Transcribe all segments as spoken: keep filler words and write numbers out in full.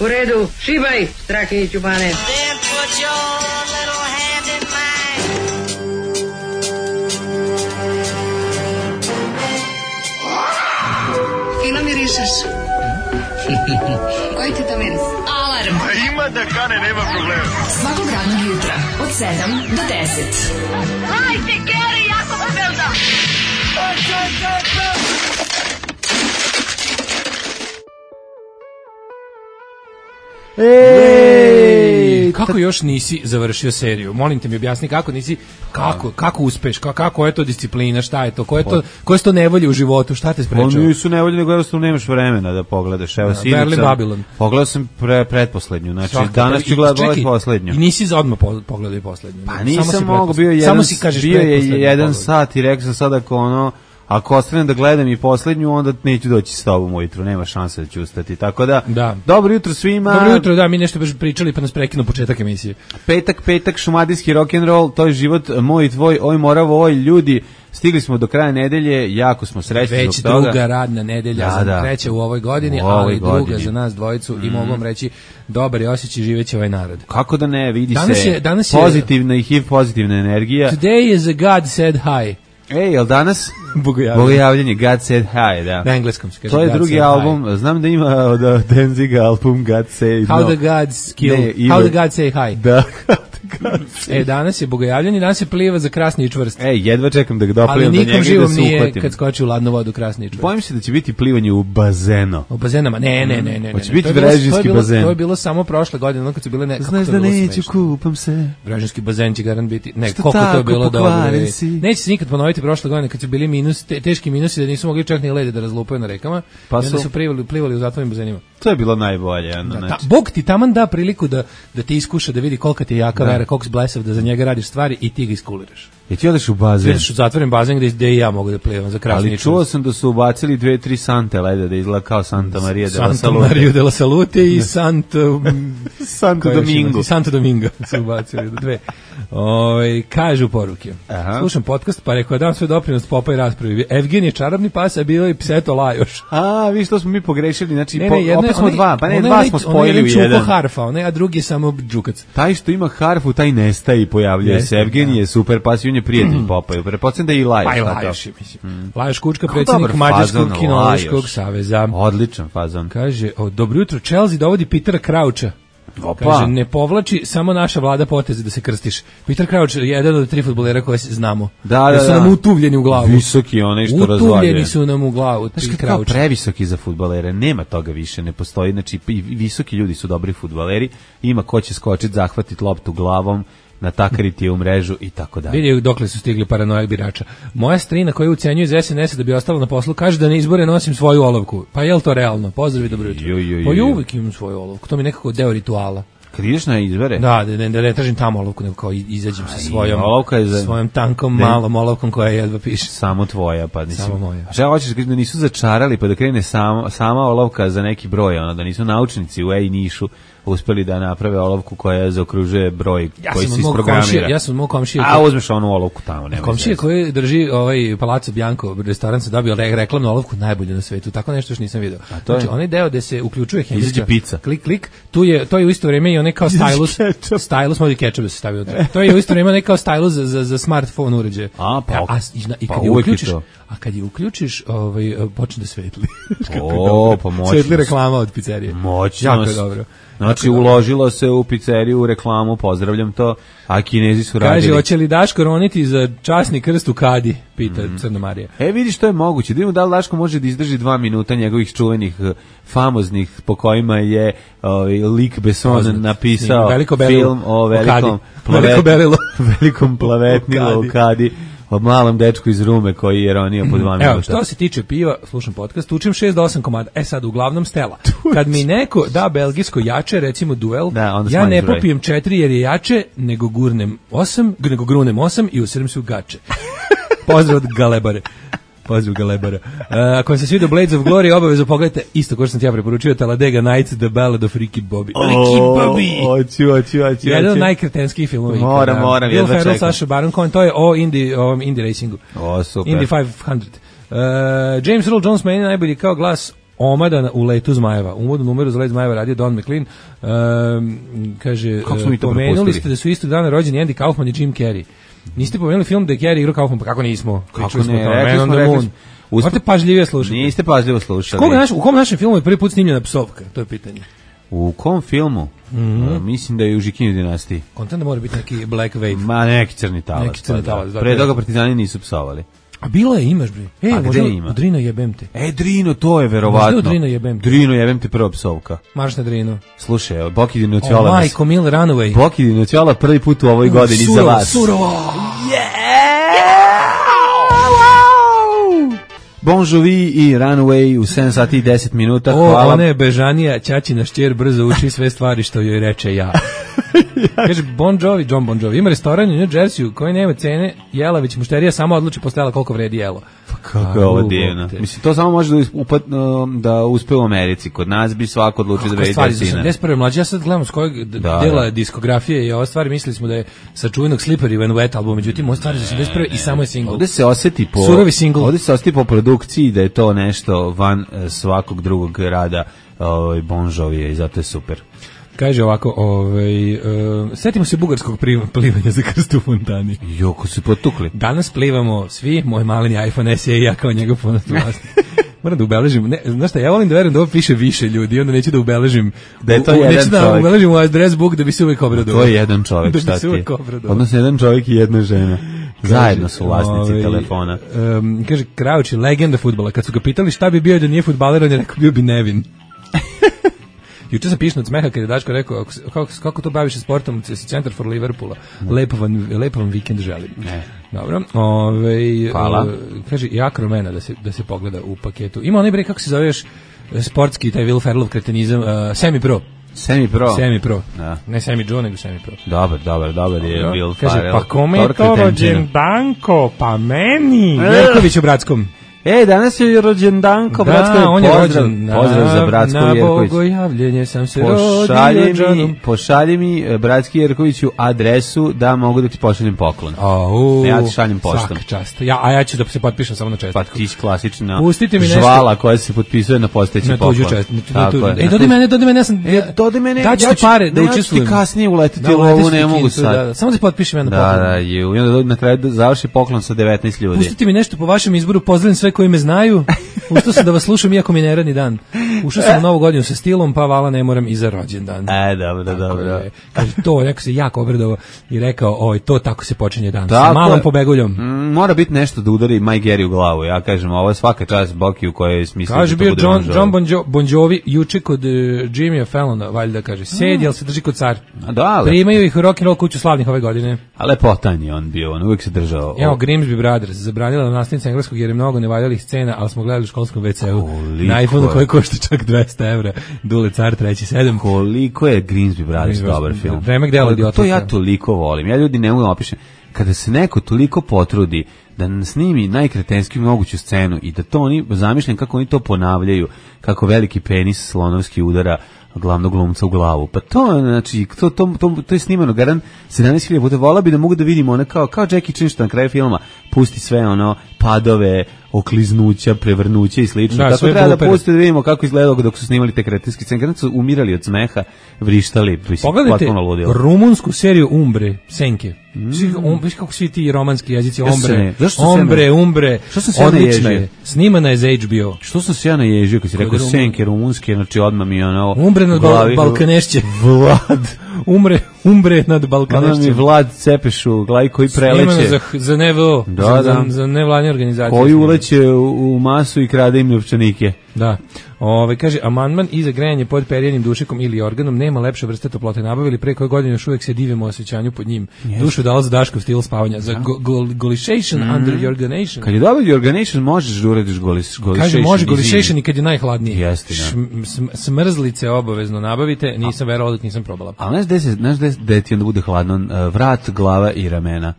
U redu, šibaj, Strahinjić u bane. Fino mirišeš. Koji ti to miris? Alarm. A ima da kane, nema problema. Svakog radnog jutra, od sedam do deset. Hajde, Geri, jako se velda. Ej, kako još nisi završio seriju? Molim te mi objasni kako nisi, kako, kako uspeš, kako, kako je to disciplina, šta je to, koje je to, koje su to nevolje u životu, šta te sprečava? Oni su nevolje, nego jednostavno nemaš vremena da pogledaš. Evo, sinoć Berlin, Babylon. Pogledao sam pre, pretposlednju, znači Svaka, danas ću gledati poslednju. I nisi za odmah po, pogledao i poslednju. Pa nisam mogao, bio jedan, samo si kažeš bio je jedan sat i rekao sam sad ako ono, ako ostanem da gledam i poslednju, onda neću doći s tobom ujutru, nema šanse da ću ustati. Tako da, da. Dobro jutro svima. Dobro jutro, da, mi nešto baš pričali pa nas prekinuo početak emisije. Petak, petak, šumadijski rock'n'roll, to je život moj i tvoj, oj moravo, oj ljudi. Stigli smo do kraja nedelje, jako smo srećni Već zbog toga. Već druga radna nedelja, da, za da. treća u ovoj godini, u ovoj ali godini. Druga za nas dvojicu mm. i mogu vam reći, dobar je osjećaj, živeće ovaj narod. Kako da ne, vidi danas se je, danas pozitivna je, i H I V pozitivna energija. Today is a God said hi. Ej, jel danas? Bogojavljanje. Bogojavljanje, God Said Hi, da. Na engleskom se kaže. To je drugi album, hi. Znam da ima od Danziga album God Said How no. the Gods Kill, ne, How the God Say Hi. Da, God e, danas je Bogojavljanje, danas je pliva za Krasni i čvrst. Ej, jedva čekam da ga doplivam do njega i da se uhvatim. Ali nikom živom nije kad skoči u ladnu vodu Krasni i čvrst. Bojim se da će biti plivanje u bazenu. U bazenama, ne, ne, ne. ne, Hoće ne. biti brežinski bazen. To je bilo samo prošle godine, ono kad su bile ne... Znaš da neću, kupam se. Brežinski bazen će garant biti, ne, koliko to je bilo dobro. Neće se nikad ponoviti prošle godine kad su bili minus, te, teški minusi da nisu mogli čak ni lede da razlupaju na rekama, pa su, su plivali, plivali u zatvorenim bazenima. To je bilo najbolje. Ano, da, ta, Bog ti taman da priliku da, da ti iskuša, da vidi kolika ti je jaka da. vera, koliko si blesav, da za njega radiš stvari i ti ga iskuliraš. I ti odeš u bazen. Ti u zatvoren bazen gde, gde i ja mogu da plivam za Krasni. Ali čuo sam da su ubacili dve, tri sante lede, da izgleda kao Santa Maria de la Salute. Santa Maria de la Salute i Santo... Santo Domingo. Santo Domingo su ubacili dve. Ove, kažu poruke. Aha. Slušam podcast, pa rekao dam svoj doprinos Popaj raspravi. Evgen je čarobni pas, a bilo je Pseto Lajoš. A, vi što smo mi pogrešili, znači ne, ne, jedno, opet smo onaj, dva, pa ne, dva smo spojili u jedan. Čuko harfa, onaj, a drugi je samo džukac. Taj što ima harfu, taj nestaje i pojavljuje se. Evgen je super pas i on je prijatelj Popaju. Pretpostavljam da i Lajoš. Pa i Lajoš, mislim. Mm. Lajoš Kučka, predsjednik Mađarskog kinološkog saveza. Odličan fazon. Kaže, o, dobro jutro, Chelsea dovodi Petera Croucha. Opa. Kaže, ne povlači, samo naša vlada poteze da se krstiš. Peter Crouch je jedan od tri fudbalera koje znamo. Da, da, da. Su nam utuvljeni u glavu. Visoki, onaj što razvaljuje. Utuvljeni su nam u glavu. Znaš, kad kao previsoki za fudbalere, nema toga više, ne postoji. Znači, visoki ljudi su dobri fudbaleri, ima ko će skočiti, zahvatiti loptu glavom, natakariti je u mrežu i tako dalje. Vidi dokle su stigli paranojak birača. Moja strina koja ucenjuje iz S N S-a da bi ostala na poslu kaže da na izbore nosim svoju olovku. Pa je li to realno? Pozdrav i dobro jutro. Pa ja uvijek imam svoju olovku. To mi je nekako deo rituala. Kad ideš na izbore? Da, da ne, da ne tražim tamo olovku, nego kao izađem sa svojom, za... svojom tankom, ne. malom olovkom koja jedva piše. Samo tvoja, pa nisi... Samo moja. Šta hoćeš da nisu začarali, pa da krene sama, sama olovka za neki broj, ono, da nisu naučnici u Ej Nišu uspeli da naprave olovku koja zaokružuje broj ja koji se isprogramira. Komšija, ja sam mog komšija. A uzmeš onu olovku tamo, nema. Komšija koji drži ovaj Palazzo Bianco, restoran se dobio re, reklamnu olovku najbolje na svetu. Tako nešto još nisam video. Znači, onaj deo gde se uključuje hemijska pizza. Klik klik, tu je to je u isto vrijeme i onaj kao stylus, stylus modi ketchup se stavio unutra. To je u isto vrijeme onaj kao stylus za za, za smartphone uređaj. A pa, a, i, i kad pa je uključiš, a kad je uključiš, ovaj počne da svetli. O, pa moćno. Svetli reklama od pizzerije. Moćno. Jako dobro. Znači, uložilo se u pizzeriju, u reklamu, pozdravljam to, a Kinezi su radili. Kaže, hoće li Daško roniti za časni krst u Kadi, pita mm. Crna Marija. E, vidiš, to je moguće. Da vidimo da li Daško može da izdrži dva minuta njegovih čuvenih, famoznih, po kojima je ovaj, Luc Besson Poznat. napisao film o velikom, plavet, velikom plavetnilu u Kadi. O malom dečku iz Rume koji je ronio po dva minuta. Evo, što se tiče piva, slušam podcast, učim šest do osam komada. E sad, uglavnom Stela. Kad mi neko da belgijsko jače, recimo duel, da, ja ne popijem četiri jer je jače, nego gurnem osam, nego grunem osam i usrem se u gače. Pozdrav od Galebare. Pozdrav Galebara. Uh, ako vam se svidio Blades of Glory, obavezno pogledajte isto ko što sam ti ja preporučio, Talladega Nights, The Ballad of Ricky Bobby. Oh, Ricky Bobby! Oću, oću, oću. Jedan od najkretenskih filmova. Moram, moram, jedva čekam. Will Ferrell, Sacha Baron Cohen, to je o Indie, o Indie Racingu. O, super. Indy petsto. Uh, James Earl Jones meni najbolji kao glas omada u letu zmajeva. Uvodnu numeru za let zmajeva radio Don McLean. Um, kaže, pomenuli ste da su istog dana rođeni Andy Kaufman i Jim Carrey. Niste pomenuli film da je Carrey igrao Kaufman, pa kako nismo? Kako ne, rekli smo, rekli smo. Morate pažljivije slušati. Niste pažljivo slušali. Koga naš, u kom našem filmu je prvi put snimljena psovka? To je pitanje. U kom filmu? Mm-hmm. Uh, mislim da je u Žikinju dinastiji. Kontent da mora biti neki Black Wave. Ma neki crni talac. Neki crni talac. Da. Pre toga partizani nisu psovali. A bilo je, imaš bre. E, a gde ima? Drino jebem te. E, Drino, to je verovatno. Možda Drino jebem te. Drino jebem te prva psovka. Marš na Drino. Slušaj, Boki Dinoćola. O, majko, Mil Runaway. Boki Dinoćola prvi put u ovoj godini surovo, za vas. Surovo, Bon Jovi i Runaway u sedam sati i deset minuta. O, hvala. ona je bežanija, ćaćina šćer brzo uči sve stvari što joj reče ja. Kaže Bon Jovi, John Bon Jovi, ima restoran u New Jerseyu koji nema cene, jela već mušterija samo odluči posle jela koliko vredi jelo. Pa kako je ovo divno. Mislim, to samo može da, upat, da uspe u Americi. Kod nas bi svako odlučio da vredi cene. sedamdeset prve mlađe, ja sad gledam s kojeg da, dela da. diskografije i ova stvari, mislili smo da je sa čuvenog Slippery When Wet album, međutim, ova stvar je za sedamdeset prve i samo je single. Ovde se osjeti po, surovi single. Ovde se osjeti po produkciji da je to nešto van svakog drugog rada ovaj, Bon Jovija i zato je super. Kaže ovako, ovaj, uh, setimo se bugarskog plivanja za krst u fontani. Joko su potukli. Danas plivamo svi, moj maleni iPhone S E i ja kao njegov ponosni vlasnik. Moram da ubeležim, ne, znaš šta, ja volim da verujem da ovo piše više ljudi, onda neću da ubeležim, da je to u, jedan neću da čovjek. ubeležim u address book da bi se uvek obradovao. To je jedan čovjek, da šta ti je? Odnosno jedan čovjek i jedna žena. Zajedno su vlasnici ovaj, telefona. Um, kaže, Krauč je legenda fudbala. Kad su ga pitali šta bi bio da nije fudbaler, on je rekao bio bi Nevin. Juče sam pišno od smeha kad je Daško rekao kako, kako to baviš sportom, si centar for Liverpoola. Lepo vam, lepo vam vikend želim. Ne. Dobro. Ove, hvala. Uh, kaže, i Akromena da se, da se pogleda u paketu. Ima onaj bre, kako se zove još sportski, taj Will Ferrellov kretenizam, uh, Semi Pro. Semi Pro. Semi Pro. Da. Ne Semi Joe, nego Semi Pro. Dobar, dobar, dobar je Will Ferrell. Kaže, pa kome je to rođendanko? Pa meni. Jerković u Bratskom. Ej, danas je rođendanko, da, Bratsko je on je pozdrav, rođen, pozdrav na, za Bratsko na Jerković. Na bogojavljenje sam se pošalji rodio mi, pošalji mi Bratski Jerkoviću adresu da mogu da ti pošaljem poklon. Au, ja ti šaljem poštom. Svaka čast. Ja, a ja ću da se potpišem samo na čestitku. Pa ti klasična žvala koja se potpisuje na postojeći poklon. Na tuđu čestitku. E, dodi mene, dodi mene, ja sam... E, dodi mene, daću ti pare da učestvujem. Ja ću ti kasnije uletiti u ovu, ne mogu sad. Samo se potpišem ja na poklon. Da, da, i onda na kraju završi poklon sa devetnaest ljudi. Pustite mi nešto po vašem izboru, pozdravim sve koji me znaju. Ustao sam da vas slušam iako mi ne radni dan. Ušao sam u novu godinu sa stilom, pa vala ne moram i za rođendan. E, dobro, dobro. Kaže, to, neko se jako obradovao i rekao, oj, to tako se počinje dan. Sa malom pobeguljom. Mm, mora biti nešto da udari Mike Gary u glavu. Ja kažem, ovo je svaka čast Boki u kojoj smisli. Kaže, bio John, John bon, jo, bon Jovi juče kod uh, Jimmya Fallona, valjda kaže, sedi, jel se drži kod car. Da, ali... Primaju ih u rock'n'roll kuću slavnih ove godine. A lepotan je on bio, on uvijek se držao. Evo, Grimsby Brothers, zabranila nastavnica engleskog jer je mnogo nevaljalih scena, ali smo gledali u školskom ve ce u. Na iPhone-u koji košta čak dvesta evra. Dule car treći sedam. Koliko je Grimsby Brothers dobar film. Vreme gde ledi to ja toliko volim. Ja ljudi ne mogu da opišem. Kada se neko toliko potrudi da snimi najkretenski moguću scenu i da to oni, zamišljam kako oni to ponavljaju, kako veliki penis slonovski udara glavnog glumca u glavu. Pa to, znači, to, to, to, to je snimano garan sedamnaest hiljada puta. Vola bi da mogu da vidimo ona kao, kao Jackie Chan što na kraju filma pusti sve ono padove, okliznuća, prevrnuća i slično. Da, tako treba da pustite da vidimo kako izgledalo dok su snimali te kretenske scene. Kada su umirali od smeha, vrištali. Pogledajte rumunsku seriju Umbre, Senke. Mm. Um, viš kako svi ti romanski jezici, Ombre, Ombre, Umbre, odlična je. Snimana je za H B O. Što sam se ja naježio kad si rekao Senke, rumunske, znači odmah mi ono... Umbre nad bal Balkanešće. Vlad. Umre, umbre nad Balkanešćem. Ono mi Vlad Cepeš u glavi koji preleće. Snimano za, za N V O, da, za, da. za, za nevladne organizacije. Koji uleće u, u masu i krade im novčanike. Da. Ove, kaže, amandman i za grejanje pod perijenim dušikom ili organom nema lepše vrste toplote. Nabavili pre koje godine još uvijek se divimo osjećanju pod njim. Yes. Dušu dala za Daškov stil spavanja. Za go, go, golishation mm. under jorganation. Kad je dobio jorganation, možeš da uradiš golis, golishation. Kaže, može golishation i kad je najhladnije. Jeste, da. Šm, sm, smrzlice obavezno nabavite. Nisam verovao dok nisam probala. A znaš gde, se, znaš gde, gde ti onda bude hladno? Vrat, glava i ramena.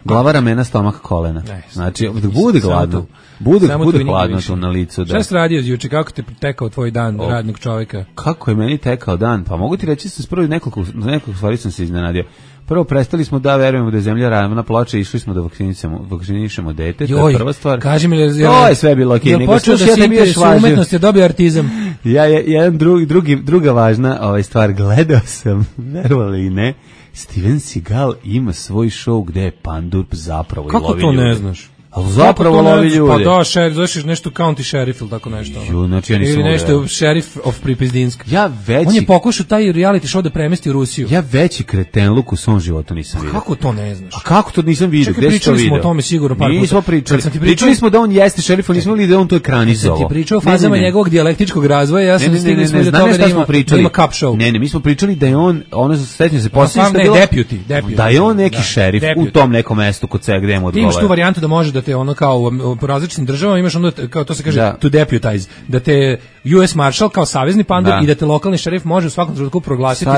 Glava, ramena, stomak, kolena. Ne, znači, dok bude gladno. Bude, bude hladno tu na licu. Da. Šta si radio juče, kako te tekao tvoj dan o, radnog čovjeka? Kako je meni tekao dan? Pa mogu ti reći, sam prvo nekoliko, nekoliko stvari sam se iznenadio. Prvo, prestali smo da verujemo da je zemlja ravna ploča, išli smo da vakcinišemo, vakcinišemo dete, to je prva stvar. Kaži mi, jel, to je sve bilo okej. Jel počeo da se interesuje umetnost, je dobio artizam? Ja, jedan drugi, drugi, druga važna ovaj stvar, gledao sam, verovali i ne, Steven Seagal ima svoj show gde je pandur zapravo kako i lovi ljude. Kako to ne znaš? Ali zapravo lovi ljude. Pa da, šerif, znaš nešto county sheriff ili tako nešto. Ju, znači ja nisam ili nešto sheriff of Pripizdinsk. Ja veći... On je pokušao taj reality show da premesti u Rusiju. Ja veći kretenluk u svom životu nisam vidio. Kako to ne znaš? A kako to nisam vidio? Čekaj, gde si to vidio? pričali smo o tome sigurno par puta. Nismo pričali. Pričali, pričali smo da on jeste šerif, ali nismo vidjeli da on to ekranizovao. Ti pričao o fazama njegovog dijalektičkog razvoja, ja sam ne, stigli smo do toga da ima, da ima cup show. Ne, ne, mi smo pričali da je on, ono se sećam se posle što je bilo... Deputy, deputy. Da je on neki šerif u tom nekom mestu kod sebe gde mu odgovara. Imaš tu varijantu da može da te ono kao po različitim državama imaš ono, kao to se kaže, da. to deputize, da te U S Marshal kao savezni pandur da. I da te lokalni šerif može u svakom trenutku proglasiti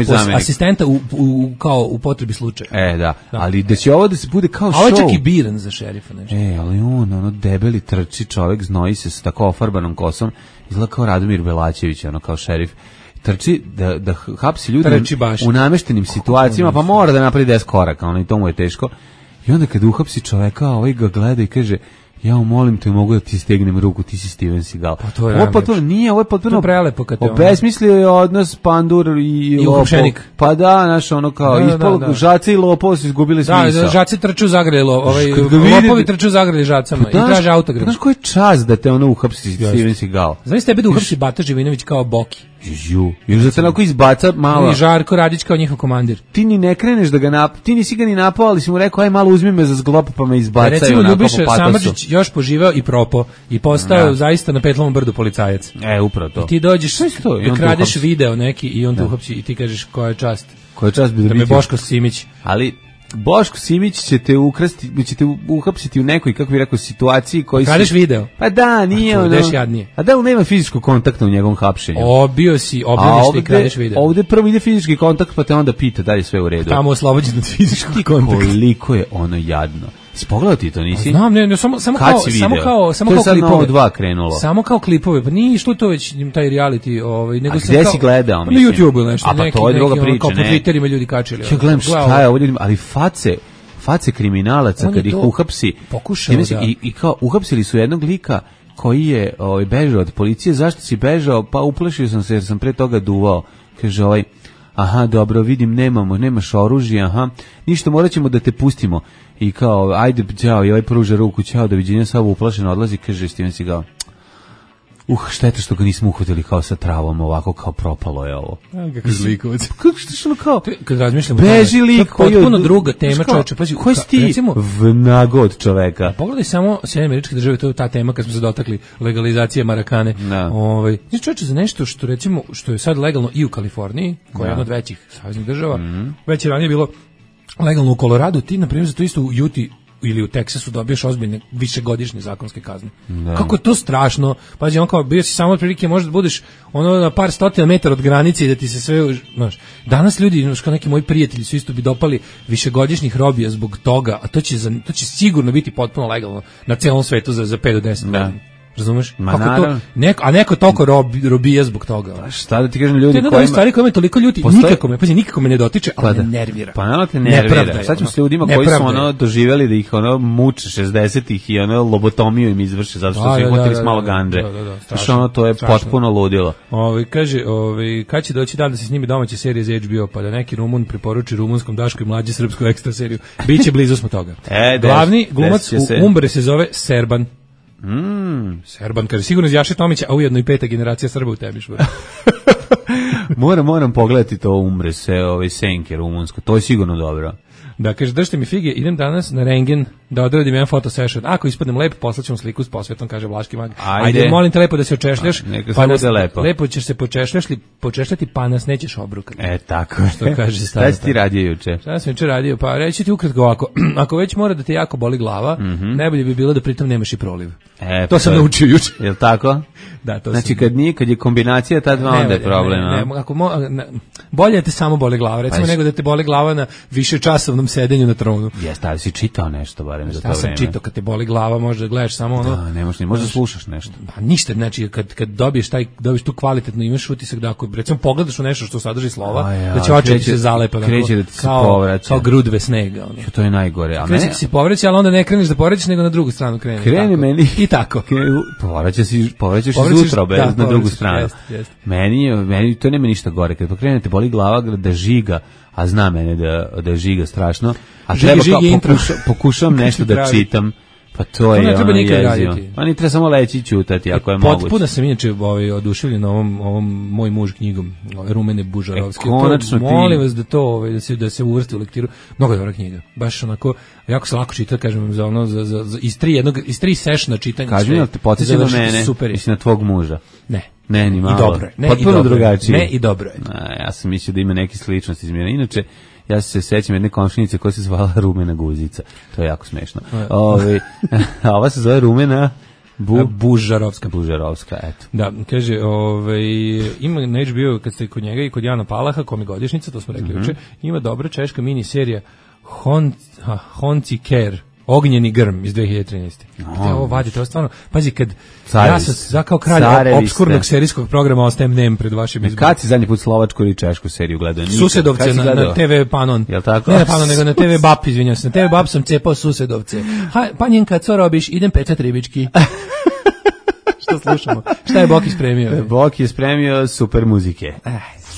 za asistenta u, u, kao u potrebi slučaja. E, da. da, ali da će ovo da se bude kao show. A ovo je čak i biran za šerifa, nešto. E, ali on, ono, debeli trči čovek, znoji se s tako ofarbanom kosom, izgleda kao Radomir Belačević, ono, kao šerif. Trči da, da hapsi ljude u nameštenim situacijama, pa mora da napravi deset koraka, ono, i to mu je teško. I onda kad uhapsi čoveka, ovaj ga gleda i kaže, ja molim te, mogu da ti stegnem ruku, ti si Steven Seagal. Pa to je ovo potpuno, nije, ovo je potpuno prelepo kad te obesmislio je odnos pandur i, I uhapšenik. Pa da, znaš, ono kao, da, ispol, da, da. Žace i lopov su izgubili smisao. Da, žaci trču u zagrali, ovaj, lopovi trču u zagrali žacama pa, i traže autogram. Znaš koji je čas da te ono uhapsi Steven Seagal? Znaš tebe da uhapsi Bata Živinović kao Boki? Ju, još da te onako izbaca malo. I Žarko Radić kao njihov komandir. Ti ni ne kreneš da ga nap... Ti nisi ga ni napao, ali si mu rekao, aj malo uzmi me za zglop pa me izbacaju. Recimo, Ljubiša Samardžić još poživao i propo i postao da. Zaista na Petlovom brdu policajac. E, upravo to. I ti dođeš, to, da kradeš video neki i on da. Te uhapsi i ti kažeš koja je čast. Koja je čast bi da me Boško Simić. Ali Boško Simić će te ukrasti, će te uhapsiti u nekoj, kako bih rekao, situaciji koji si... Kradeš video? Pa da, nije ono... Deš jadnije. A da li nema fizičkog kontakta u njegovom hapšenju? Obio si, obljeniš i kradeš video. Ovde prvo ide fizički kontakt, pa te onda pita da li je sve u redu. Tamo oslobođen od fizičkog kontakta. Koliko je ono jadno. Spogledao ti to, nisi? Znam, ne, ne, samo, samo kao, samo kao, samo kao klipove. To je sad dva krenulo. Samo kao klipove, pa nije išlo to već taj reality, ovaj, nego se kao... A gde si gledao, mislim? Na YouTube ili nešto. A pa neki, to je druga priča, kao ne? Kao po Twitterima ljudi kačili. Ja gledam šta je ovo ljudima, ali face, face kriminalaca kad ih uhapsi. Pokušao, da. I, I kao uhapsili su jednog lika koji je ovaj, bežao od policije. Zašto si bežao? Pa uplašio sam se jer sam pre toga duvao. Kaže ovaj, aha, dobro, vidim, nemamo, nemaš oružje, aha, ništa, morat ćemo da te pustimo. I kao, ajde, ćao, i ovaj pruža ruku, ćao, doviđenja, samo uplašeno odlazi, kaže Steven Seagal. Uh, šteta što ga nismo uhvatili kao sa travom, ovako kao propalo je ovo. A, kako zlikovac. Kako što ono kao? Kad razmišljamo, beži lik koji je potpuno druga tema, čoveče, pazi, koji si ti vnago od čoveka? Pogledaj samo Sjedinjene Američke Države, to je ta tema kad smo se dotakli legalizacije marakane. Ovaj, znači čoveče, za nešto što recimo što je sad legalno i u Kaliforniji, koja je jedna od većih saveznih država, mm-hmm. već je ranije bilo legalno u Koloradu, ti na primjer za to isto u Utah ili u Teksasu dobiješ ozbiljne višegodišnje zakonske kazne. Da. Kako je to strašno. Pazi, on kao bio si samo otprilike možda budeš ono na par stotina metara od granice i da ti se sve, znaš. Danas ljudi, znaš, kao neki moji prijatelji su isto bi dopali višegodišnjih robija zbog toga, a to će za, to će sigurno biti potpuno legalno na celom svetu za za pet do deset godina. Razumeš? Kako to? Neko, a neko toliko rob, robija zbog toga. Pa šta da ti kažem ljudi kojima... To je jedna stvari koja me toliko ljuti, postoji... nikako me, pazi, nikako me ne dotiče, ali pa me nervira. Pa naravno te nervira. Sad ćemo s ljudima koji su ono doživjeli da ih ono muče šezdesetih i ono lobotomiju im izvrše zato što su ih hvatili s malo gandre. Znači ono to je potpuno ludilo. Ovi, kaže, ovi, kad će doći dan da se snimi domaća serija za H B O, pa da neki Rumun preporuči rumunskom Daško i mlađi srpsku ekstra seriju. Biće blizu smo toga. Glavni glumac u Umbre se zove Serban. Mm. Serban, kaže, sigurno iz Jaše Tomića, a ujedno i peta generacija Srba u tebi. moram, moram pogledati to Umbre se, ovaj senke rumunsko, to je sigurno dobro. Da, kaže, držite mi fige, idem danas na rengen da odradim jedan foto session. Ako ispadnem lep, poslaćemo sliku s posvetom, kaže Vlaški mag. Ajde, Ajde molim te lepo da se očešljaš. A, pa nas, lepo. lepo ćeš se počešljati, počešljati, pa nas nećeš obrukati. E, tako. Što kaže Šta si ti radio juče? Šta sam juče radio? Pa reći ti ukratko ovako. Ako već mora da te jako boli glava, mm-hmm. najbolje bi bilo da pritom nemaš i proliv. E, to sam je, naučio juče. Jel tako? Da, to znači sam... kad nije, kad je kombinacija ta dva, onda je problem. Ne, ne, ne, ako mo, ne, bolje da te samo boli glava, recimo pa nego da te boli glava na višečasovnom svom sedenju na tronu. Jeste, ali si čitao nešto barem za to vreme. Ja sam čitao, kad te boli glava, možda gledaš samo ono. Da, ne možeš, ne možeš slušaš nešto. Pa ništa, znači kad kad dobiješ taj dobiješ tu kvalitetnu, imaš utisak da ako recimo pogledaš u nešto što sadrži slova, ja, da će oči se zalepe na kreće da ti se kao, povraća. Kao grudve snega, ono. To je najgore, a kreće ne. Se povraća, ali onda ne kreneš da povraćaš, nego na drugu stranu krene. Kreni meni i tako. Povraćaš se, povraćaš se sutra bez na drugu stranu. Jest, jest. Meni meni to nema ništa gore, kad pokrenete boli glava da žiga, a zna mene da da žiga strašno, a žigi, treba kao pokušam, pokušam nešto da čitam. Pa to je, to ne treba nikad raditi. Pa ni treba samo leći i ćutati, ako je moguće. Potpuno sam inače ovaj, oduševljen ovom, ovom moj muž knjigom, Rumene Bužarovske. E, konačno to, molim vas da to, ovaj, da se, da se uvrsti u lektiru. Mnogo dobra knjiga. Baš onako, jako se lako čita, kažem, za ono, za, za, za, iz tri, jednog, iz tri sešna čitanja. Kaži mi, ali te podsjeća na mene, mislim na tvog muža. Ne. Ne, ni malo. I dobro je. Ne, potpuno i dobro drugačije. Ne, i dobro je. A, ja sam mislio da ima neke sličnosti izmjena. Inače, ja se sećam jedne komšinice koja se zvala Rumena Guzica. To je jako smešno. Ove, a ova se zove Rumena Bu... Bužarovska. Bužarovska, eto. Da, kaže, ovaj, ima na H B O, kad ste kod njega i kod Jana Palaha, kom je godišnjica, to smo rekli mm-hmm. juče, ima dobra češka miniserija Hon, ha, Honci Care, Ognjeni grm iz dve hiljade trinaeste. Gde oh, ovo vadite, ovo stvarno, pazi, kad Carevi, ja sam za kao kralj opskurnog serijskog programa ostajem nem pred vašim izborom. Kad si zadnji put slovačku ili češku seriju gledao? Nikad. Susedovce na, na te ve Panon. Jel tako? Ne na Panon, nego na te ve Bap, izvinjam se. Na te ve Bap sam cepao Susedovce. Ha, panjenka, co robiš? Idem pečat ribički. Što slušamo? Šta je Boki spremio? Boki je spremio super muzike.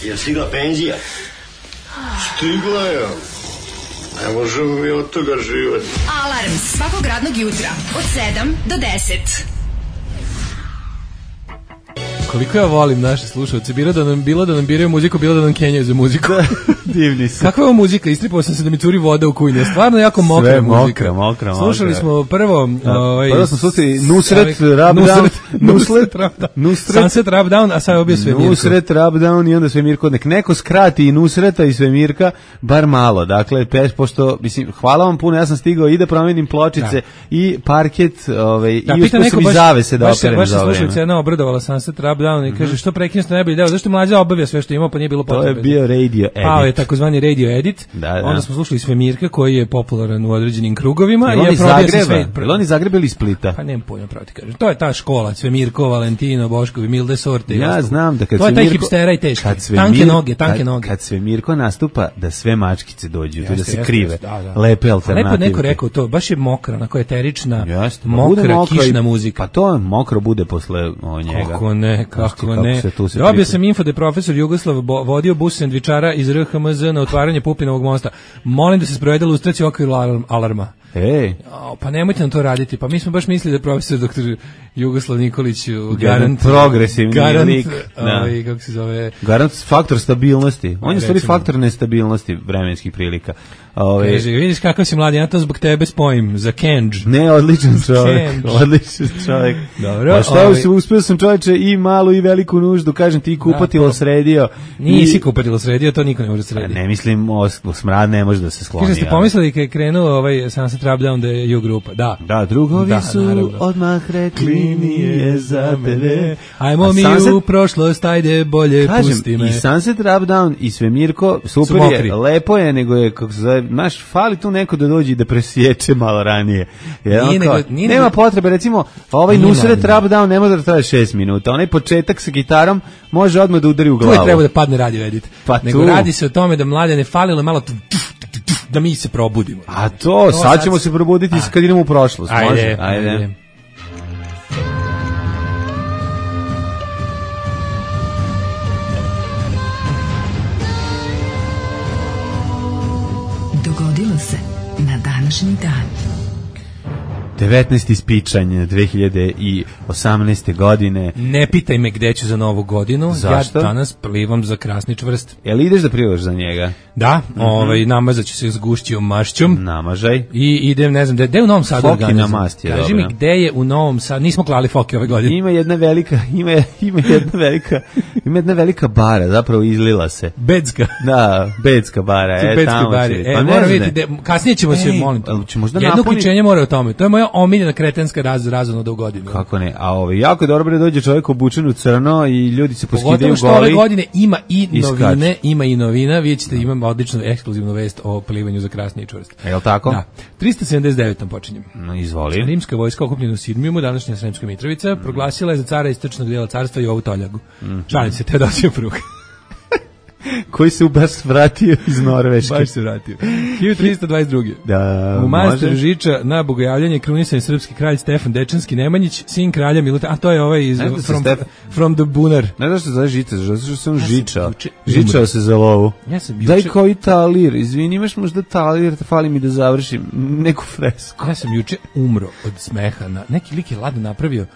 Je stigla penzija? Stigla je. Ne možemo mi od toga živati. Alarm svakog radnog jutra od sedam do deset. Koliko ja volim naše slušalce, bilo da nam bilo da nam biraju muziku, bilo da nam kenjaju za muziku. Divni su. Kakva je muzika? Istripao sam se da mi curi voda u kujne. Stvarno jako mokra sve muzika. Mokra, mokra, mokra. Slušali smo prvo, ovaj prvo smo slušali Nusret Rub Down, Nusret Nusret Sunset Rub Down, a sad je obje Svemirko. Nusret Rub Down i onda Svemirko. Nek neko skrati i Nusreta i Svemirka bar malo. Dakle, peš pošto mislim hvala vam puno, ja sam stigao i da promenim pločice da. I parket, ovaj da, i uspio sam i zavese da operem za ovo. Baš se slušalica jedna obradovala Sunset Rub Down i kaže što prekinjete najbolji deo, zašto mlađa obavlja sve što ima, pa nije bilo potrebe. To je bio radio edit. Pao je takozvani radio edit. Da, da. Onda smo slušali Svemirka koji je popularan u određenim krugovima i je probio se sve. Jel oni Zagrebeli iz Splita? Pa nemam pojma pravo ti kažem. To je ta škola Svemirko, Valentino, Boškovi, Milde Sorte. Ja znam da kad to Svemirko, je taj hipstera i teški. Svemir, tanke noge, tanke noge. Kad Svemirko nastupa da sve mačkice dođu, jeste, da se jeste, krive. Jeste, da, da. Lepe alternative. Lepo neko rekao to, baš je mokra, onako eterična, jeste, mokra, mokra kišna muzika. Pa to mokro bude posle o njega. Kako ne, kako ne. Dobio sam info da je profesor Jugoslav vodio bus sendvičara iz R H M Z na otvaranje Pupinovog mosta. Molim da se sprovede lustracija u okviru alarma. Ej. O, pa nemojte nam to raditi. Pa mi smo baš mislili da je profesor doktor Jugoslav Nikolić garant progresivni garant, lik, ovaj, kako se zove, garant faktor stabilnosti. On je stvari faktor nestabilnosti vremenskih prilika. Ove, Kaže, vidiš kakav si mladi, ja to zbog tebe spojim za Kenđ. Ne, odličan čovjek, odličan čovjek. Dobro. Pa šta ovaj, uspio sam čovječe i malu i veliku nuždu, kažem ti kupatilo da, sredio. Nisi i, kupatilo sredio, to niko ne može srediti. Ne mislim, o, o smrad ne može da se skloni. Kaže, ste pomislili kad je krenuo ovaj Sunset Rub Down da je U-grupa, da. Da, drugovi da, su naravno. Odmah rekli nije za tebe. Ajmo A mi Sunset, u prošlost, ajde bolje kažem, pusti me. I Sunset Rub Down i Svemirko, super je, lepo je, nego je, kako se zove, naš fali tu neko da dođe i da presječe malo ranije. Jer nije nego, nije nema nego, potrebe, recimo, ovaj Nusret Rub Down ne može da traje šest minuta. Onaj početak sa gitarom može odmah da udari u glavu. Tu je treba da padne radio edit. Pa nego tu. Radi se o tome da mladene falilo malo tu, da mi se probudimo. A to, to sad ćemo sad se probuditi a. Kad idemo u prošlost. Ajde, može? Ajde. ajde. Dogodilo se na današnji dan. devetnaesti spičanj dve hiljade osamnaeste. godine. Ne pitaj me gde ću za novu godinu. Zašto? Ja danas plivam za Krasni čvrst. Jel ideš da plivaš za njega? Da, mm-hmm. ovaj, namazat ću se s gušćom mašćom. Namažaj. I idem, ne znam, gde, gde u Novom Sadu organizujem. Foki na mast je Kaži dobro. mi gde je u Novom Sadu, nismo klali foke ove godine. Ima jedna velika, ima, ima jedna velika, ima jedna velika bara, zapravo izlila se. Becka. Da, Becka bara. E, Becka bare. E, pa mora vidjeti, kasnije ćemo Ej, se, molim te. Jedno uključenje mora o tome. To je moja moja omiljena kretenska raz, razonoda u godinu. Kako ne, a ovo, jako dobro da dođe čovjek obučen u crno i ljudi se poskidaju goli. Pogotovo što ove godine ima i novine, ima i novina, vidjet ćete, imam odličnu ekskluzivnu vest o plivanju za krasni i čvrst. Je li tako? Da. tristo sedamdeset devetom počinjem. No, izvoli. Rimska vojska okupljena u Sirmijumu, današnja Sremska Mitrovica, mm. proglasila je za cara istočnog dijela carstva Jovu Toljagu. Mm. Šalim se, Teodosije Prug. Koji se baš vratio iz Norveške. Baš se vratio. hiljadu tristo dvadeset druge. Da, u manastiru Žiča na bogojavljanje krunisan je srpski kralj Stefan Dečanski Nemanjić, sin kralja Miluta, a to je ovaj iz from, Stef... from the Bunar. Ne znaš što se zove Žiča, zato što sam Žiča. Žičao se za lovu. Ja sam juče... Daj koji talir, izvini, imaš možda talir, fali mi da završim neku fresku. Ja sam juče umro od smeha. Na, neki lik je ladno napravio,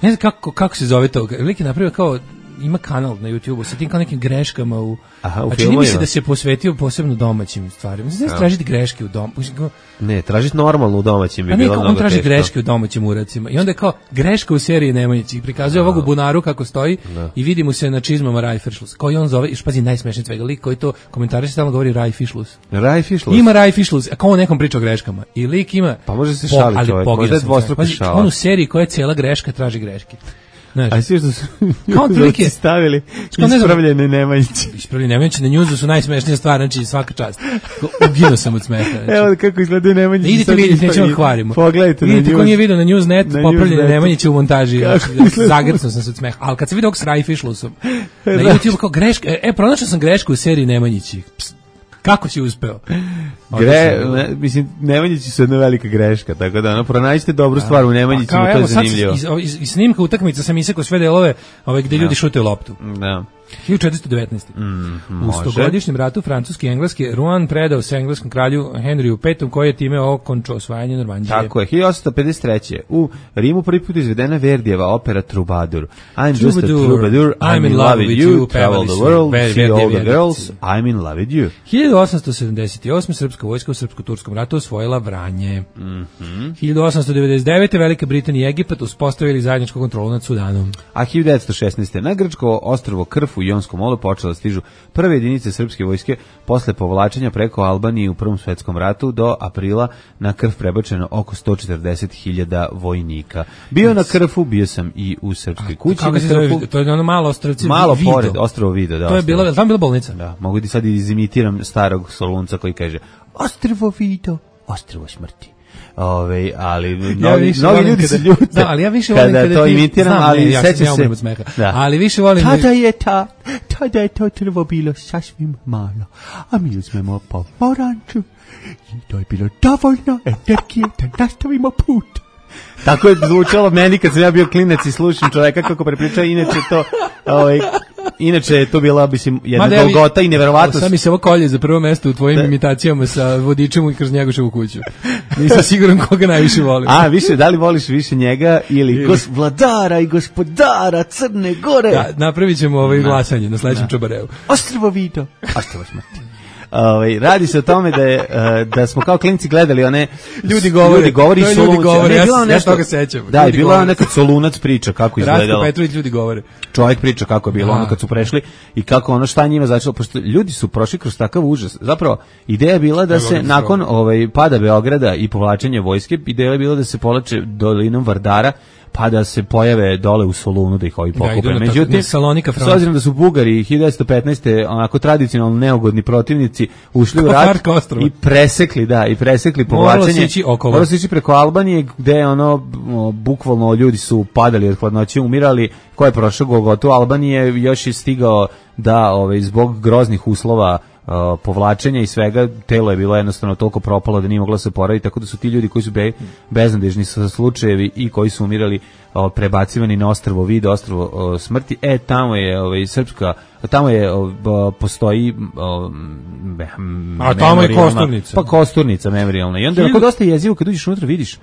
ne znam kako, kako se zove to, lik je napravio kao ima kanal na YouTubeu sa tim kao nekim greškama u, Aha, u a čini mi se da se posvetio posebno domaćim stvarima. Znači, ja. tražiti greške u dom. Ne, tražiti normalno u domaćim bi a bilo mnogo on traži teško. greške u domaćim uracima. I onda je kao greška u seriji Nemanjić i prikazuje ovog u bunaru kako stoji da. I vidi mu se na čizmama Raj Fišlus. Koji on zove, još pazi najsmešniji svega lik koji to komentariše stalno govori Raj Fišlus. Raj Fišlus. Ima Raj Fišlus, a kao on nekom priča o greškama. I lik ima pa može se šaliti čovjek, možda je dvostruki šala. On u seriji koja je cijela greška traži greške. Znaš, a svi što su ljudi stavili ispravljene Nemanjiće. Ispravljene Nemanjiće na njuzu su najsmešnije stvari, znači svaka čast. Uginuo sam od smeha. Znači. Evo kako izgledaju Nemanjiće. Idite vidjeti, nećemo hvarimo. Pogledajte vidite ko nije vidio na Newsnet, popravljene Nemanjiće u montaži. Zagrcao sam se od smeha. Ali kad sam vidio ovog s Raj Fišlusom, na YouTube kao greška, e, pronašao sam grešku u seriji Nemanjići. Kako si uspeo? Gre, ne, mislim, Nemanjići su jedna velika greška, tako da ono, pronađite dobru stvar u Nemanjićima, to je zanimljivo. Iz, iz, iz snimka utakmica sam isekao sve delove ove, gde ljudi šutaju loptu. Da. hiljadu četiristo devetnaeste. Mm, u stogodišnjem ratu francuski i engleski Rouen predao se engleskom kralju Henriju petom koji je time okončao osvajanje Normandije. Tako je, hiljadu osamsto pedeset treće. U Rimu prvi put izvedena Verdijeva opera Troubadour. I'm just a troubadour, I'm in love with you, travel the world, see all the girls, I'm in love with you. hiljadu osamsto sedamdeset osme. srpska vojska u srpsko-turskom ratu osvojila Vranje. Mm-hmm. hiljadu osamsto devedeset devete. Velika Britanija i Egipat uspostavili zajedničku kontrolu nad Sudanom. A hiljadu devetsto šesnaeste. na grčko ostrvo Krf u Jonskom molu počela stižu prve jedinice srpske vojske posle povlačenja preko Albanije u Prvom svetskom ratu do aprila na Krf prebačeno oko sto četrdeset hiljada vojnika. Bio na Krfu, bio sam i u srpskoj kući. Kako se zove? To je ono malo ostrvce malo Vido. Pored, ostrvo Vido. Da, to je bila, tam bila bolnica. Da, mogu ti sad izimitiram starog Solunca koji kaže ostrvo Vido, ostrvo smrti. Ove, ali mnogi, ja mnogi ljudi se ljute. Da, ali ja više volim kada, kada to ti, imitiram, znam, ali ne, ja seća se. Da. Ali više volim. Tada je ta, tada je to trvo bilo sasvim malo, a mi uzmemo pomoranču i to je bilo dovoljno energije da nastavimo put. Tako je zvučalo meni kad sam ja bio klinac i slušam čoveka kako prepriča, inače to, ovaj, inače je to bila, mislim, jedna golgota i neverovatnost. Sad mi se ovo kolje za prvo mesto u tvojim da. imitacijama sa Vodičem i kroz Njegoševu kuću. Nisam siguran koga najviše volim. A, više, da li voliš više njega ili gos, vladara i gospodara Crne Gore? Da, napravit ćemo ovaj glasanje na sledećem Čobareu. Ostrvo Vido, ostrvo smrti. Ovaj radi se o tome da je da smo kao klinci gledali one ljudi govore, ljudi govori su ljudi govore, ne, ja, bilo nešto, ja toga sećam. Da, je bila neka Solunac priča kako izgledalo. Rastko Petrović ljudi govore. Čovjek priča kako je bilo ono kad su prešli i kako ono šta njima začelo, pošto ljudi su prošli kroz takav užas. Zapravo ideja je bila da se nakon ovaj pada Beograda i povlačenja vojske, ideja je bila da se povlače dolinom Vardara pa da se pojave dole u Solunu da ih ovi pokupe. Da, međutim, s obzirom da su Bugari hiljadu devetsto petnaeste onako tradicionalno neugodni protivnici ušli u rat i presekli, da, i presekli povlačenje. Moralo se ići preko Albanije gde ono, bukvalno ljudi su padali od hladnoće, umirali. Ko je prošao Golgotu Albanije još je stigao da ovaj, zbog groznih uslova Uh, povlačenja i svega, telo je bilo jednostavno toliko propalo da nije moglo se oporaviti, tako da su ti ljudi koji su be, beznadežni sa slučajevi i koji su umirali uh, prebacivani na ostrvo Vido, ostrvo uh, smrti. E, tamo je ovaj, srpska, tamo je uh, postoji uh, a tamo je Kosturnica. Pa Kosturnica memorijalna. I onda je dosta jezivo kad uđeš unutra vidiš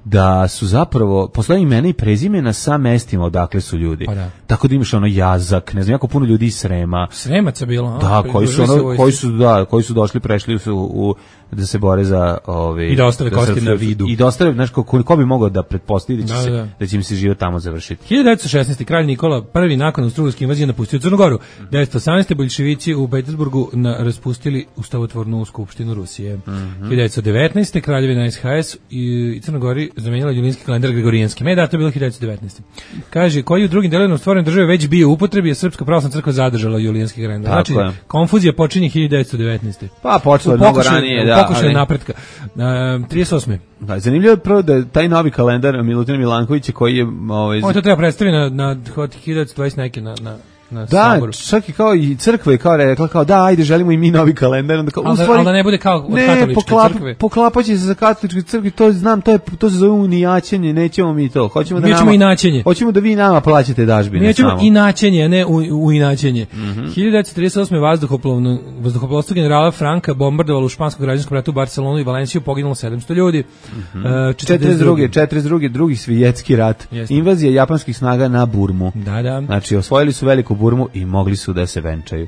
da su zapravo, postoje imena i prezimena sa mestima odakle su ljudi. Da. Tako da imaš ono Jazak, ne znam, jako puno ljudi iz Srema. Sremaca bilo, da, koji su, ono, koji su, da, koji su došli, prešli su u, da se bore za ove i da ostave da kosti na Vidu. I da ostave, znaš, ko, ko bi mogao da pretpostavi da će da, se da. da će im se život tamo završiti. hiljadu devetsto šesnaeste. kralj Nikola prvi nakon Austrougarske invazije napustio Crnu Goru. devetsto osamnaeste. boljševici u Petersburgu na, raspustili ustavotvornu skupštinu Rusije. Mm -hmm. hiljadu devetsto devetnaeste. kraljevina S H S i, i Crna Gori zamenila julijanski kalendar gregorijanski. Me da, to je bilo hiljadu devetsto devetnaeste. Kaže, koji u drugim delovima stvorene države već bio u upotrebi, je Srpska pravoslavna crkva zadržala julijanski kalendar. Znači, je. konfuzija počinje hiljadu devetsto devetnaeste. Pa, počelo je mnogo ranije, da. Pokušaj ali... napretka. Uh, trideset osme. Da, zanimljivo je prvo da taj novi kalendar Milutina Milankovića koji je... Ovaj... On to treba predstaviti na, na hiljadu devetsto dvadeset neke na... na da, saboru. Čak i kao i crkva je kao rekla kao da, ajde, želimo i mi novi kalendar. Onda kao, ali, da, ali da ne bude kao od ne, katoličke poklap, crkve. Poklapaće se za katoličke crkve, to znam, to, je, to se zove unijaćenje, nećemo mi to. Hoćemo da, mi ćemo nama, inaćenje. Hoćemo da vi nama plaćate dažbine. Mi ćemo inaćenje, ne u, u inaćenje. Mm-hmm. hiljadu devetsto trideset osme vazduhoplovno, vazduhoplovstvo generala Franka bombardovalo u španskom građanskom ratu u Barcelonu i Valenciju, poginulo sedamsto ljudi. Mm-hmm. uh, četrdeset druge. četrdeset druge. drugi svjetski rat. Jasne. Invazija japanskih snaga na Burmu. Da, da. Znači, osvojili su veliku Burmu i mogli su da se venčaju.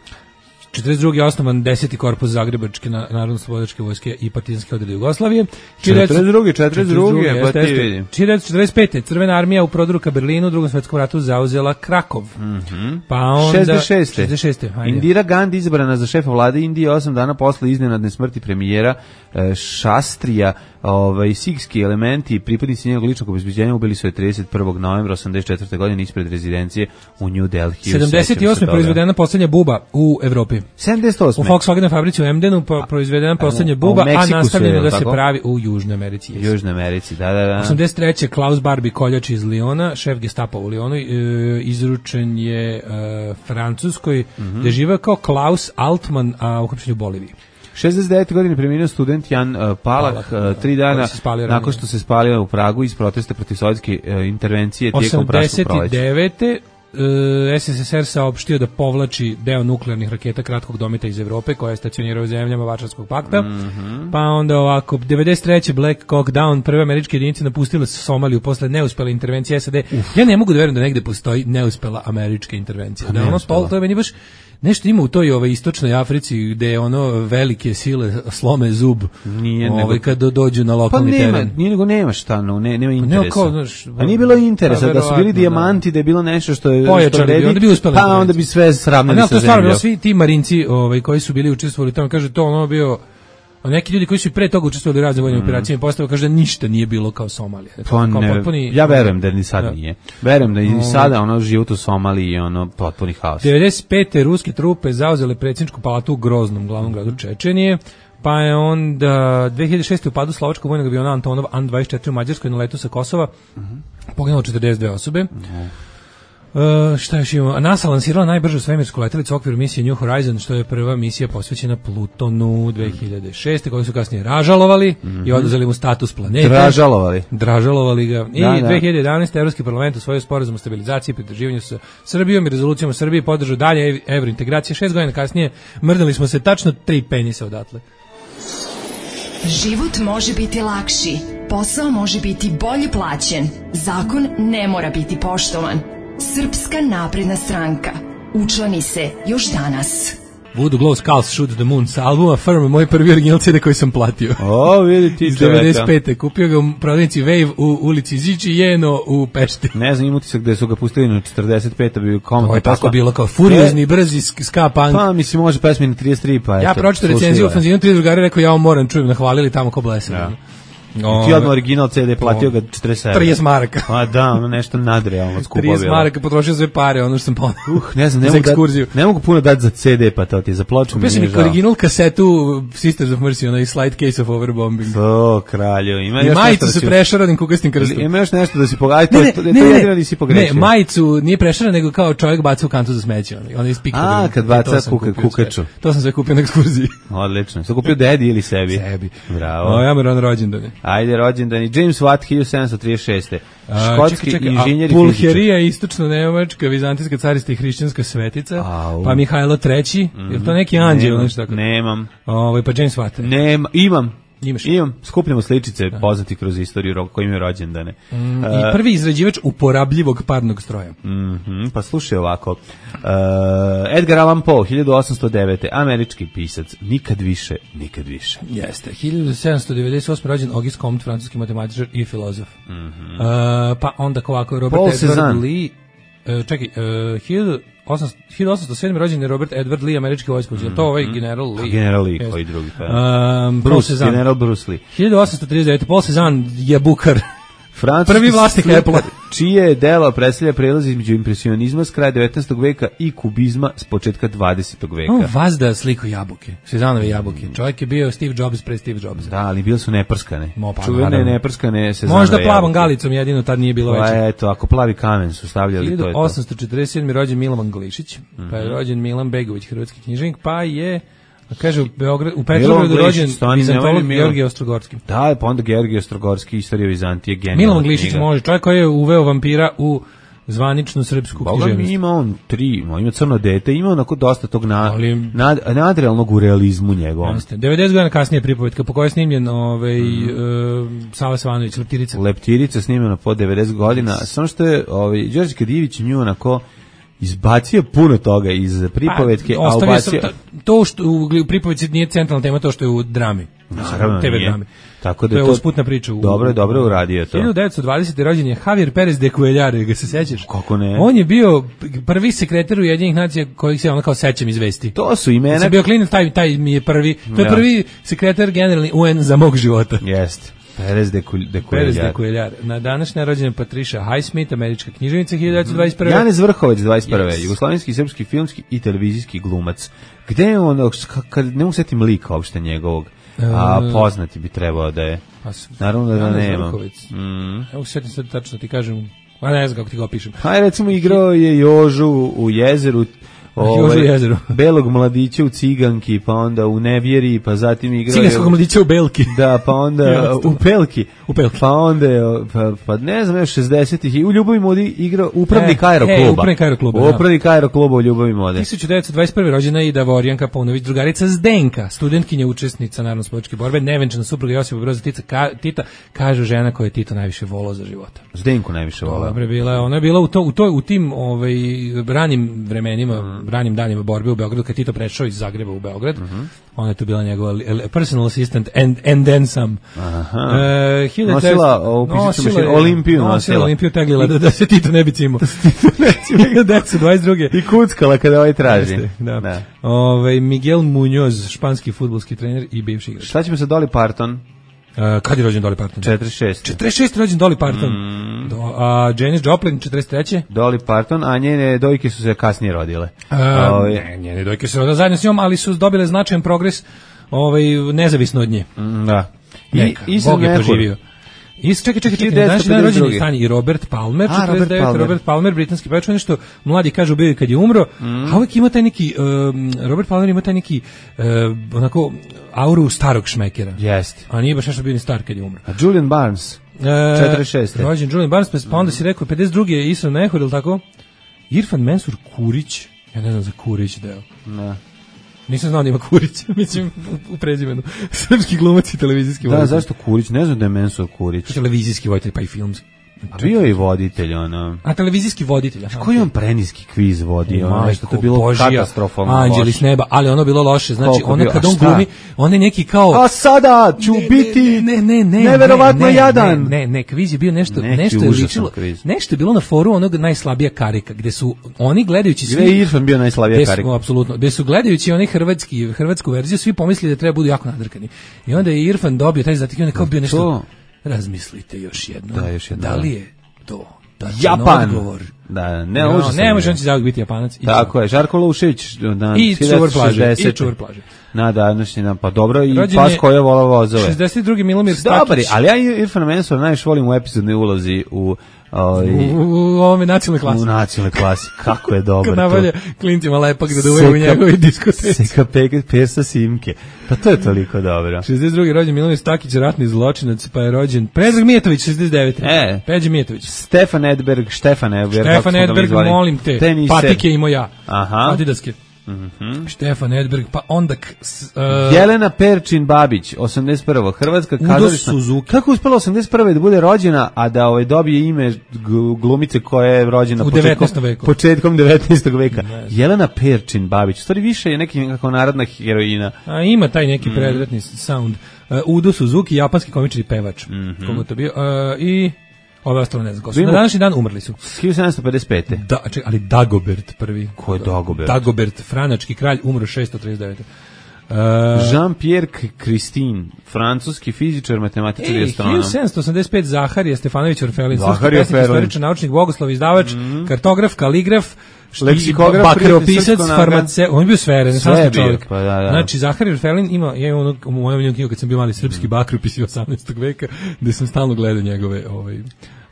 četrdeset druge. je osnovan deseti korpus Zagrebačke narodno-slobodačke vojske i partizanske odrede Jugoslavije. četrdeset druge. četrdeset druge. pa ti vidim. hiljadu devetsto četrdeset pete. Crvena armija u prodoru ka Berlinu u Drugom svetskom ratu zauzela Krakov. Mm-hmm. Pa onda... šezdeset šeste. šezdeset šeste. Indira Gandhi izabrana za šefa vlade Indije osam dana posle iznenadne smrti premijera e, Šastrija. Ovaj sikski elementi i pripadnici njegovog ličnog obezbeđenja ubili su je trideset prvog novembra osamdeset četvrte. godine ispred rezidencije u New Delhi. sedamdeset osme. proizvedena poslednja buba u Evropi. sedamdeset osme. U Volkswagen fabrici u Emdenu pa proizvedena poslednja buba, a, a nastavljeno da se pravi u Južnoj Americi. U Južnoj Americi, da, da, da. osamdeset treće. Klaus Barbie, koljač iz Liona, šef Gestapa u Lionu, e, izručen je e, Francuskoj, mm-hmm. gde živeo kao Klaus Altman, a uhapšen u Boliviji. šezdeset devete. godine preminuo student Jan uh, Palach, uh, tri dana nakon što se spalio u Pragu iz protesta protiv sovjetske uh, intervencije tijekom praškog proleća. osamdeset devete. Uh, S S S R saopštio da povlači deo nuklearnih raketa kratkog dometa iz Evrope koja je stacionirao u zemljama Varšavskog pakta. Mm-hmm. Pa onda ovako, devedeset treće. Black Hawk Down, prve američke jedinice napustile Somaliju posle neuspele intervencije S A D. Uf. Ja ne mogu da verujem da negde postoji neuspela američka intervencija. Da ono to, to je meni baš nešto ima u toj ove istočnoj Africi gde je ono velike sile slome zub. Nije nego ovaj kad dođu na lokalni pa nema, teren. Nije nego nema šta, no, ne, nema interesa. Kao, znaš, a nije bilo interesa da su bili dijamanti, da je bilo nešto što je pojačali, što redi, onda bi uspeli. Pa onda bi sve sravnili sa zemljom. To stvarno svi ti marinci, ovaj koji su bili učestvovali tamo, kaže to ono bio. A neki ljudi koji su pre toga učestvovali u raznim vojnim mm. operacijama postave kaže da ništa nije bilo kao Somalija. Pa ne, potpuni, ja verujem da ni sad da. nije. Verujem da i sada ono život u Somaliji je ono potpuni haos. devedeset pete. ruske trupe zauzele predsjedničku palatu u Groznom, glavnom gradu Čečenije. Pa je onda dve hiljade šeste. u padu slovačkog vojnog aviona Antonov An dvadeset četiri u Mađarskoj na letu sa Kosova. Mm-hmm. Poginulo četrdeset dve osobe. Mm-hmm. Uh, šta još imamo? NASA lansirala najbržu svemirsku letelicu u okviru misije New Horizon, što je prva misija posvećena Plutonu dve hiljade šeste. koju su kasnije ražalovali mm-hmm. i oduzeli mu status planete. Dražalovali. Dražalovali ga. I da, da. dve hiljade jedanaeste. Evropski parlament usvojio sporazum o stabilizaciji i pridruživanju sa Srbijom i rezolucijom o Srbiji podržao dalje evrointegracije. Šest godina kasnije mrdali smo se tačno tri penisa odatle. Život može biti lakši, posao može biti bolje plaćen, zakon ne mora biti poštovan. Srpska napredna stranka. Učlani se još danas. Voodoo Glow Skulls Shoot the Moon sa albuma Firm, moj prvi original C D koji sam platio. O, vidi ti čoveka. devedeset pete. Kupio ga u prodavnici Wave u ulici Ziči Jeno u Pešti. Ne znam, im utisak gde su ga pustili na četrdeset pete bio komotno. To je tako bilo kao furiozni, brzi ska punk. Pa, mislim, može pesmi na trideset tri, pa eto. Ja pročito recenziju u fanzinu, tri drugari rekao, ja vam moram, čujem, nahvalili tamo ko blesav. Ja. O, ti odmah original C D platio ga četrdeset sedam. trideset maraka. A da, ono nešto nadrealno skupo bilo. trideset maraka, potrošio sve pare, ono što sam ponao. Uh, ne znam, ne mogu, dat, ne mogu puno dati za C D, pa to ti je za ploču. Kupio sam mi original kasetu Sisters of Mercy, onaj Slight Case of Overbombing. O, kralju. Ima I majicu se prešaranim kukastim krstom. Ima još nešto da si pogledaj, to, to, to jedino nisi pogrešio. Ne, majicu nije prešaran, nego kao čovjek baca u kantu za smeće. Ona ispikao. A, kad baca kukaču. To sam sve kupio na ekskurziji. Odlično. Sam kupio dedi ili sebi? Sebi. Bravo. O, ja me rano rođendane. Ajde, rođendani. James Watt, hiljadu sedamsto trideset šeste. Škotski čekaj, čekaj, inženjer i Pulherija, istočno-nemačka, vizantijska carista i hrišćanska svetica. Au. Pa Mihajlo treći. Mm-hmm. Je to neki anđeo? Nešto tako? Nemam. Ovo, pa James Watt. Nema, imam. Imaš. Imam, skupljamo sličice poznati kroz istoriju koji imaju rođendane. Mm, uh, I prvi izrađivač uporabljivog parnog stroja. Mm-hmm, pa slušaj ovako. Uh, Edgar Allan Poe, hiljadu osamsto devete. Američki pisac. Nikad više, nikad više. Jeste. hiljadu sedamsto devedeset osme. rođen Auguste Comte, francuski matematičar i filozof. Mm-hmm. uh, pa onda ovako Robert Paul Edward Cezanne. Lee. Uh, čekaj, uh, hiljadu osamsto sedme. rođen je Robert Edward Lee, američki vojskovođa. Mm-hmm. To ovaj general Lee. General Lee, koji drugi. Um, Bruce, general Bruce Lee. hiljadu osamsto trideset devete. Paul Cezanne je bukar. Francuski prvi vlasnik Apple-a, čije delo predstavlja prelaz između impresionizma s kraja devetnaestog veka i kubizma s početka dvadesetog veka. On vazda sliku jabuke, Sezanove jabuke. Čovjek je bio Steve Jobs pre Steve Jobsa. Da, ali bili su neprskane. Mo, pa, čuvene neprskane Sezanove možda plavom jabuke. galicom jedino tad nije bilo veće. Pa eto, ako plavi kamen su stavljali, to je to. hiljadu osamsto četrdeset sedme rođen Milovan Glišić, mm-hmm. pa je rođen Milan Begović, hrvatski književnik, pa je kaže u Beogradu, u Petrovgradu rođen vizantolog Georgije Ostrogorski. Da, pa onda Georgije Ostrogorski, Istorija Vizantije, genijalna Milovan Glišić može, čovjek koji je uveo vampira u zvaničnu srpsku književnost. Ima on tri, ima Crno dete, ima onako dosta tog na, ali, nad, nadrealnog u realizmu njegovom. devedeset godina kasnije pripovetka po kojoj je snimljen ovaj, mm. uh, Sava Savanović, Leptirica. Leptirica snimljena po devedeset godina, samo što je ovaj, Đorđe Kadijević nju onako izbacio puno toga iz pripovetke, pa, a ubacio... To, to što u pripovetci nije centralna tema, to što je u drami. Naravno, te ve nije. Drami. Tako da to je to usputna priča. U, dobro je, dobro je uradio to. hiljadu devetsto dvadesete rođen je Javier Perez de Cuellar, ga se sećaš? Kako ne? On je bio prvi sekretar Ujedinjenih nacija kojih se ono kao sećam iz vesti. To su imena. Sam bio klinac, taj, taj mi je prvi, to je prvi sekretar generalni U N za mog života. Jeste. Perez de Cuellar. Perez de Cuellar. Na današnje rođenje Patricia Highsmith, američka književnica, hiljadu devetsto dvadeset prve. Janez Vrhovec, dvadeset prve. Yes. Jugoslovenski, srpski, filmski i televizijski glumac. Gde je on, kad ne mogu setim lika uopšte njegovog, a poznati bi trebao da je. Naravno da, da nema. Mm. Evo setim sad tačno ti kažem, a ne znam kako ti ga opišem. Hajde, recimo igrao je Jožu u Jezeru, ovaj, belog mladića u Ciganki, pa onda u Nevjeri, pa zatim igrao Ciganskog mladića u Belki. Da, pa onda u Pelki. U Pelki. Pa onda, pa, pa ne znam, još šezdesetih i u Ljubavi modi igrao upravnik e, aerokluba. E, upravnik aerokluba, Upravnik aerokluba u Ljubavi mode. hiljadu devetsto dvadeset prve. rođena je i Davorjanka Paunović, drugarica Zdenka, studentkinja, učesnica narodno-slobodačke borbe, nevenčana supruga Josipa Broza Tita, ka, Tita, kaže žena koja je Tito najviše volao za života. Zdenku najviše volao. Dobre, bila, ona je bila u, to, u, to, u tim ovaj, ranim vremenima, mm. ranim danima borbe u Beogradu, kad Tito prešao iz Zagreba u Beograd. Mm-hmm. Ona je tu bila njegova personal assistant and, and then some. Aha. Uh, nosila ovu pišicu mašinu, Olimpiju nosila. Nosila Olimpiju teglila da, da se Tito ne bi cimo. hiljadu devetsto dvadeset druge. I kuckala kada ovaj traži. Da. Da. Ove, Miguel Muñoz, španski fudbalski trener i bivši igrač. Šta ćemo sa Dolly Parton? Uh, kad je rođen Dolly Parton? četrdeset šeste. četrdeset šeste rođen Dolly Parton. Mm. Do, a Janis Joplin četrdeset treće. Dolly Parton, a njene dojke su se kasnije rodile. Uh, Ove... Ne, njene dojke su rodile zajedno s njom, ali su dobile značajan progres ovaj, nezavisno od nje. Mm, da. Neka, I, Bog je poživio. I čekaj, čekaj, čekaj, znaš da je rođen je i Robert Palmer, a, četrdeset devete. Robert Palmer, Robert Palmer britanski pevač, nešto mladi kažu bio kad je umro, mm. a uvijek ima taj neki, um, Robert Palmer ima taj neki, uh, onako, auru starog šmekera. Jeste. A nije baš nešto bio ni star kad je umro. A Julian Barnes, četrdeset šeste. Rođen Julian Barnes, pa onda si rekao, pedeset druge je Isra Nehor, ili tako? Irfan Mensur Kurić, ja ne znam za Kurić deo. Ne. Nisam znao da ima Kurić, mislim, u prezimenu. Srpski glumac i televizijski voditelj. Da, zašto Kurić? Ne znam da je Mensur Kurić. Televizijski voditelj, pa i filmski. A bio je i voditelj, ono. A televizijski voditelj. Aha, koji on preniski kviz vodio, ono, nešto to je bilo Božija, katastrofalno loše. Anđeli s neba, ali ono bilo loše, znači ono kad on glumi, on je neki kao... A sada ću ne, biti ne, ne, ne, neverovatno ne, ne, jadan. Ne, ne, ne, kviz je bio nešto, neki nešto je ličilo, kviz. Nešto je bilo na foru onog najslabija karika, gde su oni gledajući svi... Gde je Irfan bio najslabija karika? Apsolutno, gde su gledajući oni hrvatski, hrvatsku verziju, svi pomislili da treba budu jako nadrkani. I onda je Irfan dobio taj zadatak i on je kao bio nešto... Razmislite još jedno. Da, još jedno. Da li je to Japan. Odgovor. Da, ne, no, ne može on će zauvijek biti Japanac. Tako je, Žarko Lušić na i čuvar plaže, i čuvar plaže. Na današnji dan, pa dobro, i rođen pas koja vola vozove. šezdeset drugi Milomir Stakić. Dobri, ali ja Irfan Mensur najviše volim u epizodnoj ulozi u Oj, u, u ovome nacionalnoj klasi. U nacionalnoj klasi, kako je dobro. Kad navalja klincima lepak da duvaju u njegovi diskoteci. Seka Persa Simke. Pa to je toliko dobro. šezdeset drugi rođen Milomir Stakić, ratni zločinac, pa je rođen Predrag Mijatović, šezdeset devete. E, Peđa Mijatović. Stefan Edberg, Štefan Edberg. Štefan Edberg, molim te. Tenise. Patike imao ja. Aha. Adidaske. Mm-hmm. Štefan Edberg, pa onda uh, Jelena Perčin Babić, osamdeset prva. Hrvatska kazališna. Kako je uspela osamdeset prve da bude rođena, a da ovaj dobije ime glumice koja je rođena u početkom devetnaestom veku. Početkom devetnaestog veka. Ne. Jelena Perčin Babić. Stvari više je neki nekako narodna heroina. A ima taj neki mm. predratni sound. Uh, Udo Suzuki, japanski komičar i pevač. Mm-hmm. Kogo to bio? Uh, I ove ostalo ne znam ko su. Na današnji dan umrli su. hiljadu sedamsto pedeset pete. Da, ček, ali Dagobert prvi. Ko je Dagobert? Dagobert, franački kralj, umro šesto trideset devete. Uh, Uh, Jean-Pierre Christin, francuski fizičar, matematičar i astronom. hiljadu sedamsto osamdeset pet Zaharije Stefanović Orfelin, srpski pesnik, istoričar, naučnik, bogoslov, izdavač, mm-hmm. kartograf, kaligraf, leksikograf, bakteropisac, farmaceut, on je bio sve, renesanski čovjek. Pa, da, da. Znači, Zaharije Orfelin ima, ja imam u mojom knjigu kad sam bio mali srpski bakteropisi osamnaestog veka, gde sam stalno gledao njegove ovaj,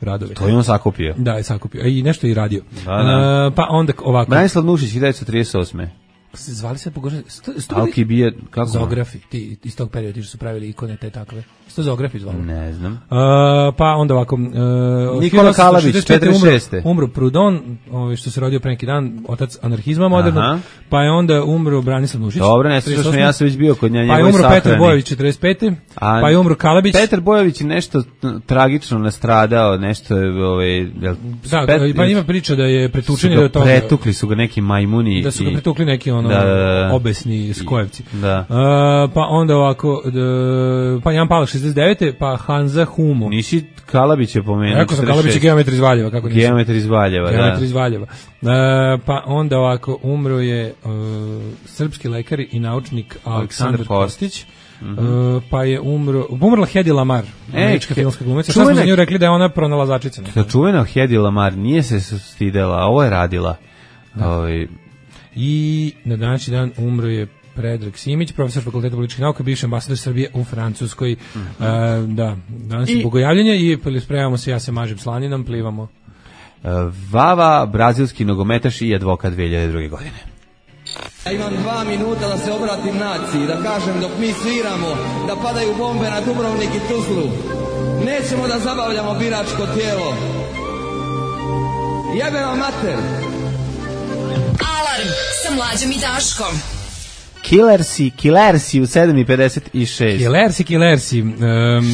radove. To je on sakupio. Da, je sakupio. I nešto je i radio. Da, da. Uh, pa onda ovako. Branislav Nušić, hiljadu devetsto trideset osme Zvali se pogoršali. Alkibije, kako? Zografi, ti iz tog perioda ti što su pravili ikone te takve. Što Zografi zvali? Ne znam. Uh, pa onda ovako... Uh, Nikola Kalabić, četrdeset šeste Umro, umro Proudhon, ovaj, što se rodio pre neki dan, otac anarhizma modernog, pa je onda umro Branislav Nušić. Dobro, ne slušaš me, ja sam već bio kod njega. Pa je umro Petar Bojović, četrdeset pete Pa je umro Kalabić. Petar Bojović je nešto tragično nastradao, nešto je... Ovaj, da, Pet, pa ima priča da je pretučen do toga. Pretukli su ga neki majmuni. Da su ga pretukli neki ono, da, da, da. obesni skojevci. Da. Uh, pa onda ovako, da, pa Jan Palak šezdeset devete pa Hanza Humo. Nisi Kalabić je pomenuo. Rekao sam Kalabić je geometar iz Valjeva, kako nisi? Geometar iz Valjeva, da. Geometar iz Valjeva. Uh, pa onda ovako, umro je uh, srpski lekar i naučnik Aleksandar Kostić. Mm-hmm. Uh, pa je umro, umrla Hedi Lamar, američka filmska glumica. Sad smo za nju rekli da je ona pronalazačica. Ta čuvena Hedi Lamar nije se stidela, ovo je radila. Ovaj. I na današnji dan umro je Predrag Simić, profesor Fakulteta političkih nauka, bivši ambasador Srbije u Francuskoj. Mm-hmm. Uh, da, danas je bogojavljenje i spremamo se, ja se mažem slaninom, plivamo. Uh, Vava, brazilski nogometaš i advokat dve hiljade druge godine. Ja imam dva minuta da se obratim naciji, da kažem dok mi sviramo, da padaju bombe na Dubrovnik i Tuzlu. Nećemo da zabavljamo biračko tijelo. Jebe vam mater! Alarm sa Mlađom i Daškom. Killersi, Killersi u sedam i pedeset šest Killersi, Killersi. Um,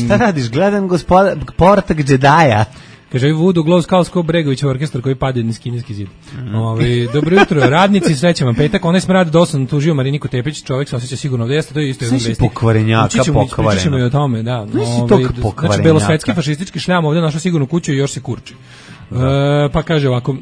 Šta radiš? Gledam gospoda Portak Džedaja. Kaže, Voodoo Glow Skalsko Bregovićev orkestar koji pade niz kineski zid. Mm. Ove, dobro jutro, radnici, srećan vam petak. Onaj smrad dosadno tužio Mariniku Tepić, čovjek se osjeća sigurno ovdje, jeste, to je isto jedan vesti. Pokvarenjaka, pokvareno. Pričat ćemo i o tome, da. Ove, znači, belosvetski fašistički šljam ovdje našao sigurno kuću i još se kurči. E, pa kaže ovako,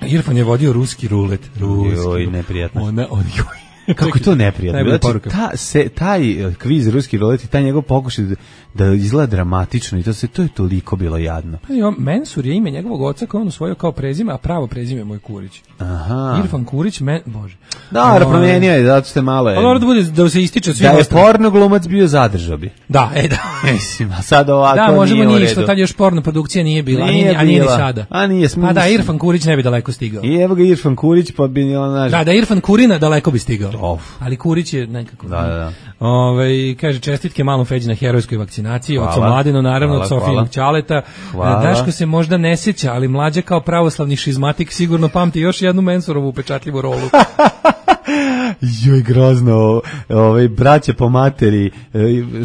Irfan je vodio ruski rulet. Ruski. Joj, neprijatno. Ona, on, joj. Kako je to neprijatno? Znači, ta, se, taj kviz ruski rulet i taj njegov pokušaj da, da izgleda dramatično i to se to je toliko bilo jadno. Pa jo, Mensur je ime njegovog oca koje on usvojio kao prezime, a pravo prezime moj Kurić. Aha. Irfan Kurić, men, bože. Da, no, promijenio je, zato ste malo je. Pa dobro da bude da se ističe svim. Da je porno glumac bio, zadržao bi. Da, e da. Mislim, a sad ovako da, možemo nije ništa, tad još porno produkcija nije bila, nije nije, a nije ni sada. A nije smisla. Pa da, Irfan Kurić ne bi daleko stigao. I evo ga Irfan Kurić, pa bi naš. Da, da Irfan Kurina daleko bi stigao. Of. Ali Kurić je nekako. Da, da, da. Ove, kaže čestitke malom Feđi na herojskoj vakcinaciji, od Mladenu naravno, od Sofijinog Ćaleta. Daško se možda ne sjeća, ali Mlađa kao pravoslavni šizmatik sigurno pamti još jednu Mensurovu upečatljivu rolu. Joj, grozno, ovaj braća po materi,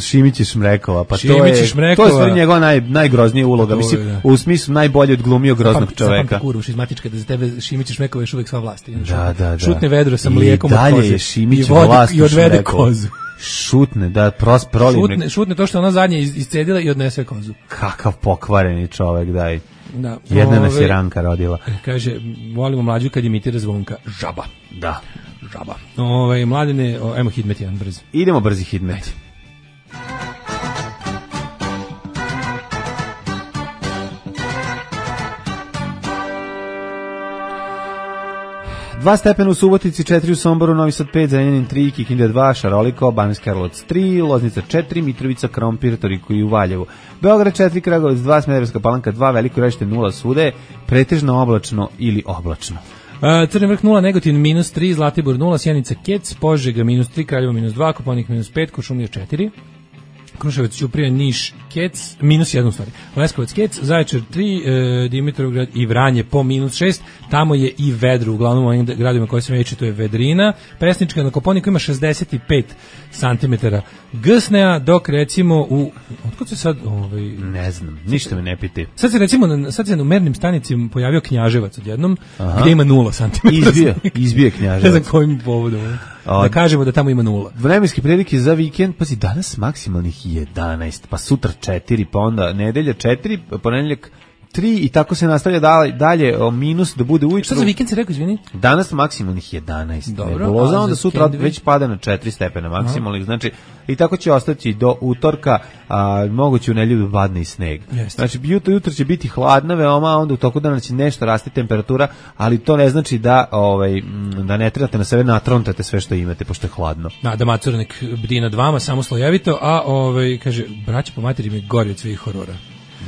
Šimić i Šmrekova, pa Šimić to je Šmrekova. to je sve njegova naj najgroznija uloga, mislim, je, u smislu najbolje odglumio groznog pa, čoveka. Zapamti kuru, šizmatička, da za tebe Šimić i Šmrekova još uvek sva vlast. Da, da, da. Šutne vedro sa mlijekom od koze. I dalje je Šimić vlast i odvede kozu. Šutne, da, pros prolime. Šutne, šutne to što ona zadnje iscedila i odnese kozu. Kakav pokvareni čovek, daj. Da. Jedna nas je Ranka rodila. Kaže, volimo Mlađu kad imitira Zvonka. Žaba. Da. Žaba. Ove, Mladene, o, ajmo hidmet jedan brz. Idemo brzi hidmet. Dva stepena u Subotici, četiri u Somboru, Novi Sad pet, Zrenjanin tri, Kikinda dva, Šaroliko, Banjski Karlovac tri, Loznica četiri, Mitrovica, Krompir, Toliko i u Valjevu. Beograd četiri, Kragujevac dva, Smederevska Palanka dva, Veliko Gradište nula svuda, pretežno oblačno ili oblačno. Uh, Crni Vrh nula, Negotin minus tri, Zlatibor nula, Sjenica Kec, Požega minus tri, Kraljevo minus dva, Kopaonik minus pet, Kuršumlija četiri, Kruševac, Ćuprija, Niš, Kec, minus jedan stvari, Leskovac, Kec, Zaječar tri, e, Dimitrovgrad i Vranje po minus šest, tamo je i vedro, uglavnom u ovim gradovima koji sam reći, to je vedrina, Pesnička na Koponiku ima šezdeset pet santimetara gsnea, dok recimo u, otkud se sad, ovaj, ne znam, ništa me ne piti. Sad se recimo, sad se u mernim stanicima pojavio Knjaževac odjednom, aha, gdje ima nula santimetara. Izbio, izbio Knjaževac. Ne znam kojim povodom. Da kažemo da tamo ima nula. Vremenske prilike za vikend, pazi, danas maksimalnih jedanaest, pa sutra četiri, pa onda nedelja četiri, ponedjeljak tri i tako se nastavlja dalje, dalje o minus da bude ujutru. Šta za vikend si rekao, izvini? Danas maksimalnih jedanaest. Dobro. Nebuloza, onda sutra već pada na četiri stepena maksimalnih, znači i tako će ostati do utorka, a moguće u nedelju padne i sneg. Jeste. Znači jutro, jutro će biti hladna veoma, onda u toku dana će nešto rasti temperatura, ali to ne znači da ovaj da ne trebate na sebe natrontate sve što imate pošto je hladno. Da, da Macura nek bdi nad vama samo slojevito, a ovaj kaže braća po materi mi gori od svih horora.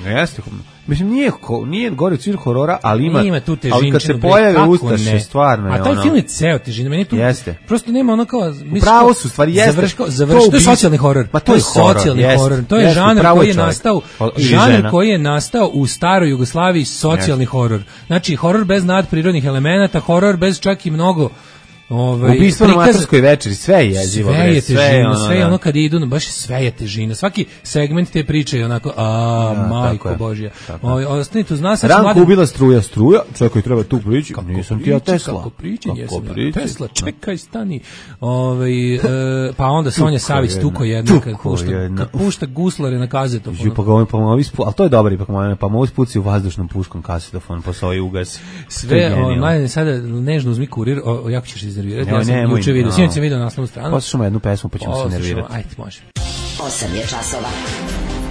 Jeste, mislim nije nije gori od svih horora, ali ima, ima tu težinu. Ali kad se pojave ustaše stvarno. A taj ono, film je ceo težina, meni tu jeste. Prosto nema ono kao pravo su stvari jeste. Završko, završko, to je socijalni horor. Pa to je socijalni horor, horor. To je jeste, žanr koji je čovjek. nastao, žanr koji je nastao u staroj Jugoslaviji, socijalni jeste. Horor. Znači horor bez nadprirodnih elemenata, horor bez čak i mnogo ovaj ubistvo na Macarskoj večeri, sve je jezivo, sve je težina, sve je ono, sve je ono kad idu, baš sve je težina. Svaki segment te priče je onako, a ja, majko božja. Ovaj ostanite uz nas, Ranko mladen... ubila struja, struja, čekaj, treba tu prići. Kako nisam ti ja Tesla. Kako priči, jesam ja Tesla, čekaj, stani. Ovaj e, pa onda Sonja Savić tuko jedno kad pušta, kad pušta guslare na kazetofon. Ju pa ga pa mu ispu, al to je dobro ipak moj, pa mu ispuci u vazdušnom puškom kasetofon, pa se ugasi. Sve, mladen sada nežno uzmi kurir, jako ćeš iznervirati. Ja sam juče vidio, sinoć sam vidio naslovnu stranu. Poslušamo jednu pesmu pa ćemo se nervirati. Ajde, može. osam je časova.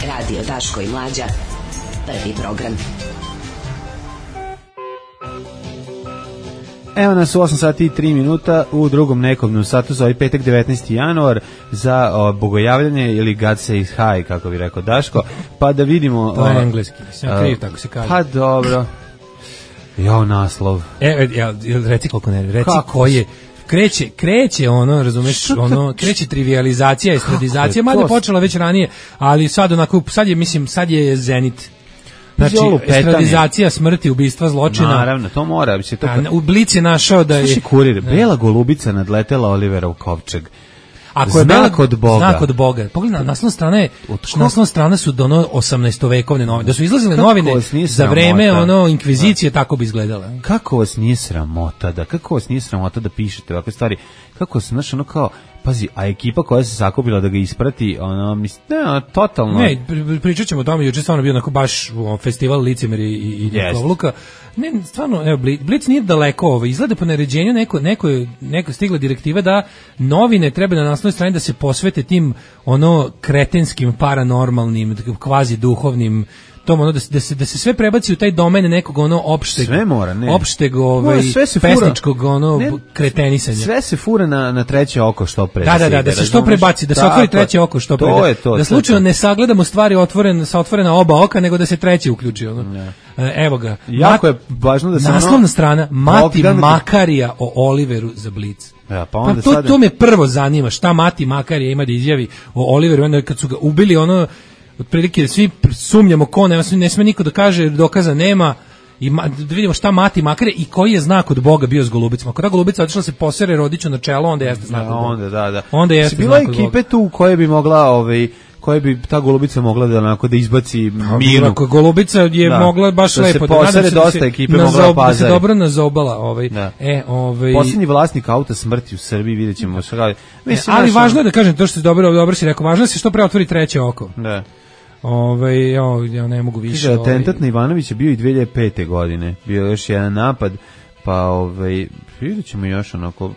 Radio Daško i Mlađa. Prvi program. Evo nas u osam sati i tri minuta u drugom nekobnom satu za ovaj petak devetnaesti januar za o, bogojavljanje ili God says hi, kako bi rekao Daško, pa da vidimo... To je engleski, sam kriv, tako se kaže. Pa dobro. Jo, naslov. E, ja, reci koliko ne, reci ko je... Kreće, kreće ono, razumeš, ono, kreće trivializacija, estradizacija, mada je počela već ranije, ali sad onako, sad je, mislim, sad je zenit. Znači, estradizacija smrti, ubistva, zločina. Naravno, to mora. Se to... U Blic je našao da je... Sluši kurir, bela golubica nadletela Olivera u kovčeg. Ako je znak od Boga. Znak od Boga. Pogledaj, naslovna strana je, naslovna strana su dono osamnaestovekovne novine. Da su izlazile kako novine za vreme ono inkvizicije, da. Tako bi izgledala. Kako vas nije sramota da, kako vas nije sramota da pišete ovakve stvari? Kako se, znaš, ono kao, pazi, a ekipa koja se sakupila da ga isprati, ono, mislim, ne, totalno... Ne, pričat ćemo o tome, juče stvarno bio onako baš festival licemeri i, i Kovluka. Ne, stvarno, evo, Blic nije daleko ovo, izgleda po naređenju neko, neko, neko stigla direktiva da novine treba na naslovnoj strani da se posvete tim, ono, kretenskim, paranormalnim, kvazi duhovnim, tom ono da se, da se da se sve prebaci u taj domen nekog ono opšteg sve mora, ne. opšteg ovaj pesničkog ono ne, kretenisanja. Sve se fura na na treće oko što pre. Da, da, da, da se što prebaci, da se otvori treće oko što pre. To je to, da slučajno ne sagledamo stvari otvorene sa otvorena oba oka, nego da se treće uključi ono. Ne. Evo ga. Jako je važno da se naslovna ono, strana Mati Bogdan... Makarija o Oliveru za Blic. Ja, pa onda pa to, sada... to me prvo zanima, šta Mati Makarija ima da izjavi o Oliveru, onda kad su ga ubili ono otprilike svi sumnjamo ko ne, ne sme niko da kaže, dokaza nema i ma, da vidimo šta Mati Makare i koji je znak od Boga bio s golubicama. Ako ta golubica otišla se posere Rodiću na čelo, onda jeste znak da, od Boga. Onda, da, da. Onda jeste bila ekipe tu koje bi mogla ovaj koje bi ta golubica mogla da onako da izbaci Minu. Ako golubica je da, mogla baš da lepo da posere dosta se ekipe mogla da se dobro nazobala, ovaj. Da. E, ovaj posljednji vlasnik auta smrti u Srbiji, videćemo šta. Mislim, ali važno je da kažem to što je dobro, dobro si rekao, važno je se što pre otvori treće oko. Da. Ovaj ja, ja ne mogu više. Ovaj atentat na Ivanovića bio i dve hiljade pete. godine. Bio je još jedan napad, pa ovaj videćemo još onako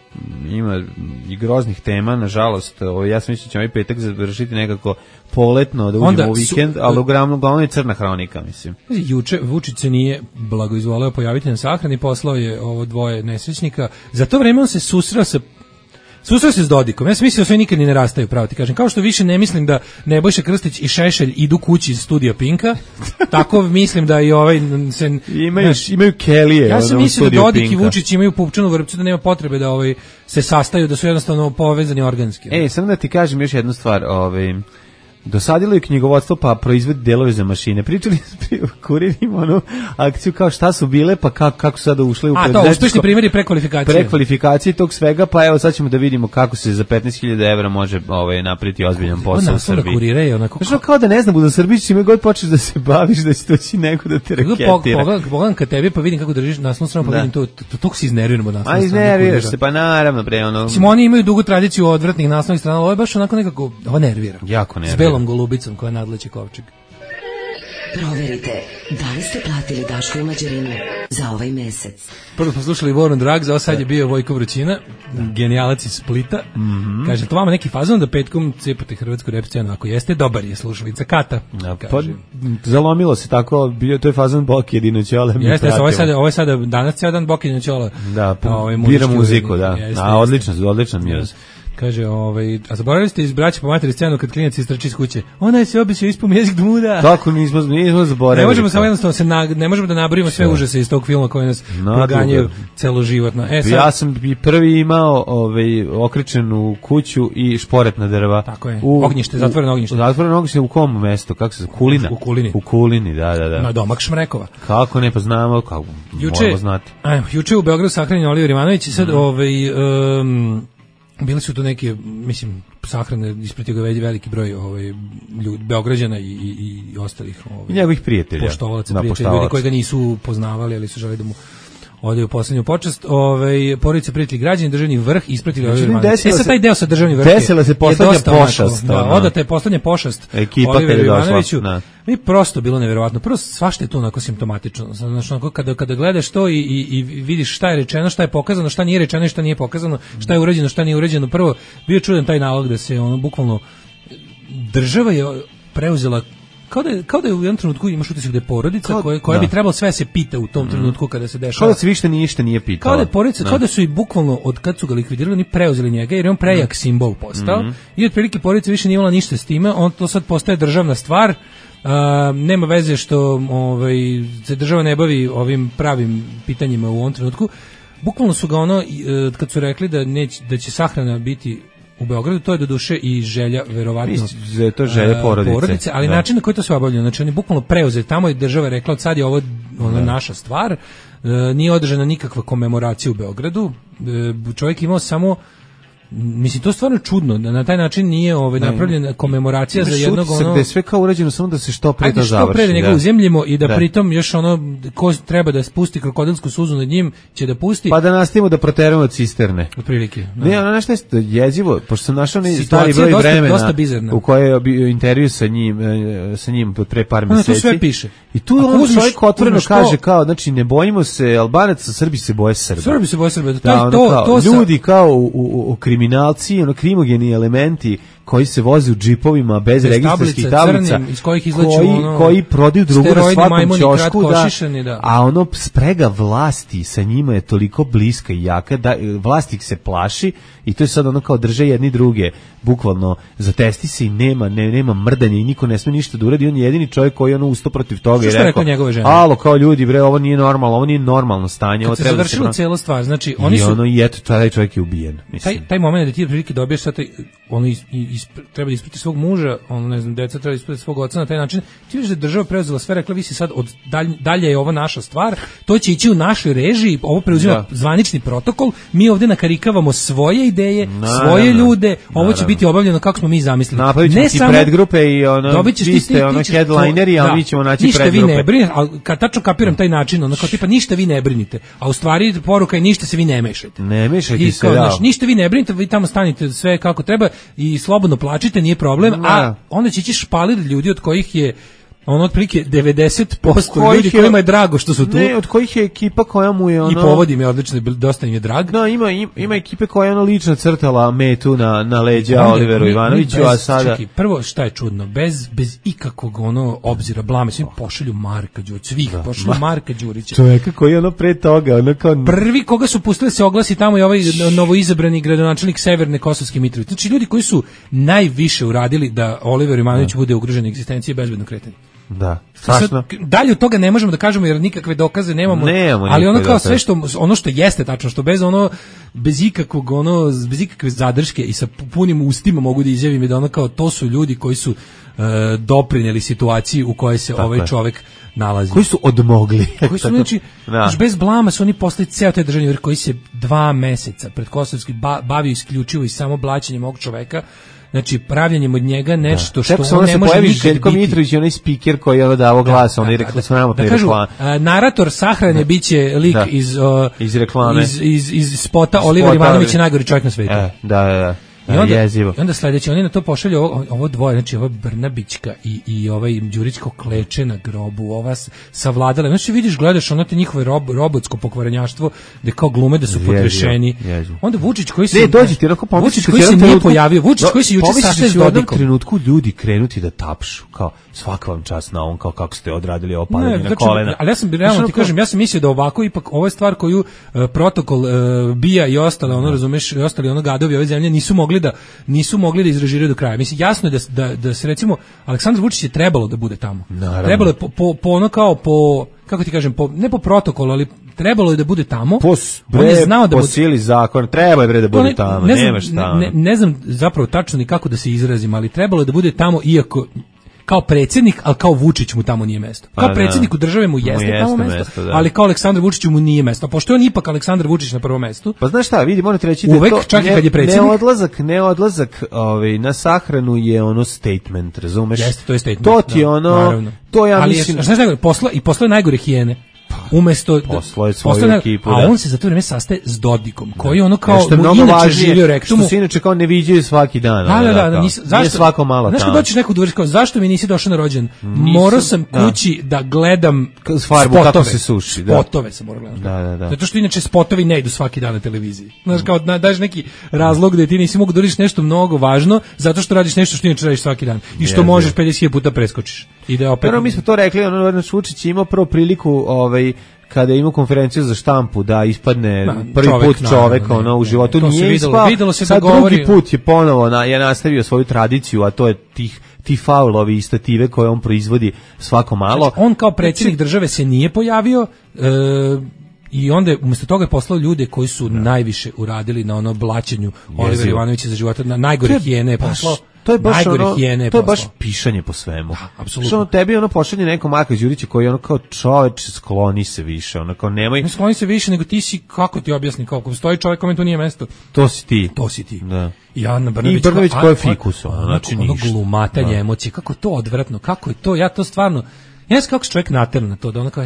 ima i groznih tema, nažalost. Ovaj ja sam mislio da ćemo ovaj petak završiti nekako poletno da uđemo onda u vikend, su, ali uglavnom glavno je crna hronika, mislim. Juče Vučić se nije blagoizvoleo pojaviti na sahrani, poslao je ovo dvoje nesrećnika. Za to vreme on se susreo sa Susreo se s Dodikom. Ja sam mislio da sve nikad ni ne rastaju, pravo ti kažem. Kao što više ne mislim da Nebojša Krstić i Šešelj idu kući iz studija Pinka, tako mislim da i ovaj se imaju znaš, imaju kelije. Ja sam mislio da Dodik Pinka i Vučić imaju pupčanu vrpcu, da nema potrebe da ovaj se sastaju, da su jednostavno povezani organski. Ej, samo da ti kažem još jednu stvar, ovaj dosadilo je knjigovodstvo pa proizvodi delove za mašine. Pričali smo kuririma onu akciju kao šta su bile pa kako, kako su sada ušle u preduzetničko. A to uspešni primjeri prekvalifikacije. Prekvalifikacije tog svega, pa evo sad ćemo da vidimo kako se za petnaest hiljada evra može ovaj, napraviti ozbiljan posao u Srbiji. Kurira je onako... Znači kao da ne znam, u Srbiji čime god počneš da se baviš da će doći neko da te reketira. Pogledam ka tebi pa vidim kako držiš naslovnu stranu, pa vidim to, to, to si iznerviramo naslovnu stranu. A iznerviraš se, pa naravno pre ono... Mislim, oni imaju dugu tradiciju odvratnih naslovnih strana, ovo je baš onako nekako, ovo nervira. Jako nervira. Golubicom koja nadleće kovčeg. Proverite da li ste platili Daško i Mlađarinu za ovaj mesec. Prvo smo slušali War on Drugs, a sad je bio Vojko Vrućina, genijalac iz Splita. Mm-hmm. Kaže, to vama neki fazon da petkom cepate hrvatsku rap scenu, ako jeste, dobar je slušalica Kata. Ja, pa, zalomilo se tako, bio to je fazon Boki jedino Ćola. Jeste, ovo je sada, ovo je sada danas cijel dan Boki jedino Ćola. Da, bira muziku, da. Jeste, a odličan, odličan mi je. Kaže, ovaj, a zaboravili ste iz Braće po materi scenu kad klinac istrači iz kuće. Ona je se obisio ispom jezik dmuda. Tako nismo, nismo zaboravili. Ne možemo samo jednostavno se na, ne možemo da nabrojimo sve užase iz tog filma koji nas proganjaju celoživotno. E, sad, ja sam i prvi imao ovaj, okričenu kuću i šporet na drva. Tako je, u, ognjište, zatvoreno ognjište. Zatvoreno ognjište u kom mestu? Kako se, Kulina? U Kulini. U Kulini, da, da, da. Na domak Šmrekova. Kako ne, pa znamo, kako, juče, moramo znati. Ajmo, juče u Beogradu sahranjen Oliver Ivanović i sad, mm. ovaj... Um, bili su tu neke, mislim, sahrane, ispratio ga veliki broj ovaj, ljudi, Beograđana i, i, i ostalih ovaj, njegovih prijatelja, poštovalaca, da, prijatelja, ljudi koji ga nisu poznavali, ali su želi da mu odaju poslednju počast. Ovaj porodice, prijatelji, građani, državni vrh ispratili Oliver Ivanović. E sad taj deo sa državni vrh. Desila se poslednja pošast. Da, odata je poslednja pošast Oliveru Ivanoviću. Mi prosto bilo neverovatno. Prvo svašta je to onako simptomatično. Znači onako kada kada gledaš to i, i, i vidiš šta je rečeno, šta je pokazano, šta nije rečeno i šta nije pokazano, šta je urađeno, šta nije urađeno. Prvo bio čudan taj nalog da se ono bukvalno država je preuzela kao da je, kao da je u jednom trenutku imaš utisak da je porodica kao, koja, koja da. bi trebalo sve se pita u tom mm. trenutku kada se dešava. Kao da se više ništa nije pitala. Kao da je porodica, da. kao da su i bukvalno od kad su ga likvidirali, oni preuzeli njega jer je on prejak mm. simbol postao mm. i otprilike porodica više nije imala ništa s time, on to sad postaje državna stvar. Uh, nema veze što ovaj, se država ne bavi ovim pravim pitanjima u ovom trenutku. Bukvalno su ga ono, kad su rekli da, neć, da će sahrana biti u Beogradu, to je do duše i želja, verovatno, je to želja porodice, porodice ali da. način na koji to sve obavljeno, znači oni bukvalno preuzeli, tamo je država rekla od sad je ovo ona naša stvar, e, nije održana nikakva komemoracija u Beogradu, e, čovjek imao samo, mislim, to je stvarno čudno, da na taj način nije ovaj, napravljena komemoracija za jednog ono... Da je sve kao urađeno, samo da se što pre to završi. Što pre da njega uzemljimo i da, da pritom još ono, ko treba da spusti krokodilsku suzu nad njim, će da pusti. Pa da nastavimo da proteramo cisterne. Otprilike. Ne, ono nešto je jezivo, pošto sam našao ne stari broj dosta, vremena dosta u kojoj je bio intervju sa njim, sa njim pre par mjeseci. No, to sve piše. I tu on čovjek otvoreno kaže kao, znači ne bojimo se Albanaca, Srbi se boje Srba. Srbi se boje Srba. To ljudi kao u kriminalci, ono krimogeni elementi koji se voze u džipovima bez registarskih tablica, crnim, iz kojih izleću koji, ono, koji prodaju drugu na svakom ćošku, da, da. A ono sprega vlasti sa njima je toliko bliska i jaka da vlast ih se plaši i to je sad ono kao drže jedni druge, bukvalno zatesti se i nema, ne, nema mrdanja i niko ne sme ništa da uradi, on je jedini čovjek koji ono usto protiv toga i rekao, alo kao ljudi bre, ovo nije normalno, ovo nije normalno stanje. Kad se završila da cela stvar, znači oni i su... ono i eto, taj čovjek je ubijen. Mislim. Taj, taj moment da ti prilike dobiješ sad, ono is, is, treba da isprati svog muža, ono ne znam, deca treba da isprati svog oca na taj način, ti vidiš da je država preuzela sve, rekla vi si sad, od dalje, dalje je ovo naša stvar, to će ići u našoj režiji, ovo preuzima da. zvanični protokol, mi ovdje nakarikavamo svoje ideje, na, svoje na, na. ljude, ovo Naravno. će biti obavljeno kako smo mi zamislili. Napravit ćemo ne ti samo, predgrupe i ono, vi ste ono headlineri, a mi ćemo naći ništa predgrupe. Ništa vi ne brinite, ali kad tačno kapiram taj način, ono kao tipa ništa vi ne brinite, a u stvari poruka je ništa se vi ne mešajte. Ne mešajte se, da. Znači, ništa vi ne brinite, vi tamo stanite sve kako treba i slobodno plačite, nije problem, da. a onda će ići špalir ljudi od kojih je ono otprilike devedeset posto ljudi kojima je drago što su tu. Ne, od kojih je ekipa koja mu je ono... I povodi mi odlično, dosta im je drag. No, ima, ima, ima ekipe koja je ono lično crtala metu na, na leđa Oliveru mi, Ivanoviću, mi bez, a sada... Čekaj, prvo šta je čudno, bez, bez ikakvog ono obzira, blame, svi pošalju Marka Đurića, svih da, pošalju Ma, Marka Đurića. Čoveka koji je ono pre toga, ono kao... Prvi koga su pustili se oglasi tamo je ovaj novoizabrani gradonačelnik Severne Kosovske Mitrovice. Znači ljudi koji su najviše uradili da Oliver Ivanović bude ugrožena egzistencija i bezbedno kretanje. Da, strašno. Dalje od toga ne možemo da kažemo jer nikakve dokaze nemamo, nemamo ali ono kao sve što ono što jeste tačno, što bez ono bez ikakvog ono bez ikakve zadrške i sa punim ustima mogu da izjavim da ono kao to su ljudi koji su uh, doprineli situaciji u kojoj se Tako ovaj je. čovjek nalazi. Koji su odmogli. Koji su znači da. bez blama su oni postali ceo taj državni vrh koji se dva meseca pred Kosovski ba, bavio isključivo i samo blaćenjem ovog čoveka. Znači, pravljanjem od njega nešto što on ne može nikad biti. Željko Mitrović i onaj speaker koji je ono davo glas, da, on je rekla s nama pre reklame. Narator sahrane biće lik da. iz, uh, iz reklame. Iz, iz, iz spota Oliver Ivanović je najgori čovjek na svijetu. E, da, da, da. I onda, jezivo. I onda sledeće, oni na to pošalju ovo, ovo dvoje, znači ova Brnabićka i, i ovaj Đurićko kleče na grobu, ova savladala. Znači vidiš, gledaš ono te njihove rob, robotsko pokvarenjaštvo, da kao glume da su potrešeni. Onda Vučić koji se... Ne, dođi ti, onako pomisliš... Vučić koji se nije pojavio, Vučić koji se juče sastaje s Dodikom. U jednom trenutku ljudi krenuti da tapšu, kao svaka vam čast na on, kao kako ste odradili ovo padanje na kolena. Ali ja sam, realno ti kažem, ja sam mislio da ovako ipak, ovo je stvar koju uh, protokol uh, bija i ostale, ono, razumeš, i ostali ono gadovi ove zemlje nisu mogli da nisu mogli da izrežiraju do kraja. Mislim, jasno je da, da, da se recimo Aleksandar Vučić je trebalo da bude tamo. Naravno. Trebalo je po, po, po ono kao po, kako ti kažem, po, ne po protokolu, ali trebalo je da bude tamo. Po, bre, on je znao da po bude... sili zakona, treba je bre da bude ne, tamo, ne znam, nemaš tamo. Ne, ne znam zapravo tačno ni kako da se izrazim, ali trebalo je da bude tamo iako kao predsjednik, ali kao Vučić mu tamo nije mesto. Kao predsjedniku države mu jeste, mu jeste tamo mesto, mesto ali kao Aleksandar Vučiću mu nije mesto. A pošto je on ipak Aleksandar Vučić na prvom mestu. Pa znaš šta, vidi, morate reći da uvek, to čak ne, kad je predsjednik, ne odlazak, ne odlazak ovaj, na sahranu je ono statement, razumeš? Jeste, to je statement. To ti je ono, naravno. To ja ali mislim... Ali znaš najgore, posla, i posla je najgore hijene. Umesto posloje svoju ekipu, a on se za to vreme sastaje s Dodikom, koji ono kao mu inače živio rektumu, što se inače kao ne viđaju svaki dan. Da, da, da, da nis, zašto svako malo tamo. Znaš kad dođeš neku dvoriš kao, zašto mi nisi došao na rođendan? Morao sam kući da, da gledam farbu spotove, kako se suši. Da. Spotove sam morao gledati. Da, da, da. Zato što inače spotovi ne idu svaki dan na televiziji. Znaš, kao daš neki razlog da ti nisi mogu da radiš nešto mnogo važno, zato što radiš nešto što inače radiš svaki dan. I što možeš pedeset hiljada puta preskočiš. Ide opet. Mi smo to rekli, ono Vučić imao prvo priliku, ovaj kada je imao konferenciju za štampu da ispadne da, prvi čovek, put čovek no, ono, u životu ne, nije ispao, videlo se sad da govori... drugi put je ponovo na, je nastavio svoju tradiciju, a to je tih ti faulovi i stative koje on proizvodi svako malo. Znači, on kao predsjednik države se nije pojavio e, i onda je umjesto toga je poslao ljude koji su da. najviše uradili na ono blaćenju Olivera Ivanovića za života, na najgore hijene je poslao. To je baš ono, to je baš pišanje po svemu. Da, apsolutno. Što tebi ono pošalje neko Marka Đurića koji je ono kao čoveč skloni se više, ono kao nemoj. Ne skloni se više nego ti si, kako ti objasni, kako stoji čovjek kome tu nije mesto. To si ti. To si ti. Da. I Ana Brnabić, I Brnabić koji je fikus, ono, znači ono glumatanje emocije, kako to odvratno, kako je to, ja to stvarno ja znam kako se čovjek naterno na to, da ono kao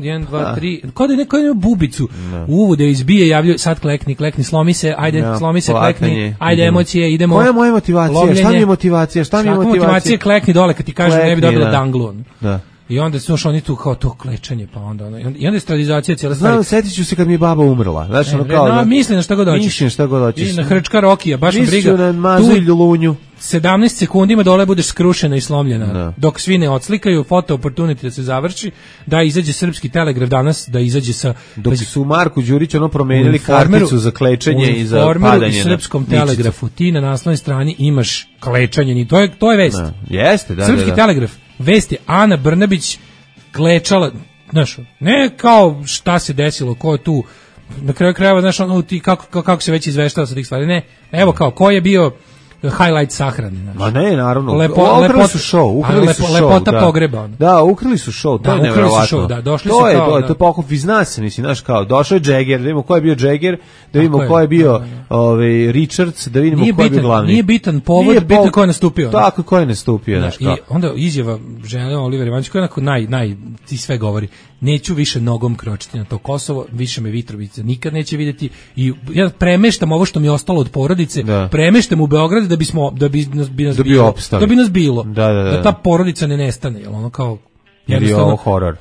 jedan, dva, tri, kao da je neko ima bubicu no. u uvude izbije, javljaju, sad klekni, klekni, slomi se, ajde, no, slomi se, klekni, ajde, idemo. Emocije, idemo. Koja je moja motivacija? Lovljenje. Šta mi je motivacija? Šta mi je motivacija? motivacija? Klekni dole, kad ti kažem ne bi dobila da. danglu. Da. I onda su oni tu kao to klečanje, pa onda ono, i onda je stradizacija cijela stvar. Znam, setit ću se kad mi je baba umrla. Znači, ono kao... No, mislim na šta god hoćeš. Mislim šta god hoćeš. I na Hrčka Rokija, baš mi briga. Mislim na mazu i ljulunju. sedamnaest sekundima dole budeš skrušena i slomljena. No. Dok svi ne odslikaju, foto opportunity da se završi, da izađe Srpski telegraf danas, da izađe sa... Dok su Marku Đurić ono promenili karticu za klečanje i za padanje. U Srpskom telegrafu ti na naslovnoj strani imaš klečanje, to je, to je vest. No. Jeste, da, Srpski da, da. telegraf, vest je Ana Brnabić klečala, znaš, ne kao šta se desilo, ko je tu, na kraju krajeva, znaš, ono, ti, kako, kako se već izveštava sa tih stvari, ne, evo kao, ko je bio highlight sahrane, znači. Ma ne, naravno. Lepo, ukrali lepot, su show, ukrali lepo, su show. Lepota da. pogreba. Ono. Da, ukrali su show, to da, je nevjerovatno. Da, došli to su je, kao, to je, da. to je pokup, vi zna se, mislim, znaš, kao, došao je Jagger, da vidimo ko je bio Jagger, da vidimo ko je bio ovaj, Richards, da vidimo nije ko je bitan, bio glavni. Nije bitan povod, nije bitno pol... ko je nastupio. Tako, ko je nastupio, znaš kao. I onda izjava žene Oliver Ivanović, koja je onako naj, naj, ti sve govori, neću više nogom kročiti na to Kosovo, više me Mitrovica nikad neće vidjeti i ja premeštam ovo što mi je ostalo od porodice, da. premeštam u Beograd da bismo da bi nas, bi nas da bi bilo, opstali. da bi nas bilo, da, da, da. da ta porodica ne nestane, jel ono kao jer je ovo horor.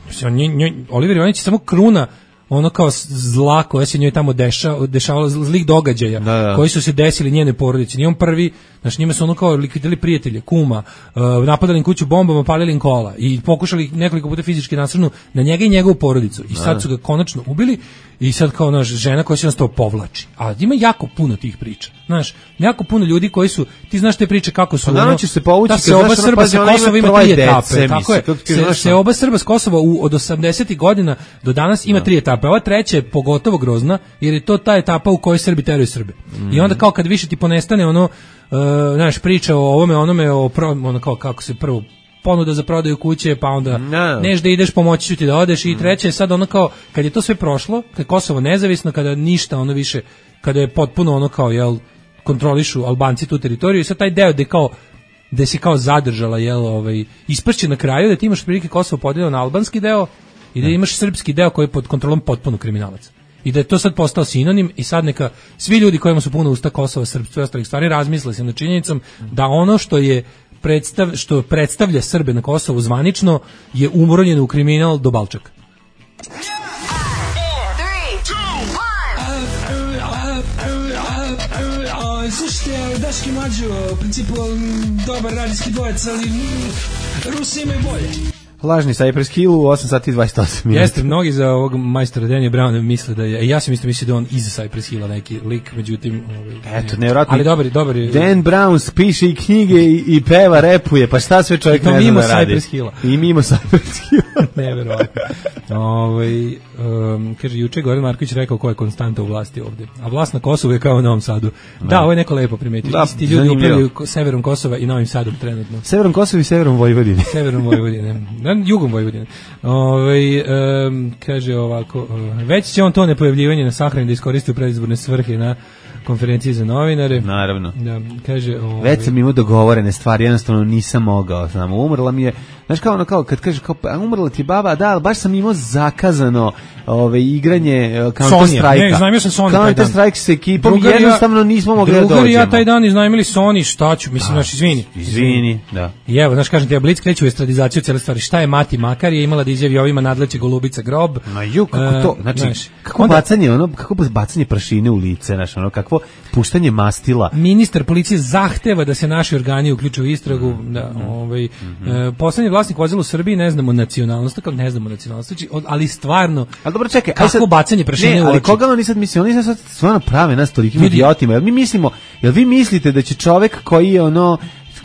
Oliver Ivanović je samo kruna ono kao zla koja se njoj tamo dešava, dešavala zlih događaja da, da. koji su se desili njene porodici. Nije on prvi, znači njima su ono kao likvidirali prijatelje, kuma, uh, napadali im kuću bombama, palili im kola i pokušali nekoliko puta fizički nasrnu na njega i njegovu porodicu. I sad su ga konačno ubili i sad kao naš žena koja se nas to povlači. A ima jako puno tih priča. Znaš, jako puno ljudi koji su, ti znaš te priče kako su. Ono, će se povući, da se oba Srba sa Kosova ima tri etape. Tako je. Se, se oba Srba s Kosova u, od osamdesetih godina do danas ima tri etape. Ova treća je pogotovo grozna, jer je to ta etapa u kojoj Srbi teraju Srbe. Mm. I onda kao kad više ti ponestane ono, uh, znaš, priča o ovome, onome, o pro, ono kao kako se prvo ponuda za prodaju kuće, pa onda no. neš da ideš, pomoći ću ti da odeš i treće je sad ono kao, kad je to sve prošlo, kad je Kosovo nezavisno, kada ništa ono više, kada je potpuno ono kao, jel, kontrolišu Albanci tu teritoriju i sad taj deo gde kao gde se kao zadržala, jel, ovaj, ispršće na kraju da ti imaš prilike Kosovo podeljeno na albanski deo i da imaš srpski deo koji je pod kontrolom potpuno kriminalaca. i da je to sad postao sinonim i sad neka svi ljudi kojima su puno usta Kosova, srpstva i ostalih stvari razmisle se na činjenicom da ono što je predstav, što predstavlja Srbe na Kosovu zvanično je umronjeno u kriminal do balčaka. Slušajte, Daški Mađo, u principu dobar radijski dvojec, ali Rusi imaju bolje. Lažni Cypress Hill u osam sati i dvadeset osam minuta. Jeste, mnogi za ovog majstora Danny Browna misle da je, ja sam isto mislio da on iza Cypress Hilla neki lik, međutim... Ovaj, Eto, nevjerojatno. Ali dobar, dobar je... Dan Brown piše i knjige i, i peva, repuje, pa šta sve čovjek ne zna da radi. Cypress Hilla. I mimo Cypress Hilla. Nevjerojatno. Ovaj, um, kaže, juče Goran Marković rekao ko je konstanta u vlasti ovdje. A vlast na Kosovu je kao u Novom Sadu. Da, da ovo je neko lepo primetio. Da, isti ljudi upravljaju severom Kosova i Novim Sadom trenutno. Severom Kosova i severom Vojvodine. Severom Vojvodine. Jugom Vojvodine. Ove, um, kaže ovako, već će on to nepojavljivanje na sahrani da iskoristi u predizborne svrhe na konferenciji za novinare. Naravno. Da, kaže, ove, već sam imao dogovorene stvari, jednostavno nisam mogao. Znam, umrla mi je, znaš kao ono, kao, kad kaže, kao, umrla ti baba, da, ali baš sam imao zakazano ove, igranje Counter Strike-a. Ne, iznajmio sam Sony Counter Strike s ekipom, Drugarija, jednostavno nismo mogli da dođemo. Drugari ja taj dan iznajmili Sony, šta ću, mislim, znaš, izvini. Izvini, da. I evo, znaš, kažem ti, ja Blic kreću u estradizaciju cijele stvari. Šta je Mati Makar je imala da izjavi ovima nadleće Golubica grob. Ma ju, kako to, znači, znaš, kako onda, bacanje, ono, kako bacanje prašine u lice, znaš, ono, kakvo puštanje mastila. Ministar policije zahteva da se naši organi uključe u istragu, mm, da, mm, ovaj, mm, e, poslednji vlasnik vozila u Srbiji, ne znamo nacionalnost, kao ne znamo nacionalnost, ali stvarno, ali dobro, čekaj, kako sad, bacanje prašine ne, u oči. Ali koga oni sad misle, oni sad stvarno prave nas tolikim idiotima, jel mi mislimo, jel vi mislite da će čovek koji je ono,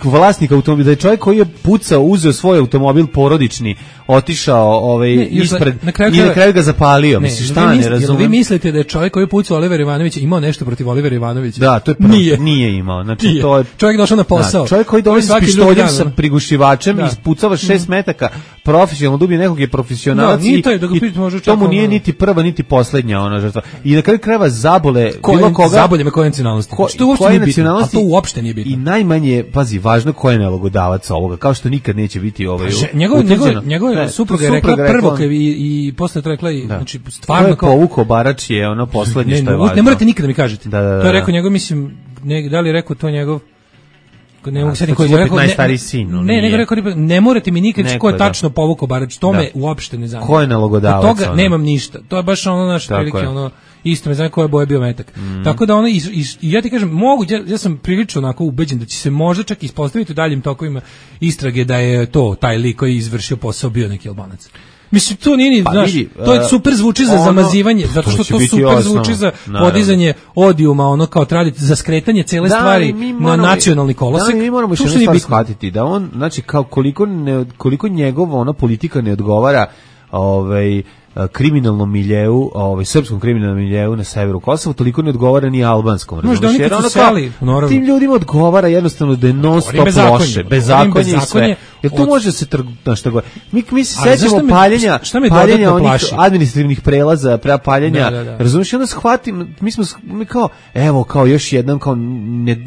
vlasnik automobila, da je čovjek koji je pucao, uzeo svoj automobil porodični, otišao ovaj, ne, ispred na kraju, i na kraju ga zapalio. Ne, mislim, šta ne razumem? Vi mislite da je čovjek koji je pucao Olivera Ivanovića imao nešto protiv Olivera Ivanovića? Da, to je prvo, nije. nije imao. Znači, nije. To je, čovjek došao na posao. Da, čovjek koji dolazi s pištoljem sa prigušivačem i ispucava šest mm. metaka, profesionalno dubije nekog je profesionalac da, i, to je, da i to mu nije niti prva, niti poslednja ona žrtva. I na kraju krajeva zabole Ko, bilo koga. Zabolje me koje nacionalnosti. Ko, što uopšte nije bitno, a to uopšte nije bitno. I najmanje, pazi, važno ko je nalogodavac ovoga, kao što nikad neće biti ovaj. Njegov njegov njegov supruga je rekla prvo kad i i posle to rekla i znači stvarno kao povukao barač je ono poslednje što je važno. Ne morate nikada mi kažete. Da, da, da, to je rekao njegov, mislim, ne, da li je rekao to njegov ne mogu se koji je rekao najstariji sin. Ne, nego rekao ne morate mi nikad ko je tačno povukao barač, to me uopšte ne zanima. Ko je nalogodavac? Od toga nemam ništa. To je baš ono naš prilike ono isto me zanima koja je boja bio metak. Mm. Tako da ono, i, i, i ja ti kažem, mogu, ja, ja sam prilično onako ubeđen da će se možda čak ispostaviti u daljim tokovima istrage da je to, taj lik koji je izvršio posao bio neki Albanac. Mislim, to nije ni, pa, znaš, vidi, to je super zvuči za ono, zamazivanje, zato što to, to super osnov, zvuči za naravno. Podizanje odijuma, ono kao tradici, za skretanje cele da, stvari moramo, na nacionalni kolosek. Da, mi moramo što ne shvatiti, da on, znači, kao koliko, ne, koliko njegova ona politika ne odgovara ovaj, kriminalnom miljeu, ovaj srpskom kriminalnom miljeu na severu Kosova, toliko ne odgovara ni albanskom. Možda oni kad su seli, naravno. Tim ljudima odgovara jednostavno da je non stop loše, bezakonje i sve. Jer tu može se trgnuti šta god. Mi mi se sećamo paljenja, paljenja onih administrativnih prelaza, pre paljenja. Da, da, da. Razumiješ, onda shvatim, mi smo mi kao evo kao još jednom kao ne,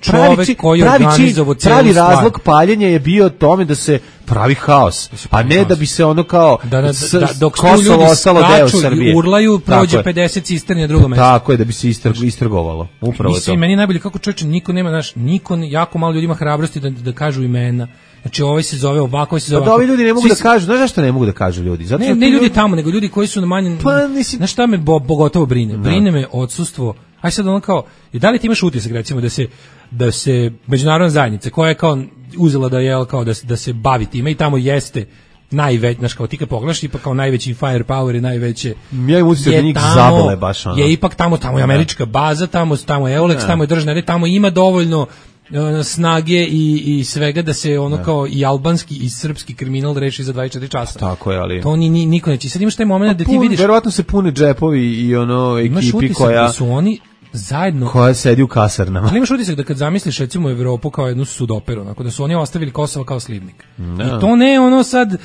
pravi koji pravi, pravi razlog paljenja je bio tome da se pravi haos, a ne da bi se ono kao da, da, da, dok Kosovo ostalo deo Srbije i urlaju prođe pedeset cisterni na drugom mestu. Tako je, da bi se istrgovalo. Upravo mislim, to. Meni najbolje kako čoveče niko nema, znaš, niko, jako malo ljudi ima hrabrosti da, da kažu imena. Znači ovaj se zove ovako, ovaj se zove. Pa da ovi ljudi ne mogu Svi da kažu, znaš zašto ne mogu da kažu ljudi? Zato ne, ne ljudi tamo, nego ljudi koji su na manje. Pa nisi... Znaš šta me bo, pogotovo brine? Brine me odsustvo. Aj sad ono kao, i da li ti imaš utisak recimo da se da se međunarodna zajednica koja je kao uzela da je kao da se da se bavi time i tamo jeste najveći, znaš, kao ti kad pogledaš, ipak kao najveći firepower i najveće ja im utisak da njih zabole baš ono. Je ipak tamo, tamo je američka baza, tamo, tamo je Eulex, tamo je državna, tamo ima dovoljno snage i, i svega da se ono ne. Kao i albanski i srpski kriminal reši za dvadeset četiri časa. Tako je, ali to ni, ni niko neće. Sad imaš taj moment da ti pun, vidiš. Verovatno se pune džepovi i ono ekipi koja da su oni zajedno koja sedi u kasarnama. Ali imaš utisak da kad zamisliš recimo Evropu kao jednu sudoperu, onako da su oni ostavili Kosovo kao slivnik. Ne. I to ne ono sad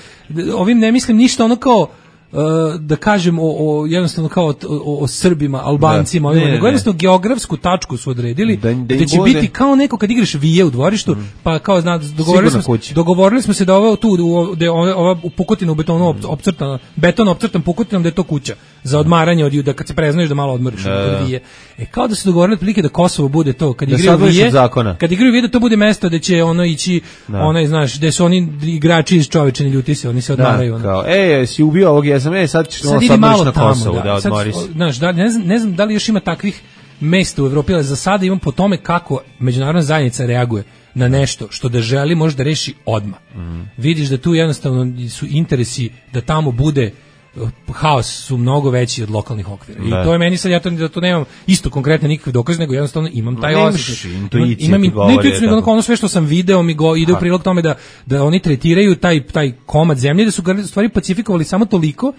ovim ne mislim ništa ono kao Uh, da kažem o, o jednostavno kao o, o, o Srbima, Albancima, ne, ne, nego jednostavno geografsku tačku su odredili da, da, da će bude... biti kao neko kad igraš vije u dvorištu, mm. pa kao zna, dogovorili smo, dogovorili smo se da ovo tu da ova Pukotina u betonu opcrtana, beton opcrtan Pukutinom da je to kuća. za odmaranje od da kad se preznoješ da malo odmoriš od Vije. E kao da se dogovorili otprilike da Kosovo bude to, kad igraju Vije, kad igraju Vije da to bude mesto gde će ono ići, onaj znaš, gde su oni igrači iz Čovečani ljuti se, oni se odmaraju. Da, kao, ej, si ubio ovog jesam, ej, sad ćeš sad odmoriš na Kosovu, da, da odmoriš. Znaš, da, ne znam, ne znam da li još ima takvih mesta u Evropi, ali za sada imam po tome kako međunarodna zajednica reaguje na nešto što da želi može da reši odmah. Mm. Vidiš da tu jednostavno su interesi da tamo bude haos su mnogo veći od lokalnih okvira. I to je meni sad, ja to, da to nemam isto konkretno nikakve dokaze, nego jednostavno imam taj osjećaj. Imam intuiciju, nego ono sve što sam video mi go, ide u prilog tome da, da oni tretiraju taj, taj komad zemlje, da su ga stvari pacifikovali samo toliko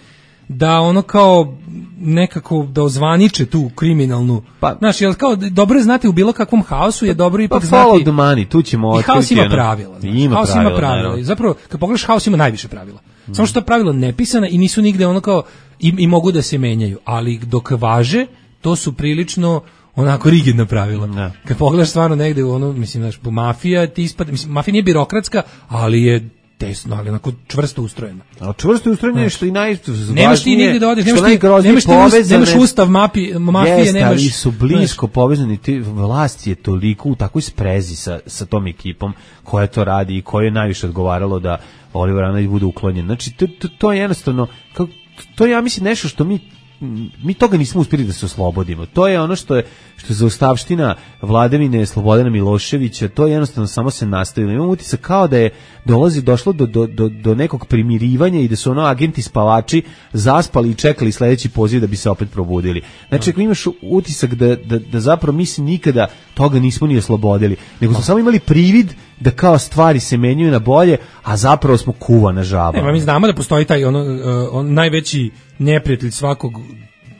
da ono kao nekako da ozvaniče tu kriminalnu. Pa, znaš, jel kao dobro je znati u bilo kakvom haosu je dobro ipak pa znati. Follow the money, tu ćemo otkriti. Haos ima pravila. Ima haos pravila, ima pravila. I zapravo, kad pogledaš, haos ima najviše pravila. Mm. Samo što ta pravila nepisana i nisu nigde ono kao, i, i mogu da se menjaju. Ali dok važe, to su prilično onako rigidna pravila. Ne. Kad pogledaš stvarno negde u ono, mislim, znaš, mafija ti ispada, mislim, mafija nije birokratska, ali je tesno, ali onako čvrsto ustrojeno. A čvrsto ustrojeno je što i najvažnije. Nemaš ti nigde da odeš, nemaš ti, nemaš ti nemaš ustav mapi, mafije, jest, nemaš. Ali su blisko povezani, ti vlast je toliko u takvoj sprezi sa, sa tom ekipom koja to radi i koje je najviše odgovaralo da Oliver Analić bude uklonjen. Znači, to, to, to je jednostavno, kao, to je, ja mislim, nešto što mi mi toga nismo uspjeli da se oslobodimo. To je ono što je što je zaustavština vladavine Slobodana Miloševića, to je jednostavno samo se nastavilo. Imam utisak kao da je dolazi došlo do, do, do, do nekog primirivanja i da su ono agenti spavači zaspali i čekali sledeći poziv da bi se opet probudili. Znači, ako imaš utisak da, da, da zapravo mi se nikada toga nismo ni oslobodili, nego smo samo imali privid da kao stvari se menjaju na bolje, a zapravo smo kuvana žaba. Ne, mi znamo da postoji taj ono, on najveći neprijatelj svakog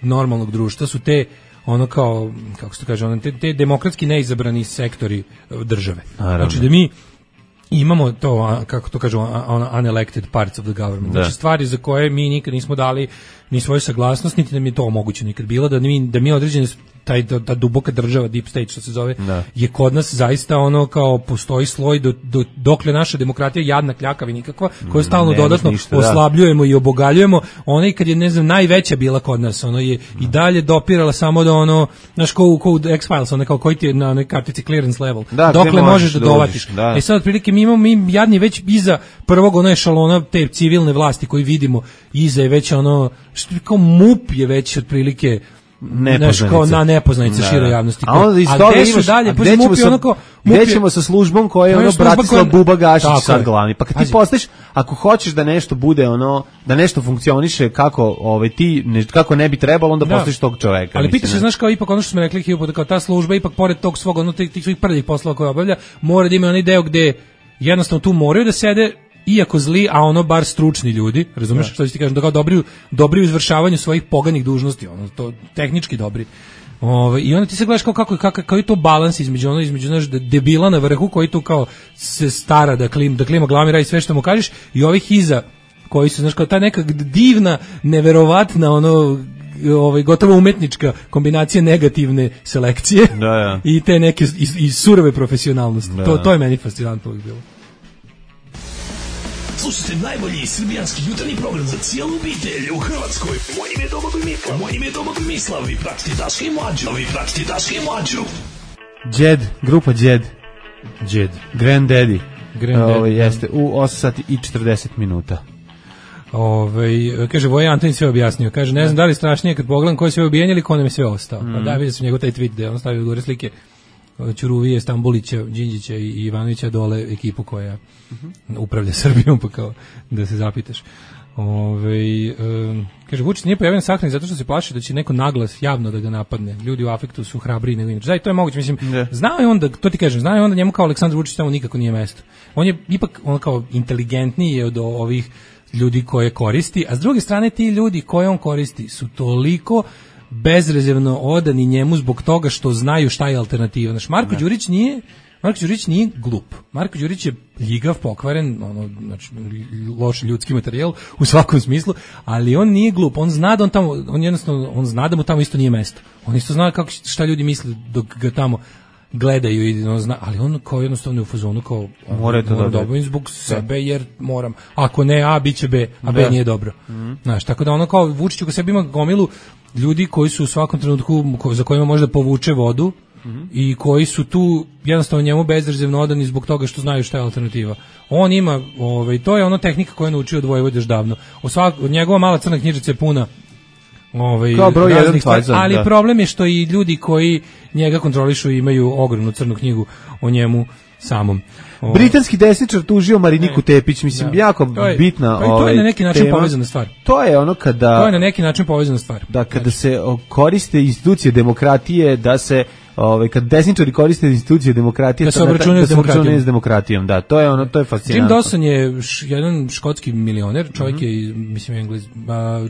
normalnog društva su te ono kao, kako se to kaže, ono, te, te demokratski neizabrani sektori države. Naravno. Znači da mi imamo to, kako to kažu, unelected parts of the government. Da. Znači stvari za koje mi nikad nismo dali ni svoju saglasnost, niti nam je to omogućeno nikad bilo, da mi, da mi određene taj ta duboka država, deep state što se zove, da. Je kod nas zaista ono kao postoji sloj do, do, dokle naša demokratija jadna, kljakav i nikakva, koju stalno Nemaš dodatno ništa, oslabljujemo da. I obogaljujemo. Ona i kad je, ne znam, najveća bila kod nas, ono je da. I dalje dopirala samo do ono, znaš, ko u X-Files, ono kao koji ti je na onoj kartici clearance level, da, dokle možeš da dovatiš. Da. E sad, otprilike, mi imamo, mi jadni već iza prvog ono ešalona te civilne vlasti koji vidimo, iza je već ono, što kao MUP je već otprilike nepoznanica. Kao na nepoznanica široj javnosti. A onda iz toga imaš, dalje, gde ćemo, sa, onako, gde ćemo sa službom koja je ono Bratislav koja... Buba Gašić sad glavni. Pa kad ti postaviš, ako hoćeš da nešto bude ono, da nešto funkcioniše kako ovaj, ti, ne, kako ne bi trebalo, onda da. Postaviš tog čoveka. Ali pitaš se, znaš, kao ipak ono što smo rekli, kao ta služba, ipak pored tog svog, ono, tih svojih prvih poslova koje obavlja, mora da ima onaj deo gde jednostavno tu moraju da sede iako zli, a ono bar stručni ljudi, razumeš ja. Što ti kažem, da kao dobri, dobri u izvršavanju svojih poganih dužnosti, ono, to tehnički dobri. Ove, i onda ti se gledaš kao kako kako kao je to balans između ono između naš debila na vrhu koji tu kao se stara da klim da klima glavni radi sve što mu kažeš i ovih iza koji su, znaš, kao ta neka divna, neverovatna ono ovaj gotovo umetnička kombinacija negativne selekcije da, ja. I te neke i, i surove profesionalnosti. Da. To to je meni fascinantno bilo. Slušajte najbolji srbijanski jutarnji program za cijelu obitelj u Hrvatskoj. Moje ime je Domagoj Mislav. Moje ime je Domagoj Mislav. Vi pratite Daška i Mlađu. Vi pratite Daška i Mlađu. Džed, grupa Džed. Džed. Granddaddy. Granddaddy. Ovo jeste u osam sati i četrdeset minuta. Ove, kaže, Voje Antonin sve objasnio. Kaže, ne znam da li strašnije kad pogledam ko je sve ubijen ili ko nam je sve ostao. Mm. Pa da, vidio sam njegov taj tweet gde on stavio gore slike Ćuruvije, Stambulića, Đinđića i Ivanovića dole ekipu koja uh-huh. upravlja Srbijom, pa kao da se zapitaš. Ove, um, kaže, Vučić nije pojavljen sahrani zato što se plaši da će neko naglas javno da ga napadne. Ljudi u afektu su hrabriji nego inače. Da, i to je moguće, mislim. Yeah. Znao je on da, to ti kažem, znao je on da njemu kao Aleksandar Vučić tamo nikako nije mesto. On je ipak on kao inteligentniji od ovih ljudi koje koristi, a s druge strane ti ljudi koje on koristi su toliko bezrezervno odani njemu zbog toga što znaju šta je alternativa. Znaš, Marko Đurić nije Marko Đurić nije glup. Marko Đurić je ljigav, pokvaren, ono, znači, loš ljudski materijal u svakom smislu, ali on nije glup. On zna da on tamo, on jednostavno, on zna da mu tamo isto nije mesto. On isto zna kako, šta ljudi misle dok ga tamo gledaju i no, zna, ali on kao jednostavno u fazonu kao mora to da dobim zbog sebe jer moram. Ako ne A, biće B, a B da. Nije dobro. Mm. Znaš, tako da ono kao Vučić u sebi ima gomilu ljudi koji su u svakom trenutku za kojima može da povuče vodu. Mm-hmm. I koji su tu jednostavno njemu bezrezervno odani zbog toga što znaju šta je alternativa. On ima, ovaj, to je ono tehnika koju je naučio od Vojvode još davno. Od svak, njegova mala crna knjižica je puna ovaj, raznih stvari, ali da. Problem je što i ljudi koji njega kontrolišu imaju ogromnu crnu knjigu o njemu samom. O... Britanski desničar tužio Mariniku Tepić, mislim, da. Jako to je, bitna to je, to je na neki način tema. Povezana stvar. To je ono kada... To je na neki način povezana stvar. Da, kada znači. Se koriste institucije demokratije, da se... Ovaj kad desničari koriste institucije demokratije da se obračunaju s demokratijom. demokratijom, da, to je ono, to je fascinantno. Jim Dawson je š, jedan škotski milioner, čovjek mm-hmm. je mislim Englez,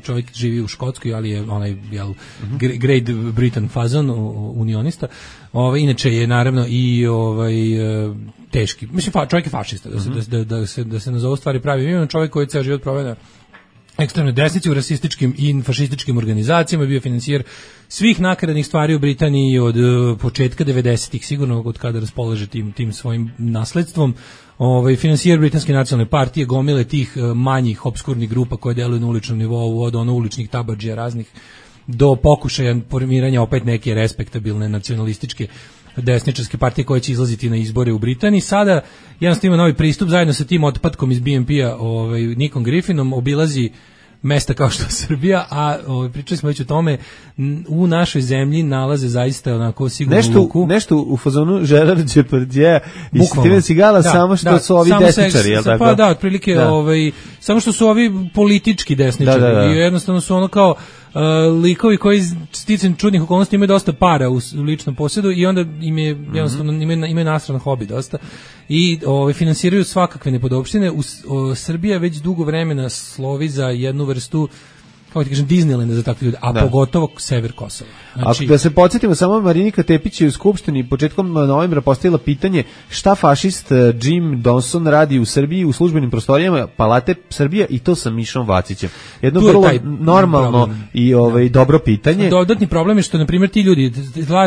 čovjek živi u Škotskoj, ali je onaj jel mm-hmm. Great Britain fazon, unionista. Ovaj inače je naravno i ovaj teški. Mislim fa, čovjek je fašista, da se mm-hmm. da, da se da se nazove stvari pravi imenom, čovjek koji je ceo život proveo na ekstremne desnice u rasističkim i fašističkim organizacijama, bio financijer svih nakaradnih stvari u Britaniji od uh, početka devedesetih, sigurno od kada raspolaže tim, tim svojim nasledstvom. Ovaj, financijer Britanske nacionalne partije, gomile tih uh, manjih obskurnih grupa koje deluju na uličnom nivou, od ono uličnih tabadžija raznih, do pokušaja formiranja opet neke respektabilne nacionalističke desničarske partije koje će izlaziti na izbore u Britaniji. Sada jednostavno ima novi pristup zajedno sa tim otpadkom iz B N P-a, ovaj, Nikom Griffinom, obilazi mesta kao što je Srbija, a ovaj, pričali smo već o tome, u našoj zemlji nalaze zaista onako sigurnu nešto, luku. Nešto u fazonu Gerard Depardieu i Steven Seagala, da, samo što da, su ovi desničari, jel tako? Pa da, otprilike, da. Ovaj, samo što su ovi politički desničari, da, da, da. I jednostavno su ono kao Uh, likovi koji sticam čudnih okolnosti imaju dosta para u, u ličnom posjedu i onda im je jednostavno mm-hmm. imaju, imaju nastran hobi dosta i ovaj, finansiraju svakakve nepodopštine. U, o, Srbija već dugo vremena slovi za jednu vrstu, kako ti kažem, Disneylanda za takve ljude, a da. Pogotovo sever Kosova. Znači, ako da se podsjetimo, samo Marinika Tepić je u Skupštini početkom novembra postavila pitanje šta fašist Jim Dawson radi u Srbiji u službenim prostorijama Palate Srbija i to sa Mišom Vacićem. Jedno vrlo normalno problem. I ovaj, da. Dobro pitanje. Dodatni problem je što, na primjer, ti ljudi,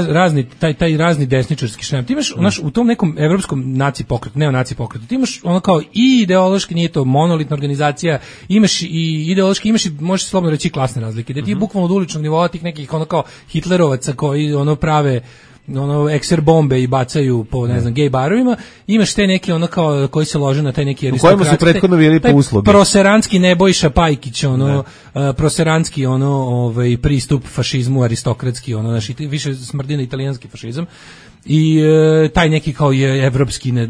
razni, taj, taj razni desničarski šnem, ti imaš mm. naš, u tom nekom evropskom naci pokretu, neonaci pokretu, ti imaš ono kao i ideološki, nije to monolitna organizacija, imaš i ideološki, imaš i, možeš slobodno reći, klasne razlike, da ti mm-hmm. bukvalno od uličnog nivoa tih nekih ono kao hitlerovaca koji ono prave ono ekser bombe i bacaju po ne znam gej barovima, imaš te neki ono kao koji se lože na taj neki aristokrat. U kojima su prethodno bili po uslugi. Proseranski Nebojša Pajkić, ono uh, proseranski ono ovaj pristup fašizmu aristokratski, ono znači više smrdi na italijanski fašizam. I e, taj neki kao je evropski ne,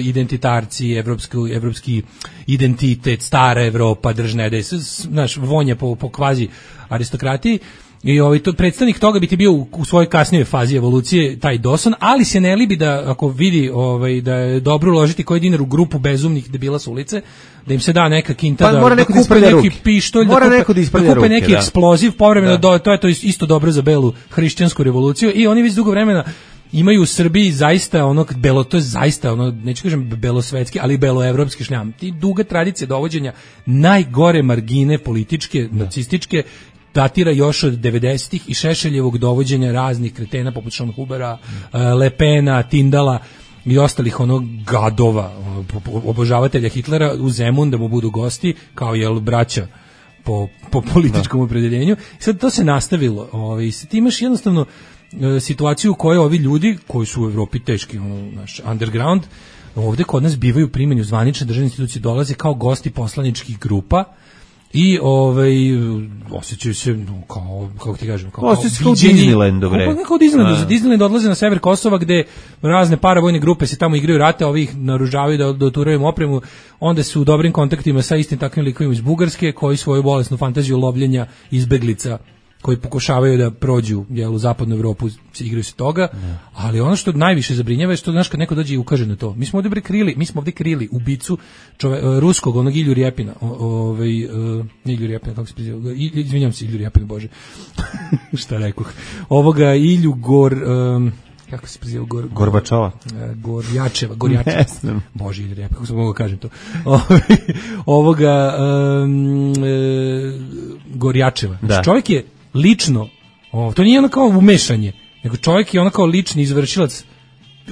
identitarci, evropski, evropski identitet, stara Evropa, držne, da je, znaš, vonja po, po kvazi aristokratiji. I ovaj to predstavnik toga bi ti bio u, u svojoj kasnijoj fazi evolucije taj Dawson, ali se ne libi da ako vidi ovaj da je dobro uložiti koji dinar u grupu bezumnih debila s ulice, da im se da neka kinta, pa, da mora neko da isprlja neki ruke. Pištolj, mora da neko kupe, da isprlja da kupe ruke, neki da. eksploziv, povremeno da. do, to je to isto dobro za belu hrišćansku revoluciju i oni već dugo vremena imaju u Srbiji zaista ono belo, to je zaista ono, neću kažem belosvetski, ali beloevropski šljam. Ti duga tradicija dovođenja najgore margine političke, da. Nacističke, datira još od devedesetih i Šešeljevog dovođenja raznih kretena poput Schönhubera, mm. Le Pena, Tindala i ostalih onog gadova, obožavatelja Hitlera u Zemun da mu budu gosti, kao jel braća po, po političkom da. Opredeljenju. Sad to se nastavilo. Ovaj, ti imaš jednostavno situaciju u kojoj ovi ljudi koji su u Evropi teški, ono, naš underground, ovde kod nas bivaju primjeni u zvanične državne institucije, dolaze kao gosti poslaničkih grupa i ovaj osjećaju se no, kao kako ti kažem kao osjećaju kao Disneyland, bre. Kao kao Disneyland, za Disneyland odlaze na sever Kosova gde razne paravojne grupe se tamo igraju rate, ovi ih naružavaju da doturaju opremu, onda su u dobrim kontaktima sa istim takvim likovima iz Bugarske koji svoju bolesnu fantaziju lovljenja izbeglica koji pokušavaju da prođu jel, u zapadnu Evropu, igraju se toga, ne. Ali ono što najviše zabrinjava je što znaš kad neko dođe i ukaže na to. Mi smo ovdje bre krili, mi smo ovdje krili ubicu čove, ruskog, onog Ilju Rjepina, ovaj uh, Ilju Rjepina, kako se preziva, izvinjam se Ilju Rjepina, bože, šta rekoh, ovoga Ilju Gor, um, kako se preziva, Gor, Gorbačova, uh, Gorjačeva, Gorjačeva, bože Ilju Rjepina, kako sam mogu kažem to, ovoga um, uh, Gorjačeva, da. Znači, čovjek je lično, o, to nije ono kao umešanje, nego čovjek je ono kao lični izvršilac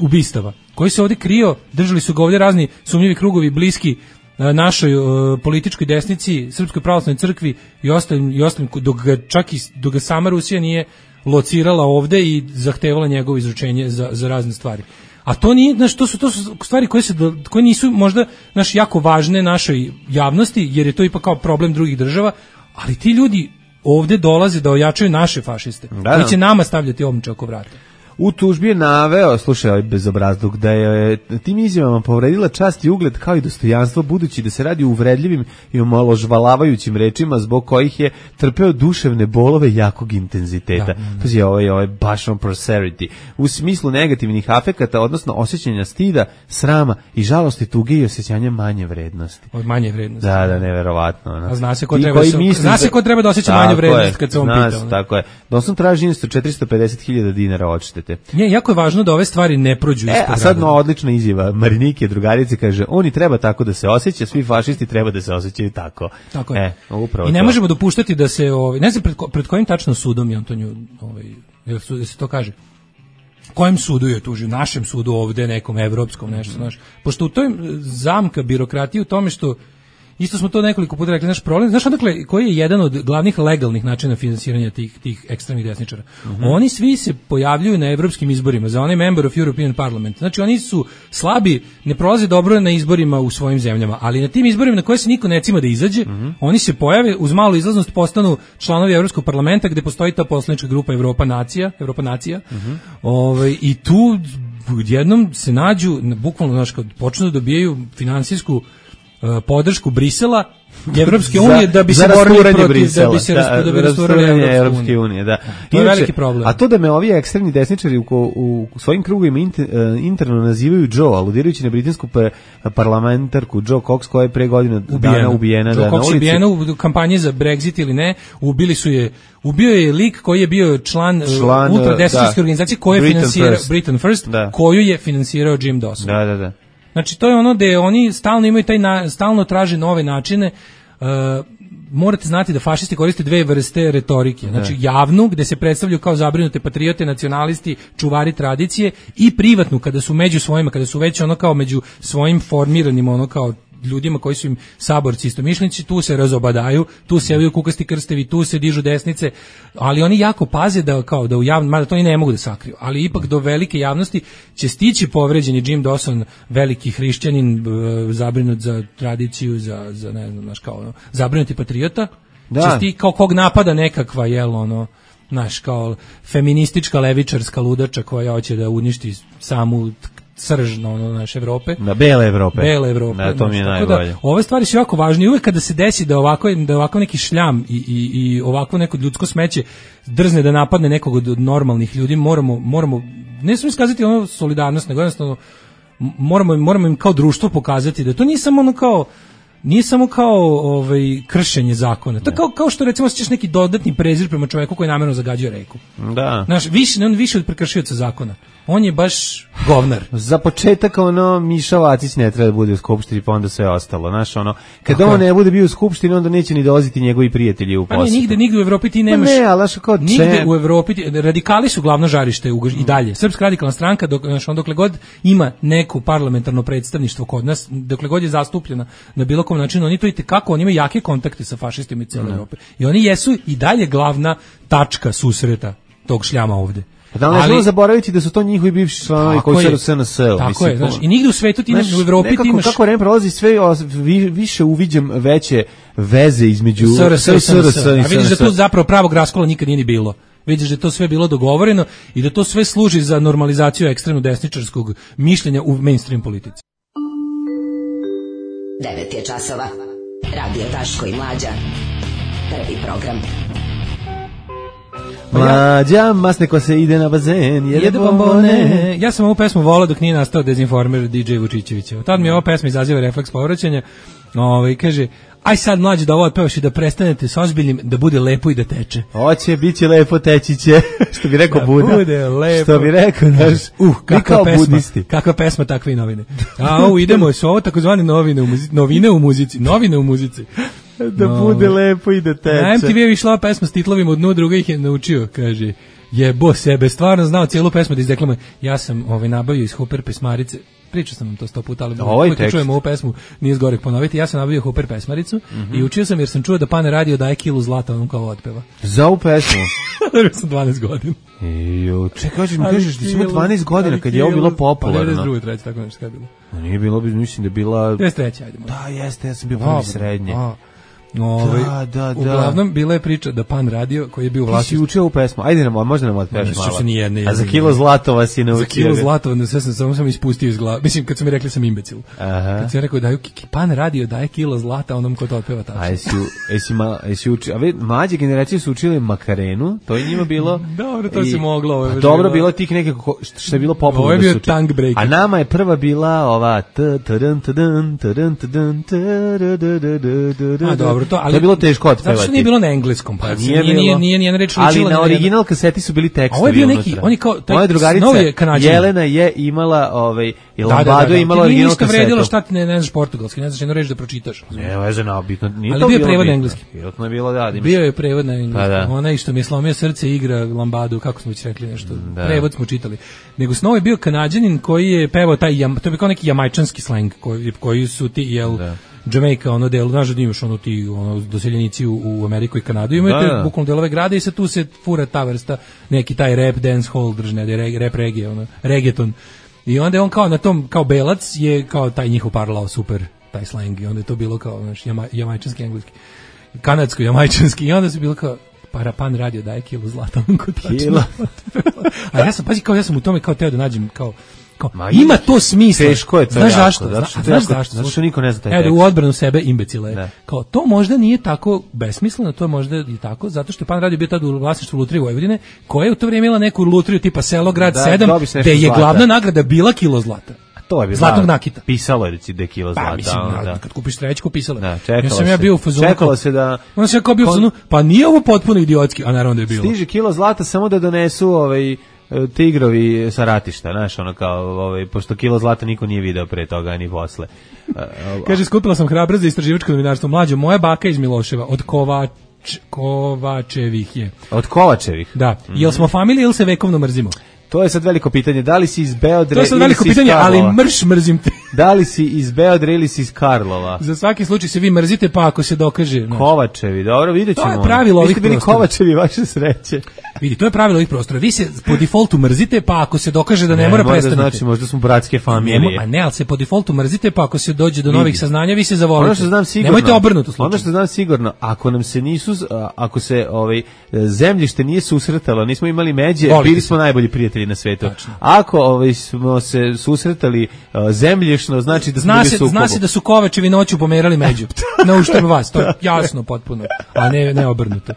ubistava, koji se ovdje krio, držali su ga ovdje razni sumnjivi krugovi bliski našoj uh, političkoj desnici, Srpskoj pravoslavnoj crkvi i ostalim, i ostalim dok ga, čak i dok ga sama Rusija nije locirala ovde i zahtevala njegovo izručenje za, za razne stvari. A to nije, znaš, to su, to su stvari koje, se, koje nisu možda naš, jako važne našoj javnosti, jer je to ipak kao problem drugih država, ali ti ljudi ovde dolaze da ojačaju naše fašiste, da, koji će nama stavljati omče oko vrata. U tužbi je naveo, slušaj ovaj bezobrazluk, da je tim izjavama povredila čast i ugled kao i dostojanstvo, budući da se radi o uvredljivim i omalovažavajućim rečima zbog kojih je trpeo duševne bolove jakog intenziteta. Da, da. To je ovaj, ovaj baš on prosperity. U smislu negativnih afekata, odnosno osjećanja stida, srama i žalosti, tuge i osjećanja manje vrednosti. Od manje vrednosti. Da, da, neverovatno. No. A zna se ko treba, su, zna se ko treba da osjeća manje vrednost kad se on pita. Zna se, tako je. Doslovno traži isto četiristo pedeset hiljada dinara odštete. Nije, jako je važno da ove stvari ne prođu ispod radara. E, a sad no, odlična izjava Marinike, drugarice, kaže, oni treba tako da se osjeća, svi fašisti treba da se osjećaju tako. Tako je. E, upravo I ne to. možemo dopuštati da se, ovaj, ne znam pred, pred kojim tačno sudom je Antoniju, ovaj, da se to kaže, kojem sudu je tužio, našem sudu ovde, nekom evropskom, nešto, znaš. Pošto u toj zamka birokratije u tome što isto smo to nekoliko puta rekli, naš problem, znaš odakle, koji je jedan od glavnih legalnih načina finansiranja tih, tih ekstremnih desničara? Mm-hmm. Oni svi se pojavljuju na evropskim izborima, za onaj member of European Parliament. Znači oni su slabi, ne prolaze dobro na izborima u svojim zemljama, ali na tim izborima na koje se niko ne cima da izađe, mm-hmm. oni se pojave, uz malu izlaznost postanu članovi Evropskog parlamenta gde postoji ta poslanička grupa Evropa nacija, Evropa nacija. Mm-hmm. Ovaj, i tu jednom se nađu, bukvalno, znaš, kad počnu da dobijaju finansijsku podršku Brisela i Evropske unije da bi se borili protiv Brisela, da bi se da, da bi rasturali Evropske unije, da. To je veliki problem. A to da me ovi ekstremni desničari u, u, u svojim krugovima inter, interno nazivaju Joe, aludirajući na britansku parlamentarku Joe Cox koja je pre godina dana ubijena. Joe da, Cox je ubijena u kampanji za Brexit ili ne, ubili su je, ubio je lik koji je bio član, član ultradesničarske organizacije koja je finansirao Britain First, da. Koju je finansirao Jim Dawson. Da, da, da. Znači to je ono da oni stalno imaju taj na, stalno traže nove načine. Uh, morate znati da fašisti koriste dve vrste retorike. Znači javnu gde se predstavljaju kao zabrinute patriote, nacionalisti, čuvari tradicije, i privatnu kada su među svojima, kada su već ono kao među svojim formiranim ono kao ljudima koji su im saborci istomišljenici, tu se razobadaju, tu se javljaju kukasti krstevi, tu se dižu desnice, ali oni jako paze da kao da u javnom, mada to i ne mogu da sakriju, ali ipak do velike javnosti će stići povređeni Jim Dawson, veliki hrišćanin, zabrinut za tradiciju, za, za ne znam, naš kao zabrinuti patriota, da. Će sti kao kog napada nekakva, jel, ono, naš kao feministička levičarska ludača koja hoće da uništi samu sržno ono naše Evrope. Na bele Evrope. Bele Evrope. Da, to mi je najbolje. Da, ove stvari su jako važne i uvek kada se desi da ovako, da ovako neki šljam i, i, i ovako neko ljudsko smeće drzne da napadne nekog od normalnih ljudi, moramo, moramo ne samo iskazati ono solidarnost, nego jednostavno moramo, moramo im kao društvo pokazati da to nije samo ono kao nije samo kao ovaj kršenje zakona. To kao kao što recimo osjećaš neki dodatni prezir prema čoveku koji namerno zagađuje reku. Da. Znaš, više on više od prekršioca zakona. On je baš govnar. Za početak ono Miša Vacić ne treba da bude u skupštini, pa onda sve ostalo. Znaš, ono kad on ne bude bio u skupštini, onda neće ni dolaziti njegovi prijatelji u posjetu. Pa ne, nigde, nigde u Evropi ti nemaš. Pa ne, ali znaš kao nigde u Evropi ti, radikali su glavno žarište u, i dalje. Srpska radikalna stranka, dok znaš, on dokle god ima neko parlamentarno predstavništvo kod nas, dokle god je zastupljena na bilo kom načinu, oni to i kako oni imaju jake kontakte sa fašistima iz cele Evrope. I oni jesu i dalje glavna tačka susreta tog šljama ovde. Da li ne želimo zaboraviti da su to njihovi bivši članovi koji su u S N S-u. Tako mislim, je, znaš, i nigde u svetu ti znaš, u Evropi nekako, ti imaš... Kako vreme prolazi, sve vi, više uviđam veće veze između S R S i S N S. A vidiš da tu zapravo pravog raskola nikad nije ni bilo. Vidiš da to sve bilo dogovoreno i da to sve služi za normalizaciju ekstremno desničarskog mišljenja u mainstream politici. devet je časova. Radio Daško i Mlađa. Prvi program. Mlađa, masne ko se ide na bazen, jede, jede bombone. Ja sam ovu pesmu volao dok nije nastao dezinformer D J Vučićevića. Tad mi ova pesma izaziva refleks povraćanja. Ovaj kaže, aj sad Mlađe da ovo otpevaš i da prestanete s ozbiljnim, da bude lepo i da teče. Hoće, bit će lepo, teći će. Što bi rekao da Buda. Bude lepo. Što bi rekao, znaš, uh, kakva pesma, budisti. Kakva pesma, takve i novine. A ovo idemo, su ovo takozvane novine u muzici, novine u muzici, novine u muzici. Da no. Bude lepo i da teče. Na M T V je išla pesma s titlovima od dnu, druga ih je naučio, kaže. Jebo sebe, stvarno znao cijelu pesmu da izdeklamo. Ja sam ovaj nabavio iz Hooper pesmarice. Pričao sam vam to sto puta, ali uvijek čujemo ovu pesmu, nije zgorek ponoviti. Ja sam nabavio Hooper pesmaricu mm-hmm. i učio sam jer sam čuo da Pan Radio daje kilu zlata onom kao otpeva. Za ovu pesmu? Dobio sam dvanaest godina. Jo, čekaj, hoćeš mi kažeš da si imao dvanaest godina kad je ovo bilo popularno. Pa devedeset druge, treće, tako nešto je bilo. A nije bilo, mislim da je bila... devedeset treće, ajde. Da, jeste, ja sam bio prvi srednje. A. Ove, da, da, da. Uglavnom bila je priča da Pan Radio koji je bio vlasnik. Ti si učio u pesmu. Ajde nam, možda nam otpevaš malo. Se nije, ne, A za kilo zlatova si naučio. Za kilo zlatova, sve sam samo sam ispustio iz glave. Mislim kad su mi rekli sam imbecil. Aha. Kad sam rekao daju Pan Radio daje kilo zlata onom ko to otpeva tačno. A jesi jesi ma jesi učio, a ve mlađe generacije su učile Makarenu, to je njima bilo. Dobro, to se moglo, ovo je. Dobro bilo tih nekako što je bilo popularno. Ovo je bio tongue breaker. A nama je prva bila ova t tadam tadam tadam tadam. A dobro, to ali je bilo teško otpevati. Zato što nije bilo na engleskom, pa nije nije nije nije nije reč ali na original kaseti su bili tekstovi. Ovo je bio neki, oni kao moja drugarica Jelena je imala ovaj i Lambado je imala original kasetu. Nije vredilo šta ti ne ne znaš portugalski, ne znaš jednu reč da pročitaš. Ne, veze na bitno, nije to bilo. Ali bio je prevod na engleski. Vjerojatno je bilo da. Bio je prevod na engleski. Onaj što mi je slomio srce igra Lambado, kako smo već rekli nešto. Prevod smo čitali. Nego Snow je bio Kanađanin koji je pevao taj, to je kao neki jamajčanski sleng koji koji su ti jel Jamaica, ono delo, znaš da imaš ono ti ono, doseljenici u, u Ameriku i Kanadu, imate da, da. bukvalno delove grada i se tu se fura ta vrsta, neki taj rap, dance hall držne, rap reggae, ono, reggaeton. I onda je on kao na tom, kao belac, je kao taj njihov parlao super, taj slang, i onda je to bilo kao, znaš, jama, jamajčanski, engleski, kanadsko, jamajčanski, i onda su bilo kao, para Pan Radio daje kilu zlata, on ko tačno. A ja sam, pazi, kao ja sam u tome kao teo da nađem, kao, Ma, ima to smisla. Teško je to. Znaš jako, zašto? Zato što, znaš zašto? Zato što niko ne zna taj tekst. Evo, u odbranu sebe imbecile. Ne. Kao, to možda nije tako besmisleno, to je možda i tako, zato što je Pan Radio bio tad u vlasništvu Lutrije Vojvodine, koja je u to vrijeme imala neku lutriju tipa Selo, Grad da, sedam, gde je glavna nagrada bila kilo zlata. To je bilo zlatnog nakita. Pisalo je da je kilo zlata. Pa, mislim, da, da. Kad kupiš trećku, pisalo je. Da, ja sam ja bio u fazonu. Čekalo se da... Onda sam ja kao bio u fazonu, pa nije ovo potpuno idiotski, a naravno da je bilo. Stiže kilo zlata samo da donesu ovaj... tigrovi sa ratišta, znaš, ono kao, ovaj, pošto kilo zlata niko nije video pre toga, ni posle. Kaže, skupila sam hrabrost za istraživačko novinarstvo. Mlađo, moja baka iz Miloševa, od Kovač, Kovačevih je. Od Kovačevih? Da. Mm-hmm. Jel smo familija ili se vekovno mrzimo? To je sad veliko pitanje. Da li si iz Beodre ili si iz Karlova? To je sad veliko pitanje, ali mrš mrzim te. Da li si iz Beodre ili si iz Karlova? Za svaki slučaj se vi mrzite, pa ako se dokaže. Znaš. Kovačevi, dobro, vidjet ćemo. To je pravilo ovih prostora. Vi ste bili Kovačevi, vaše sreće. Vidi, to je pravilo ovih prostora. Vi se po defaultu mrzite, pa ako se dokaže da ne, ne mora prestanete. Znači, možda smo bratske familije. Ne, a ne, ali se po defaultu mrzite, pa ako se dođe do Vidi. novih saznanja, vi se zavolite. Ono što znam sigurno. Nemojte obrnuto slučaj. Ono što znam sigurno, ako nam se nisu, ako se ovaj zemljište nije susretalo, nismo imali međe, Volite bili smo se. najbolji prijatelji na svetu. Tačno. Ako ovaj smo se susretali uh, zemljišno, znači da smo bili sukobu. Zna se da su Kovačevi noću pomerali među. Na uštrb vas, to je jasno potpuno, a ne ne obrnuto.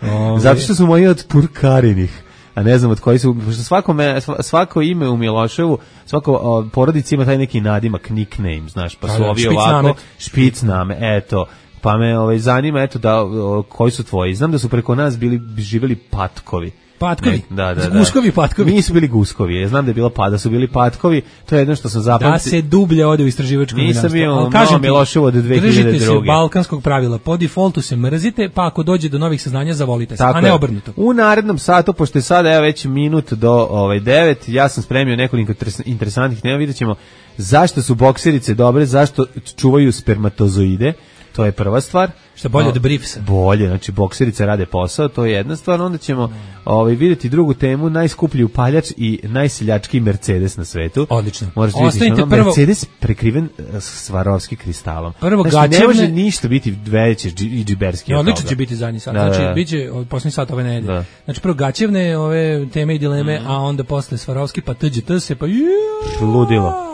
Ove. Zato što su moji od Purkarinih, a ne znam od koji su, pošto svako, me, svako ime u Miloševu, svako o, porodici ima taj neki nadimak, nickname, znaš, pa su ovi ovako, špicname, eto, pa me ovaj, zanima, eto, da, o, koji su tvoji. Znam da su preko nas bili, živjeli Patkovi. Patkovi, ne, da, da, da. Guskovi Patkovi. Nisu bili Guskovi, ja znam da je bilo pa, da su bili Patkovi, to je jedno što sam zapamtio. Da se dublje ode u istraživačko novinarstvo. Nisam bio malo Miloševo od dve hiljade druge. Držite se balkanskog pravila, po defaultu se mrzite, pa ako dođe do novih saznanja zavolite se, tako a ne obrnuto. U narednom satu, pošto je sada evo već minut do ovaj devet, ja sam spremio nekoliko interesantnih tema, vidjet ćemo zašto su bokserice dobre, zašto čuvaju spermatozoide. To je prva stvar. Šta bolje no, od briefsa? Bolje, znači bokserice rade posao, to je jedna stvar. Onda ćemo mm. ovaj, vidjeti drugu temu, najskuplji upaljač i najseljački Mercedes na svetu. Odlično. Možete vidjeti, ono, prvo... Mercedes prekriven Swarovski kristalom. Prvo znači, gaćevne... ne može ništa biti veće i džiberski. No, odlično će biti zadnji sat. Da, znači, da, da. Bit će posljednji sat ove nedelje. Da. Znači, prvo gaćevne ove teme i dileme, mm. a onda posle Swarovski, pa tđt se, pa juuu. Ludilo.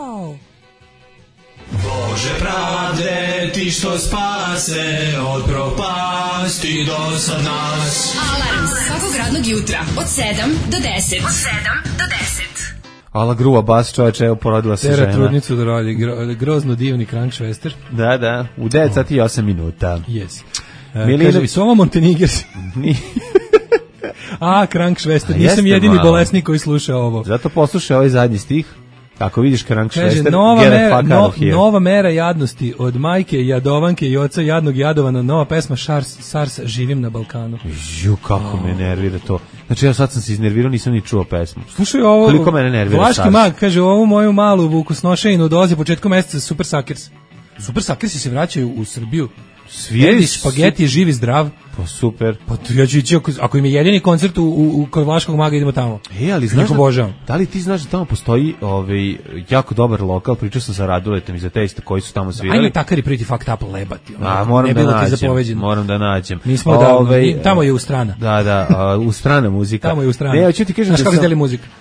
Bože pravde, ti što spase od propasti do sad nas. Alarm svakog radnog jutra od sedam do deset. Od sedam do deset. Ala gruva bas, čovječe, evo porodila se žena. Tera trudnicu da radi, gro, grozno divni Krankšvester. Da, da, u devet sati i osam minuta. Yes. Uh, Milino... Kaže, Sova Montenegers. A, Krankšvester, nisam jedini malo. bolesnik koji sluša ovo. Zato poslušaj ovaj zadnji stih. Ako vidiš Krankšvester, nova mera, no, nova mera jadnosti od majke, jadovanke i oca jadnog jadovana, nova pesma Šars, Sars, živim na Balkanu. Ju, kako oh. me nervira to. Znači ja sad sam se iznervirao, nisam ni čuo pesmu. Slušaj ovo, koliko mene nervira. Vlaški mag kaže, ovu moju malu vukosnošajinu dolazi početkom meseca Super Suckers. Super Suckersi se vraćaju u Srbiju. Sviraju špageti je živ i zdrav. Pa super. Pa ja ću ići, ako, ako im je jedini koncert u, u, u kod Vlaškog maga, idemo tamo. E, ali znaš da, da li ti znaš da tamo postoji ovaj, jako dobar lokal, pričao sam sa Raduletom i za te isto koji su tamo svirali. Ajme takari pretty fucked up lebati. A, moram da nađem, moram da nađem. Nismo davno, ovaj, tamo je u strana. Da, da, a, u strana muzika. Tamo je u strana. Ne, hoću ti kažem da sam,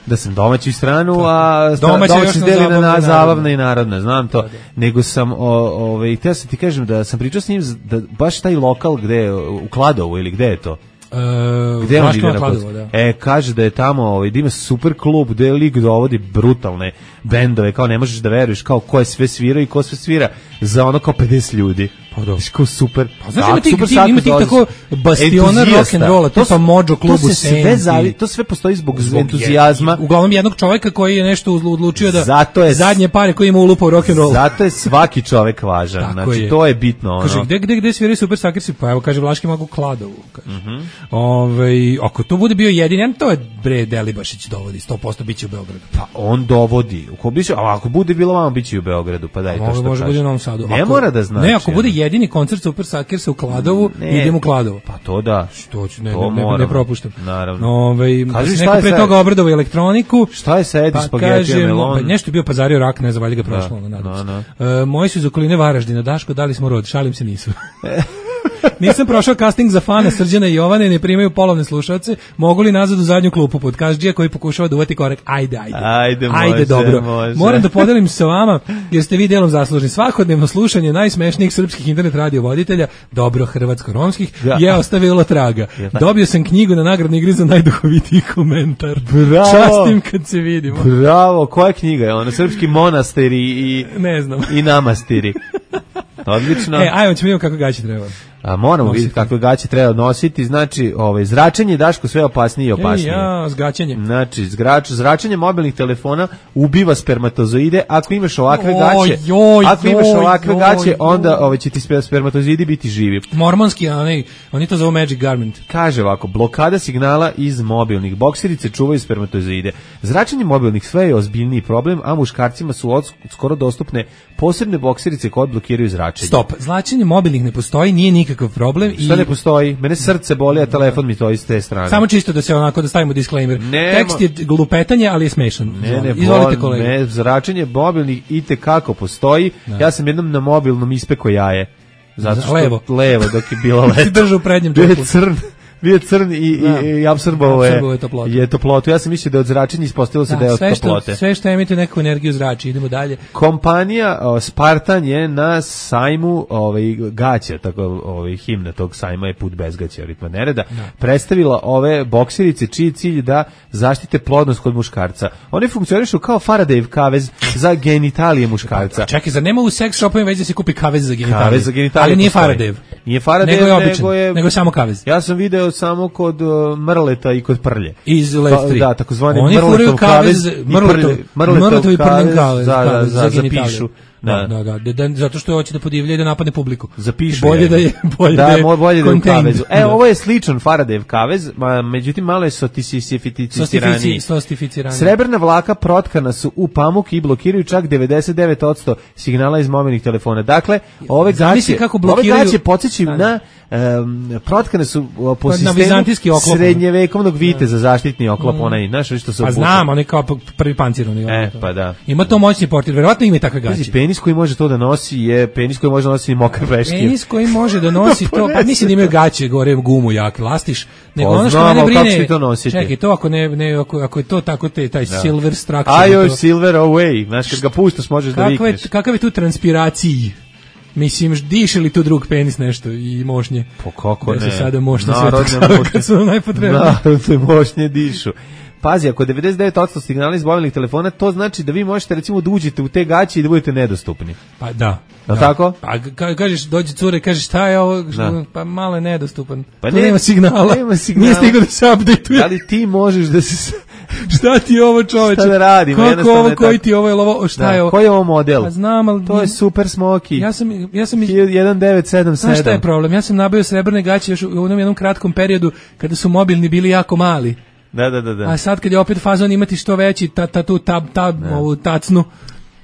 da sam domaći stranu, a domaća domaći deli na, na zabavna i narodna, znam to. Da, da. Nego sam, ovaj, htio sam ti kažem da sam pričao s njim da baš taj lokal gde u Kladovu ili gde je to? Uh, gde on ide na Kladovo, da. E, kaže da je tamo, ovaj, da ima super klub gde lik dovodi brutalne bendove, kao ne možeš da veruješ kao ko je sve svirao i ko sve svira za ono kao pedeset ljudi. Pa dobro. Kao super. Pa znaš, ima tih, ti, ima tih tako bastiona rock'n'rolla, tipa Mojo klub u Senci. To sve postoji zbog, zbog entuzijazma. Je, uglavnom jednog čoveka koji je nešto odlučio da zato je, zadnje pare koje ima ulupao rock'n'roll. Zato je svaki čovek važan. Znači, je. To je bitno. Ono. Kaže, gde, gde, gde sviraju Super Suckersi? Pa evo, kaže, Vlaški mag u Kladovu. Kaže. Mm -hmm. Ove, ako to bude bio jedin, to je bre Delibašić dovodi, sto posto biće u Beogradu. Pa on dovodi. Ako, biće, a ako bude bilo vamo, biće u Beogradu. Pa daj to što može bude u Novom Sadu. Ne ako, mora da znači. Ne, ako bude jedini koncert Super Suckersa u Kladovu, ne, idem u Kladovo. Pa to da. Što ću, ne, to ne, ne, ne propuštam. Naravno. Ove, Kaži, neko pre toga obradovao elektroniku. Šta je sa Edi pa spagetija melon? Pa nešto je bio pazario rak, ne znam, valjda ga prošlo. Da, nadam no, no. E, moji su iz okoline Varaždina, Daško, dali smo rod, šalim se, nisu. Nisam prošao casting za fana Srđana i Jovane, ne primaju polovne slušalce, mogu li nazad u zadnju klupu podcastđija koji pokušava da uvati korek, ajde, ajde, ajde, može, ajde dobro. Može. Moram da podelim se sa vama, jer ste vi delom zaslužni. Svakodnevno slušanje najsmešnijih srpskih internet radio voditelja, dobro hrvatsko-romskih, ja. je ostavilo traga. Dobio sam knjigu na nagradnoj igri za najduhovitiji komentar. Bravo. Častim kad se vidimo. Bravo, koja knjiga je ona? Srpski monastiri i, ne znam. i namastiri. Odlično. E, ajmo ćemo vidjeti kako gaće treba. A moramo vidjeti kako gaće treba nositi, znači, ovaj zračenje Daško sve opasnije i opasnije. Ej, ja, zgaćenje. Znači, zgrač, zračenje mobilnih telefona ubiva spermatozoide. Ako imaš ovakve oj, gaće, joj, ako imaš joj, ovakve joj, gaće, joj. onda ovaj će ti spermatozoidi biti živi. Mormonski, oni, oni to zovu Magic Garment. Kaže ovako, blokada signala iz mobilnih bokserice čuvaju spermatozoide. Zračenje mobilnih sve je ozbiljniji problem, a muškarcima su od, skoro dostupne posebne bokserice koje blokiraju zračenje. Stop, zračenje mobilnih ne postoji, nije nikakav problem. Šta ne postoji? Mene srce boli, a telefon mi to iz te strane. Samo čisto da se onako da stavimo disclaimer. Ne, tekst je glupetanje, ali je smešan. Ne, ne, izvolite kolega. Ne, zračenje mobilnih itekako postoji. Da. Ja sam jednom na mobilnom ispeko jaje. Zato što levo, levo dok je bilo leto. Držao u prednjem džepu. Crn. Bio crn i, i, i apsorbovao je, je toplotu. je toplotu. Ja sam mislio da je od zračenja, ispostavilo se da, da je od sve toplote. Što, sve što emituje neku energiju zrači, idemo dalje. Kompanija o, Spartan je na sajmu ovaj, gaća, tako ovaj, himna tog sajma je Put bez gaća, ritma nereda, da. predstavila ove bokserice čiji cilj da zaštite plodnost kod muškarca. One funkcionišu kao Faradayjev kavez za genitalije muškarca. Pa, čekaj, zar nema u seks shopovima već da se kupi kavez za genitalije? Kavez za genitalije ali nije Faradayjev. Nije Faradayjev, nego je običan, nego je, nego je samo kavez. Ja sam video samo kod uh, mrleta i kod prlje. Iz Lestri. Da, takozvani mrletov kavez, mrletov, mrletov i prljen kavez, da, da, za, za pišu. Da, da, da, da, da, zato što hoće da podivlja i da napadne publiku. Zapišu bolje je. Da je bolje da, da je, bolje da je u kavezu. E, ovo je sličan Faradayjev kavez, ma, međutim malo je sostificirani. Sostificirani. Srebrna vlaka protkana su u pamuk i blokiraju čak devedeset devet posto signala iz mobilnih telefona. Dakle, ove gaće, kako blokiraju... ove gaće podsjećaju na um, protkane su po na sistemu srednjevekovnog viteza zaštitni oklop, mm. onaj, znaš što se pa znam, on je kao prvi pancirani. E, pa da. Ima to moćni portir, verovatno ima i takve gaće. Penis koji može to da nosi je penis koji može da nosi mokre peške. Penis koji može da nosi to, pa mislim da imaju gaće, gore gumu jak, lastiš, nego pa, ono što mene brine, to čekaj, to ako ne, ne ako, ako je to tako te, taj da. Silver structure. Ajoj, silver away, znaš kad ga puštaš možeš da vikneš. Kakav je tu transpiraciji? Mislim, diše li tu drug penis nešto i mošnje? Po kako ne? Da se sada mošne sve kad su nam najpotrebnije. Narodne mošnje dišu. Pazi, ako devedeset devet posto signala iz mobilnih telefona, to znači da vi možete recimo da uđete u te gaće i da budete nedostupni. Pa da. Da, tako? Pa ka, kažeš, dođe cure, kažeš šta je ovo, što, pa malo je nedostupan. Pa tu ne, nema signala. Nema signala. Nije stigao da se update-uje. Da li ti možeš da se... šta ti je ovo, čoveče? Šta da radim? Kako ovo, koji ti ovo je ovo, šta da, je ovo? Koji je ovo model? Pa znam, ali... To je Super Smoky. Ja sam... Ja sam jedan devet sedam sedam. Znaš šta je problem? Ja sam nabavio srebrne gaće još u onom jednom kratkom periodu kada su mobilni bili jako mali. Da, da, da, da. A sad kad je opet fazon imati što veći ta, ta, tu, ta, ta, ovu tacnu,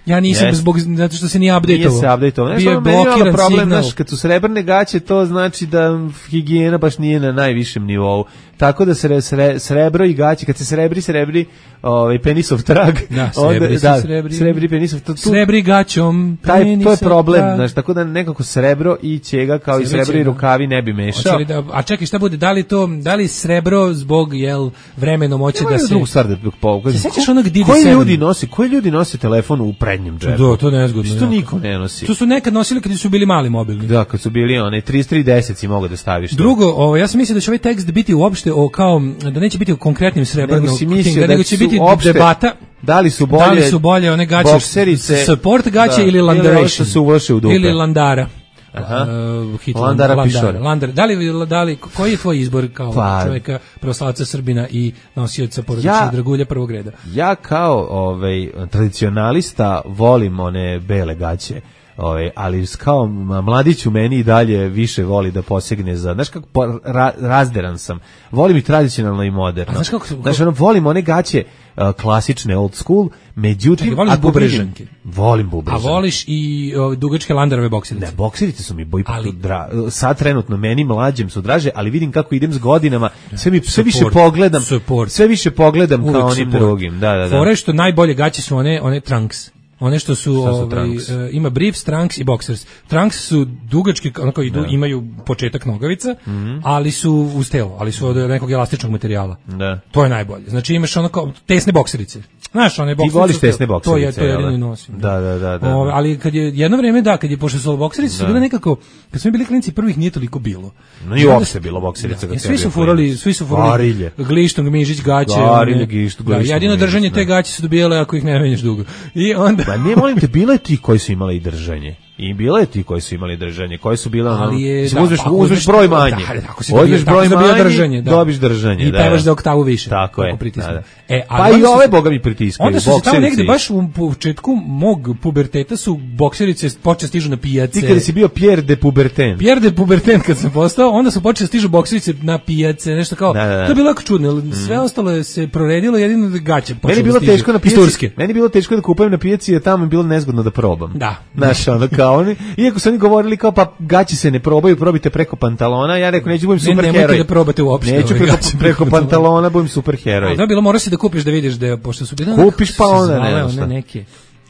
ja nisam yes. zbog, zato što se nije update-ovo. Nije se update-ovo. Bio je blokiran problem, znaš, kad su srebrne gaće, to znači da higijena baš nije na najvišem nivou. Tako da se sre, srebro i gaće, kad se srebri, srebri ovaj, penisov trag. Da, srebri onda, se da, srebri. Srebri penisov. Tu, srebri gaćom taj, to je problem, trag. Znaš, tako da nekako srebro i ćega, kao srebri i srebri rukavi ne bi mešao. Da, a čekaj, šta bude, da li to, da li srebro zbog, jel, vremenom hoće da se... drugu stvar da se sećaš onog D D sedam? Koji ljudi nosi, koji ljudi nosi telefon u prednjem džepu? Da, to je nezgodno. Što niko ne nosi. To su nekad nosili kad su bili mali mobilni. Da, kad su bili one trideset tri deset si mogao da staviš. Drugo, ovo, ja sam mislio da će ovaj tekst biti uopšte o kao da neće biti o konkretnim srebrnim, nego, nego će biti opšte, debata. Da li su bolje? Da li su bolje one gaće bokserice, support gaće da, ili landaration su uvrše u dupe. Ili landara. Aha. Uh, Hitler, Landara, Landara Pišore. Landara. Da li, da li, koji je tvoj izbor kao pa, čovjeka pravoslavca Srbina i nosioca porodičnog ja, dragulja prvog reda? Ja kao ovaj, tradicionalista volim one bele gaće. Ove, ali kao mladić u meni i dalje više voli da posegne za, znaš kako po, ra, razderan sam, volim i tradicionalno i moderno. Znaš kako, kako... Znaš, ono, volim one gaće uh, klasične old school, međutim... Čekaj, voliš bubrežanke? Volim bubrežanke. A voliš i o, dugačke landarove bokserice? Ne, bokserice su mi boj ali... dra, sad trenutno meni mlađem su draže, ali vidim kako idem s godinama, sve mi sve više pogledam, support. sve više pogledam uvijek kao onim support. Drugim. Da, da, da. Fore što najbolje gaće su one, one trunks. One što su, su ovaj, uh, ima briefs, trunks i boxers. Trunks su dugački, onako idu, imaju početak nogavica, mm -hmm. ali su uz telo, ali su od nekog elastičnog materijala. Da. To je najbolje. Znači imaš onako tesne bokserice. Znaš, one bokserice. Ti voliš tesne bokserice. To je, to je jedino i nosim. Da, da, da. da. O, ali kad je jedno vreme, da, kad je pošto su bokserice su bile nekako, kad smo bili klinci prvih nije toliko bilo. No i uopšte bilo bokserice. Da, svi su furali, svi su furali glištong, mižić, gaće. Garilje, gišt, da, jedino držanje te gaće su dobijale ako ih ne menjaš dugo. I onda... Pa ne molim te, bilo je ti koji su imali i držanje. I bilo je ti koji su imali držanje, koji su bile ono, da, uzmeš, pa, uzmeš broj manje. Da, ako si uzmeš broj manje, držanje, da. Dobiš držanje. I pevaš za oktavu više. Tako je. Da, da. E, pa i ove boga mi pritiskaju. Onda su se tamo negde baš u početku mog puberteta su bokserice počeli stižu na pijace. Ti kada si bio Pierre de Puberten. Pierre de Puberten kad sam postao, onda su počeli stižu bokserice na pijace, nešto kao. Da, da, da. To je bilo jako čudno, mm. sve ostalo se proredilo, jedino gaće počelo. Meni bilo teško na pijaci. Meni bilo teško da kupujem na pijaci, jer tamo je bilo nezgodno da probam. Da. Znaš, ono kao oni, iako su oni govorili kao pa gaći se ne probaju, probite preko pantalona. Ja rekao neću budem super heroj. Nemojte da probate uopšte. Neću preko, preko pantalona, budem super heroj. Da bilo mora se da kupiš da vidiš da pošto su bile kupiš pa onda ne, one neke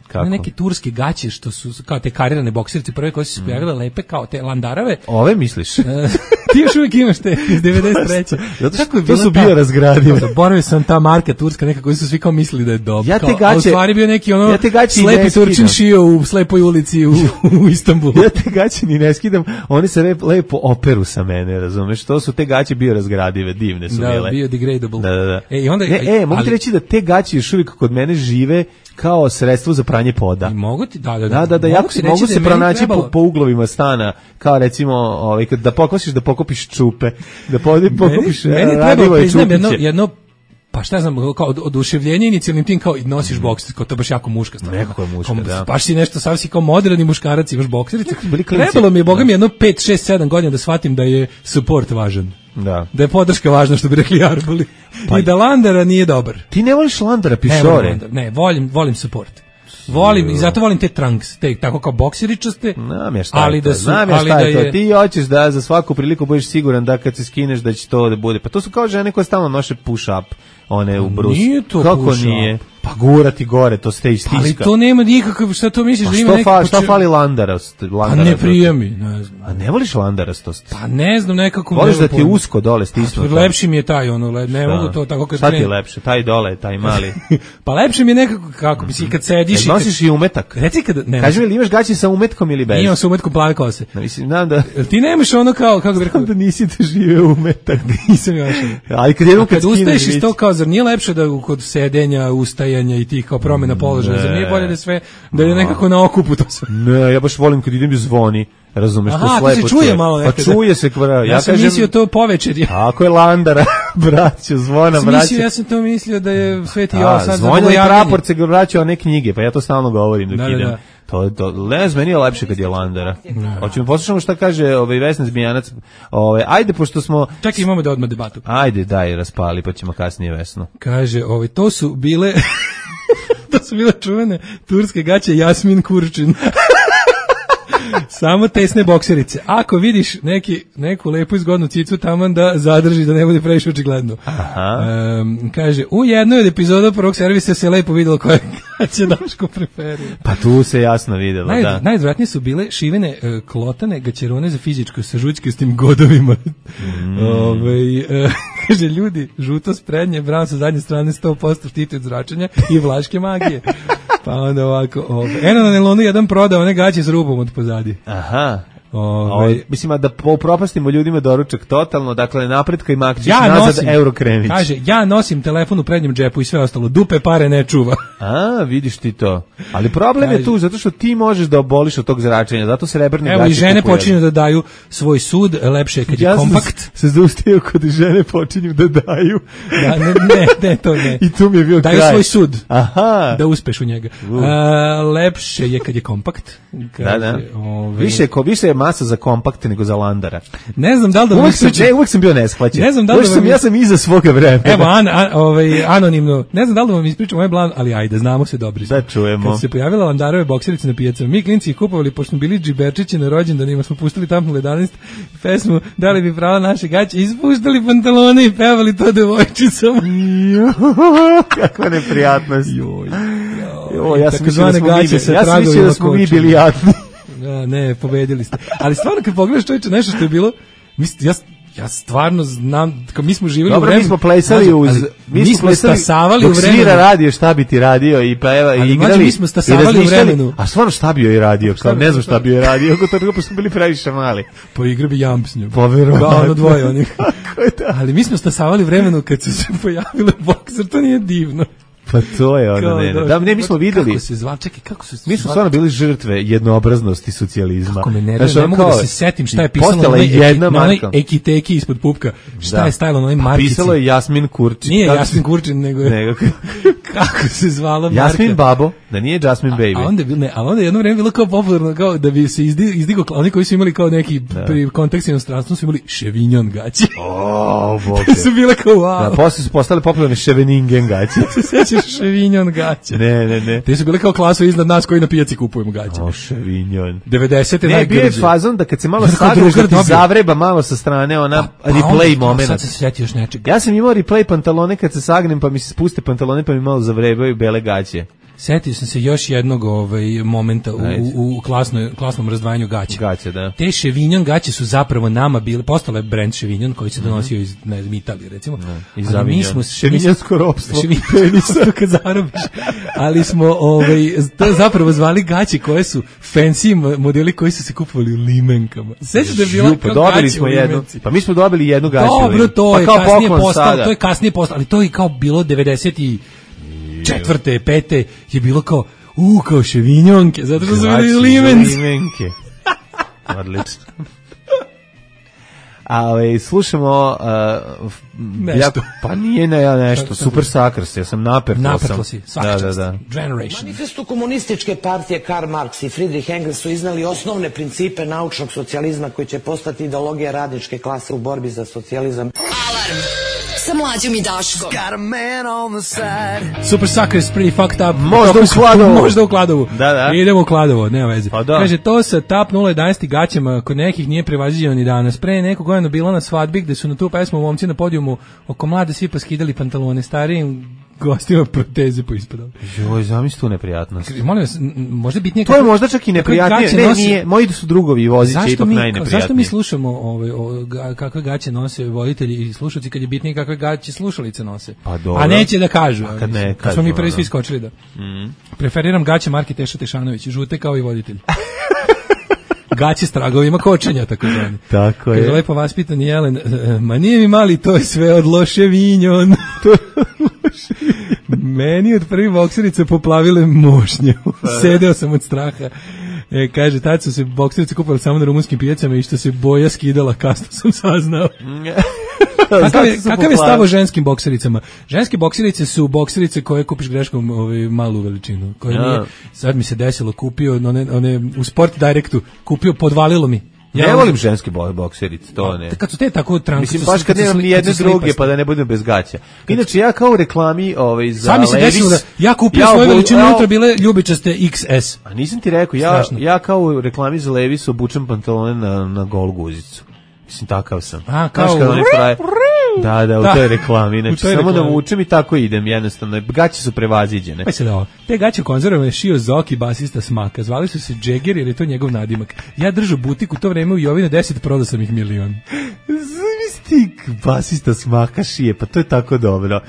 kako? Neke turske gaće što su kao te karirane bokserice prve koje su se pojavile mm. lepe kao te landarave. Ove misliš? Ti još uvijek imaš te iz devedeset treće. Zato što to su bio razgradive. Zaboravio sam ta marka turska neka koji su svi kao mislili da je dobro. Ja te gaće, a u stvari bio neki ono ja slepi Turčin šio u slepoj ulici u, u Istanbulu. Ja te gaće ni ne skidam, oni se rep, lepo operu sa mene, razumeš? To su te gaće bio razgradive, divne su da, bile. Da, bio degradable. Da, da, da. E, i onda, ne, e, mogu ti reći da te gaće još uvijek kod mene žive kao sredstvo za pranje poda. I mogu ti, da, da, da, da, da jako se mogu se pronaći po, po uglovima stana, kao recimo, ovaj, kad da pokosiš, da pokopiš čupe, da podi, pokopiš meni, meni treba priznam jedno, jedno, pa šta znam, kao oduševljenje inicijalnim tim, kao i nosiš mm. bokserice, kao to baš jako muška stvar. Nekako je muška, kao, da. Baš si nešto, sav si kao moderni muškarac, imaš bokserice. Trebalo mi je, boga mi, jedno pet, šest, sedam godina da shvatim da je support važan. Da. Da je podrška važna, što bi rekli Arboli. Pa i da Landara nije dobar. Ti ne voliš Landara, Pišore? Ne, ne, volim, volim support. Volim i zato volim te trunks, te tako kao bokseričaste. Ali da su, ali da je ti hoćeš da za svaku priliku budeš siguran da kad se skineš da će to da bude. Pa to su kao žene koje stalno noše push up, one u brus. Nije to kako push nije? Up. Pa gurati gore, to ste istiska. Ali to nema nikakav, šta to misliš pa da ima neki... Pa šta fali Landarast? Pa ne prijemi, ne znam. A ne voliš Landarastost? Pa ne znam, nekako... Voliš da ti je usko dole stisnuto? Pa, lepši mi je taj, ono, ne mogu to tako kad... Šta ti je lepše, taj dole, taj mali? Pa lepše mi je nekako, kako bi si, kad sediš... Ne nosiš i umetak? Reci kad... Ne, kaži mi, ili imaš gaći sa umetkom ili bez? Imam sa umetkom plave kose. No, mislim, znam da... Ti nemaš ono kao, kako bi rekao... da nisi da žive umetak. Nisam još. Ali kad jednom kad ustaješ iz to kao, zar nije lepše da kod sedenja, ustajanja i tih kao promjena položaja, zar nije bolje da sve, da je nekako na okupu to sve? Ne, ja baš volim kad idem i zvoni. razumeš, aha, to slepo. Aha, se čuje malo nekada. Pa čuje se, kvara. Ja, ja sam kažem, mislio to povečer. Tako je Landara, braćo, zvona, braćo. Ja sam to mislio da je Sveti Jovan. Zvonja i prapor se vraća one knjige, pa ja to stalno govorim dok da, idem. Da, da. To, to, ne, meni je lepše kad je Landara. Hoćemo poslušamo šta kaže ovaj Vesna Zmijanac. Ovaj, ajde, pošto smo... Čekaj, imamo da odmah debatu. Ajde, daj, raspali, pa ćemo kasnije Vesnu. Kaže, ovaj, to su bile... to su bile čuvene turske gaće Jasmin Kurčin. Samo tesne bokserice. Ako vidiš neki, neku lepu izgodnu cicu taman da zadrži, da ne bude previše očigledno. Um, kaže, u jednoj od epizoda prvog servisa se lepo vidjelo koje gaće Daško preferuje. Pa tu se jasno vidjelo, Naj, da. Najodvratnije su bile šivene uh, klotane gaćerone za fizičko sa žućkastim godovima. Mm. Ove, uh, kaže, ljudi, žuto s prednje, brown sa zadnje strane sto posto štiti od zračenja i vlaške magije. Pa onda ovako, ove. Eno na nelonu jedan prodao one gaće s rubom od pozadi. Aha. Ove, mislim, da propastimo ljudima doručak totalno, dakle, napretka i makćiš ja nazad nosim, Eurokrenić. Kaže, ja nosim telefon u prednjem džepu i sve ostalo, dupe pare ne čuva. A, vidiš ti to. Ali problem kaže, je tu, zato što ti možeš da oboliš od tog zračenja, zato se srebrne gaće kupuju. Evo i žene počinju da daju svoj sud, lepše je kad ja je kompakt. Ja se zaustavio kod žene počinju da daju. Da, ne, ne, ne, to ne. I tu mi je bio daju kraj. Daju svoj sud, aha, da uspeš u njega. Uh. A, lepše je kad je kompakt. Kaže, da, da. Ove... Više, ko, više je masa za kompakt nego za Landara. Ne znam da li da uvijek sam, ne, uvijek sam bio neshvaćen. Ne znam da li da sam, ja sam iza svoga vremena. Evo, an, an, ovaj, anonimno. Ne znam da li da vam ispričam ovaj plan, ali ajde, znamo se dobri. Da čujemo. Kad se pojavila Landarove bokserice na pijacama, mi klinci ih kupovali, pošto smo bili džiberčići na rođendanima, smo pustili Tampnul jedanaest pesmu, dali bi pravo naše gaće, ispuštali pantalone i pevali to devojčicama. Kakva neprijatnost. Joj. Joj, ja sam mislio da smo mi bili jadni. Ja, ne, pobedili ste. Ali stvarno kad pogledaš čovječe, nešto što je bilo, mislim, ja, ja stvarno znam, kao mi smo živjeli dobro, u vremenu. Mi smo plesali uz, mi, mi smo stasavali u vremenu. Dok svira radio, šta bi ti radio i peva i igrali. Ali mi smo stasavali u vremenu. A stvarno šta bio i radio, kao ne znam šta bio i radio, ako to pa smo bili previše mali. Po igri bi jamp s njom. Poverovatno. Da, ono dvoje onih. Ali mi smo stasavali u vremenu kad su se pojavile bokser, to nije divno. Pa to je ono, ne, ne. Da, ne, mi smo videli. Kako se zval, čekaj, kako su se mi smo stvarno bili žrtve jednoobraznosti socijalizma. Kako me nervira, ne mogu da se setim šta je pisalo na onoj ekiteki ispod pupka. Šta da. Je stajalo na onoj markici? Pisalo je Jasmin Kurčin. Nije Jasmin Kurčin, nego je... Nego. Kako se zvala marka? Jasmin Babo, da nije Jasmin Baby. A, a onda je bilo, ne, a onda je jedno vreme bilo kao popularno, kao da bi se izdi, izdigo, oni koji su imali kao neki da. Pri kontekst inostranstva su imali Ševinjon gaće. O, bože. Su bile kao wow. Da, posle su postale popularne Ševeningen gaće. Se sećaš Ševinjon gaće? Ne, ne, ne. Te su bile kao klasu iznad nas koji na pijaci kupujemo gaće. O, Ševinjon. devedesete ne, bio je fazon da kad se malo sagreš da ti zavreba malo sa strane ona pa, pa replay moment. Sad se sjeti još nečega. Ja sam imao replay pantalone kad se sagnem pa mi se spuste pantalone pa mi malo zavrebaju bele gaće. Setio sam se još jednog ovaj momenta u, u, u klasnoj, klasnom razdvajanju gaća. Gaće, da. Te Ševinjon gaće su zapravo nama bile, postale je brend Ševinjon koji se donosio iz, ne znam, Italije, recimo. Da, iz ali mi smo Ševinjonsko ropstvo. Ševinjonsko kad zarobiš. Ali smo ovaj, to zapravo zvali gaće koje su fancy modeli koji su se kupovali u limenkama. Sećaš da je bila pa dobili smo jednu. Pa mi smo dobili jednu gaću. Dobro, to pa je kasnije postalo, to je kasnije postalo, ali to je kao bilo devedeset i četvrte, pete je bilo kao, u, kao Ševinjonke, zato što su bili limenci. Limenke. Odlično. A ove, slušamo uh, nešto. Ja, pa nije ne, nešto, Super Suckers, ja sam napertao sam. Napertao si, svaka čast. Da, da, da. Generation. Manifestu komunističke partije Karl Marx i Friedrich Engels su iznali osnovne principe naučnog socijalizma koji će postati ideologija radničke klase u borbi za socijalizam. Alarm sa Mlađom i Daškom. Super Suckers, pretty fucked up. Možda u Kladovu. Možda u Kladovu. Da, da. Idemo u Kladovo, nema veze. Pa da. Kaže, to sa Tap nula jedanaest gaćama kod nekih nije prevaziđeno ni danas. Pre neko godina bila na svadbi gde su na tu pesmu momci na podijumu oko mlade svi poskidali pantalone, starijim gostima proteze poispadali. Joj, zamisli tu neprijatnost. Molim vas, možda bitnije... To je možda čak i neprijatnije. Ne, nosi... nije, moji su drugovi voziće ipak mi, najneprijatnije. Zašto mi slušamo ove, o, kakve gaće nose voditelji i slušalci kad je bitnije kakve gaće slušalice nose? Pa dobro. A neće da kažu. A kad ne, kad smo mi prvi svi skočili da. Mm. Preferiram gaće marke Teša Tešanović, žute kao i voditelj. Gaće s tragovima kočenja, tako zvani. Tako je. Kaže, lepo vaspitan Jelen, ma nije mi mali, to je sve od Loševinjon. Meni od prvi bokserice poplavile mošnje. Sedeo sam od straha. E, kaže, tad su se bokserice kupovali samo na rumunskim pijacama i što se boja skidala, kasno sam saznao. Kakav je, kakav je stav o ženskim boksericama? Ženske bokserice su bokserice koje kupiš greškom ovaj, malu veličinu. Koje ja. Nije, sad mi se desilo, kupio one, one, u Sport Directu, kupio, podvalilo mi. Ja ne volim ženske bokserice, to ne. Kad su te tako tranke, mislim baš kad nemam ni jedne druge, pa da ne budem bez gaća. Inače ja kao u reklami, ovaj za Levi's, sami se desilo da ja kupio ja svoju veličinu, unutra bile ljubičaste iks es. A nisam ti rekao, ja Strašno. ja kao u reklami za Levi's obučem pantalone na na gol guzicu. Mislim takav sam. A kao Da, da, u da. toj reklami. Znači, toj samo reklami. Da vučem i tako idem, jednostavno. Gaće su prevaziđene. Pa se da ovo. Te gaće konzervovane šio Zoki, basista Smaka. Zvali su se Jagger jer je to njegov nadimak. Ja držao butik u to vreme u Jovine deset, prodao sam ih milion. Stik, basista Smaka šije, pa to je tako dobro.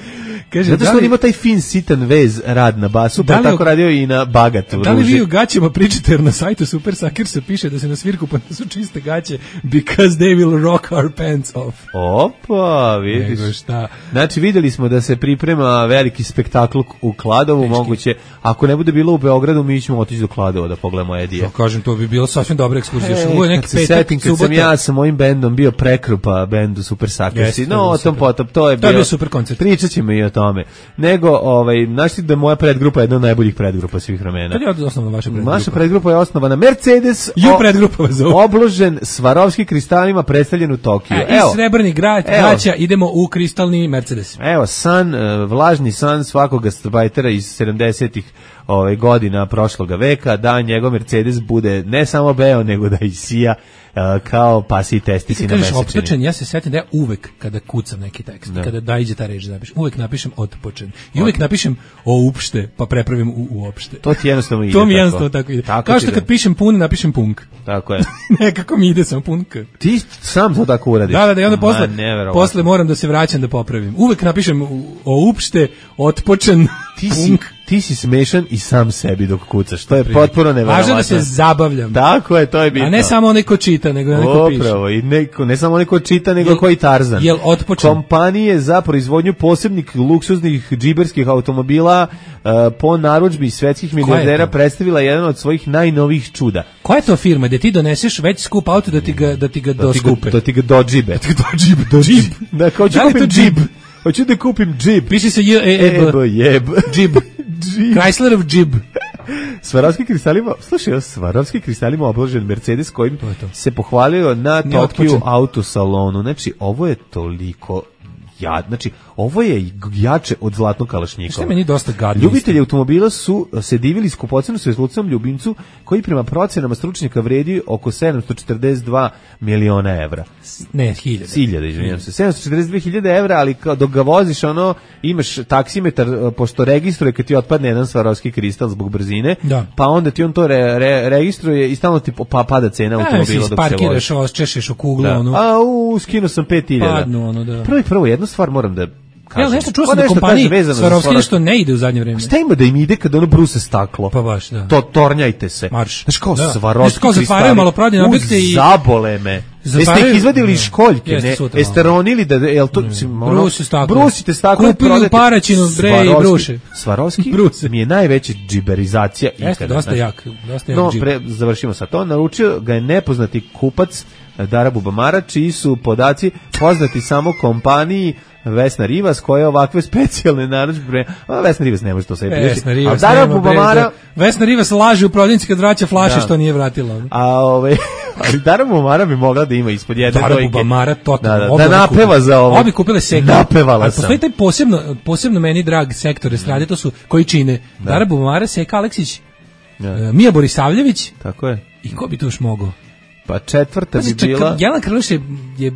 Kaže, zato što on ima taj fin, sitan vez rad na basu, pa tako radio i na bagatu. Da li vi u gaćama pričate, jer na sajtu Super Suckersa piše da se na svirku pa su čiste gaće because they will rock our pants off. Opa, vidiš. Nego šta. Znači, videli smo da se priprema veliki spektakl u Kladovu, Teški. Moguće, ako ne bude bilo u Beogradu, mi ćemo otići do Kladova da pogledamo Edije. Ja kažem, to bi bilo sasvim dobra ekskurzija. E, Ovo je neki petak, setim, kad subota. Sam ja sa mojim bendom bio prekrupa bendu Super Suckersi, no, o tom potom, to je, to je bio super koncert. Pričat ćemo i o tome. Nego, ovaj, znaš da je moja predgrupa je jedna od najboljih predgrupa svih vremena. Kad je osnovana vaša predgrupa? Naša predgrupa je osnovana Mercedes, Ju predgrupa vas zove. Obložen Swarovski kristalima, predstavljen u Tokiju. E, Evo, iz Srebrni grad, gaća, idemo u kristalni Mercedes. Evo, san, vlažni san svakog gastarbajtera iz sedamdesetih ove godina prošloga veka, da njegov Mercedes bude ne samo beo, nego da i sija uh, kao pasi i testisi na mesečini. Otpočen, ja se setim da ja uvek kada kucam neki tekst, da. kada da iđe ta reč da napišem, uvek napišem otpočen. I uvek napišem o upšte, pa prepravim u uopšte. To ti jednostavno ide. To mi jednostavno tako, tako ide. Tako kao što kad pišem pun, napišem punk. Tako je. Nekako mi ide samo punk. Ti sam to tako uradiš. Da, da, da, i onda posle, posle moram da se vraćam da popravim. Uvek napišem o upšte, otpočen, ti punk. Si, ti si smešan i sam sebi dok kucaš. To je potpuno neverovatno. Važno da se zabavljam. Tako je, to je bitno. A ne samo onaj ko čita, nego onaj ko piše. Upravo, i neko, ne samo onaj ko čita, nego jel, koji Tarzan. Jel otpočen? Kompanije za proizvodnju posebnih luksuznih džiberskih automobila uh, po narudžbi svetskih milijardera predstavila jedan od svojih najnovijih čuda. Koja je to firma gde ti doneseš već skup auto da ti ga, da ti ga da doskupe? Da ti ga dodžibe. Da ti ga dodžibe. Dodžibe. Da, kao ću kupim džib. Hoću da kupim džib. Piši se J E B. Jeb. Džib. Chryslerov džib. Swarovski kristalima, slušaj, Swarovski kristalima obložen Mercedes kojim to to. se pohvalio na Tokiju autosalonu. Znači, ovo je toliko jad, znači ovo je jače od zlatnog kalašnjikova. Što meni dosta gadno. Ljubitelji automobila su se divili skupocenu svetlocnom ljubimcu koji prema procenama stručnjaka vredi oko sedamsto četrdeset dva miliona evra. Ne, hiljade. Hiljade, izvinjam se. sedamsto četrdeset dve hiljade evra, ali kao dok ga voziš, ono, imaš taksimetar, pošto registruje kad ti otpadne jedan Swarovski kristal zbog brzine, da. Pa onda ti on to re, re, registruje i stalno ti pa, pada cena automobila dok se vozi. Parkiraš, očešeš u kuglu, da. Ono. A, u, skinuo sam pet hiljada. Padnu, ono, da. Prvo, prvo, jednu stvar moram da kažem. Ja nešto čuo sam da kompaniji Swarovski nešto ne ide u zadnje vreme. Šta ima da im ide kad ono bruse staklo? Pa baš, da. To tornjajte se. Marš. Znaš kao da. Swarovski kao zatvaraju maloprodajne objekte i zabole me. Jeste ih izvadili iz školjke, ne? Jeste ronili da, jel to... Brusi staklo. Brusite staklo. Kupili u Paraćinu, bre, i bruše. Swarovski mi je najveća džiberizacija ikada. Jeste, dosta jak. Dosta jak no, pre, završimo sa to. Naručio ga je nepoznati kupac Dara Bubamara, čiji su podaci poznati samo kompaniji Vesna Rivas, koja je ovakve specijalne narudžbe. Vesna Rivas ne može to sebi priuštiti. Vesna Rivas, Dara Bubamara, Vesna Rivas laže u prodavnici kad vraća flaše, da. Što nije vratila. A ove, ali Dara Bubamara bi mogla da ima ispod jedne Dara dojke. Bubamara totalno. Da, da, da napeva za ovo. Obi kupile sektor. Napevala ali sam. Postoji taj posebno, posebno meni drag sektor estrade, to su koji čine da. Dara Bubamara, Seka Aleksić, da. Mija Borisavljević. Tako je. I ko bi to još mogao? Pa četvrta bi bila... Jelena Krlić je, je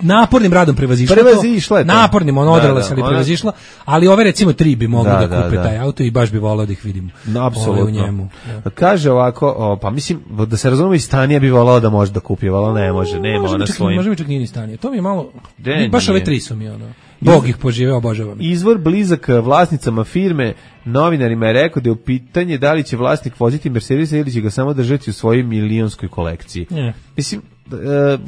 napornim radom prevazišla prevazišla to. Napornim, on odrala se, ali prevazišla. Ali ove recimo tri bi mogli da, da kupe da, taj auto i baš bi volao da ih vidim. No, apsolutno. U njemu. Ja. Kaže ovako, o, pa mislim, da se razumemo i Stanija bi volao da može da kupi, volao ne može, nema može ona svojim. Može mi čak nije ni Stanija. To mi je malo... De, baš nije. Ove tri su mi ono... Bog ih požive, obožavam. Izvor blizak vlasnicama firme novinarima je rekao da je u pitanje da li će vlasnik voziti Mercedesa ili će ga samo držati u svojoj milionskoj kolekciji. Ne. Mislim,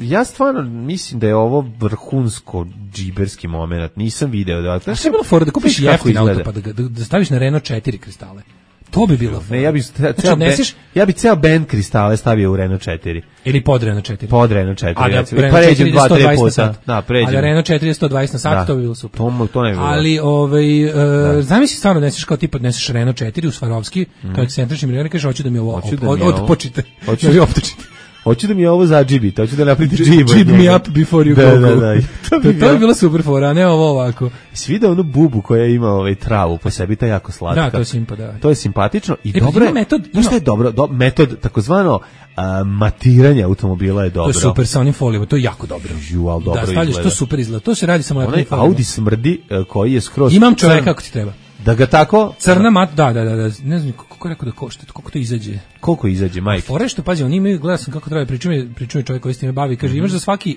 ja stvarno mislim da je ovo vrhunsko džiberski moment. Nisam video da... Znaš, je bilo fora da kupiš jeftin auto pa da, da, da staviš na Renault četiri kristale. To bi bilo. Ne, ja bih ceo znači, nesiš... ja bi ceo bend kristale stavio u Renault četiri. Ili pod Renault četiri. Pod Renault četiri. A da, ja pa ređem dva tri puta. Da, pređem. Ali Renault četiri je sto dvadeset na sat, da. To bi bilo super. To, to ne bi bilo. Ali, ovaj, uh, zamisli stvarno nesiš kao tipa odneseš Renault četiri u Swarovski, mm. kao ekscentrični milioner, kažeš hoću da mi ovo odpočite. Hoću da mi optočite. Hoću da mi ovo zadžibite, hoću da napravite džibu. Jib me up before you da, go. Da, da, da. To bi, to bi bilo super fora, ne ovo ovako. Svi onu bubu koja ima ovaj travu po sebi, ta jako slatka. Da, to je simpa, da. To je simpatično i e, dobro je. Metod, ima... Što je dobro? Do, metod, takozvano, a, matiranje automobila je dobro. To je super sa onim folijama, to je jako dobro. Ju, al dobro da, stavljaš, to super izgleda. To se radi samo na folijama. Audi smrdi koji je skroz... Imam čoveka kako ti treba. Da ga tako... Crna mat, da, da, da, da, ne znam kako je rekao da košta, koliko to izađe. Koliko izađe, majke? Fore što, pazi, oni imaju, gledao sam kako treba, pričuje, pričuje čovjek koji s time bavi, kaže, mm-hmm. imaš za svaki,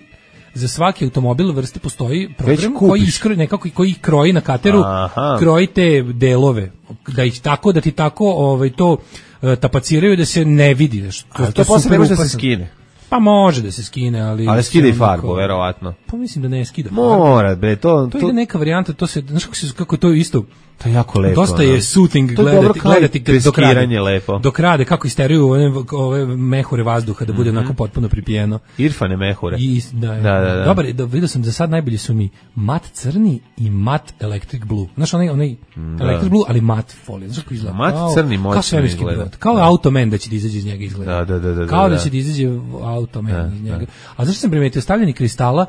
za svaki automobil vrste postoji program koji iskroji, nekako, koji kroji na kateru, aha. kroji te delove, da ih tako, da ti tako ovaj, to uh, tapaciraju da se ne vidi. To, to, to posle ne može da se skine. Pa može da se skine, ali... Ali skida i farbu, verovatno. Pa mislim da ne skida farbu. Mora, bre, to... To, to ide neka varijanta, to se, znaš kako, se, kako to isto... To je jako lepo. Dosta je soothing to gledati, dobro gledati dok rade. Lepo. Dok rade, kako isteruju ove, ove mehure vazduha da bude mm-hmm. onako potpuno pripijeno. Irfane mehure. I, da, da, da, da. Dobar, da, vidio sam za sad najbolji su mi mat crni i mat electric blue. Znaš, onaj, onaj da. electric blue, ali mat folija. Znaš kako izgleda? Mat kao, crni moćno izgleda. Kao da. Automan da će da izađe iz njega izgleda. Da, da, da, da, kao da, da će da izađe Automan da, iz njega. Da. A zašto sam primetio stavljanje kristala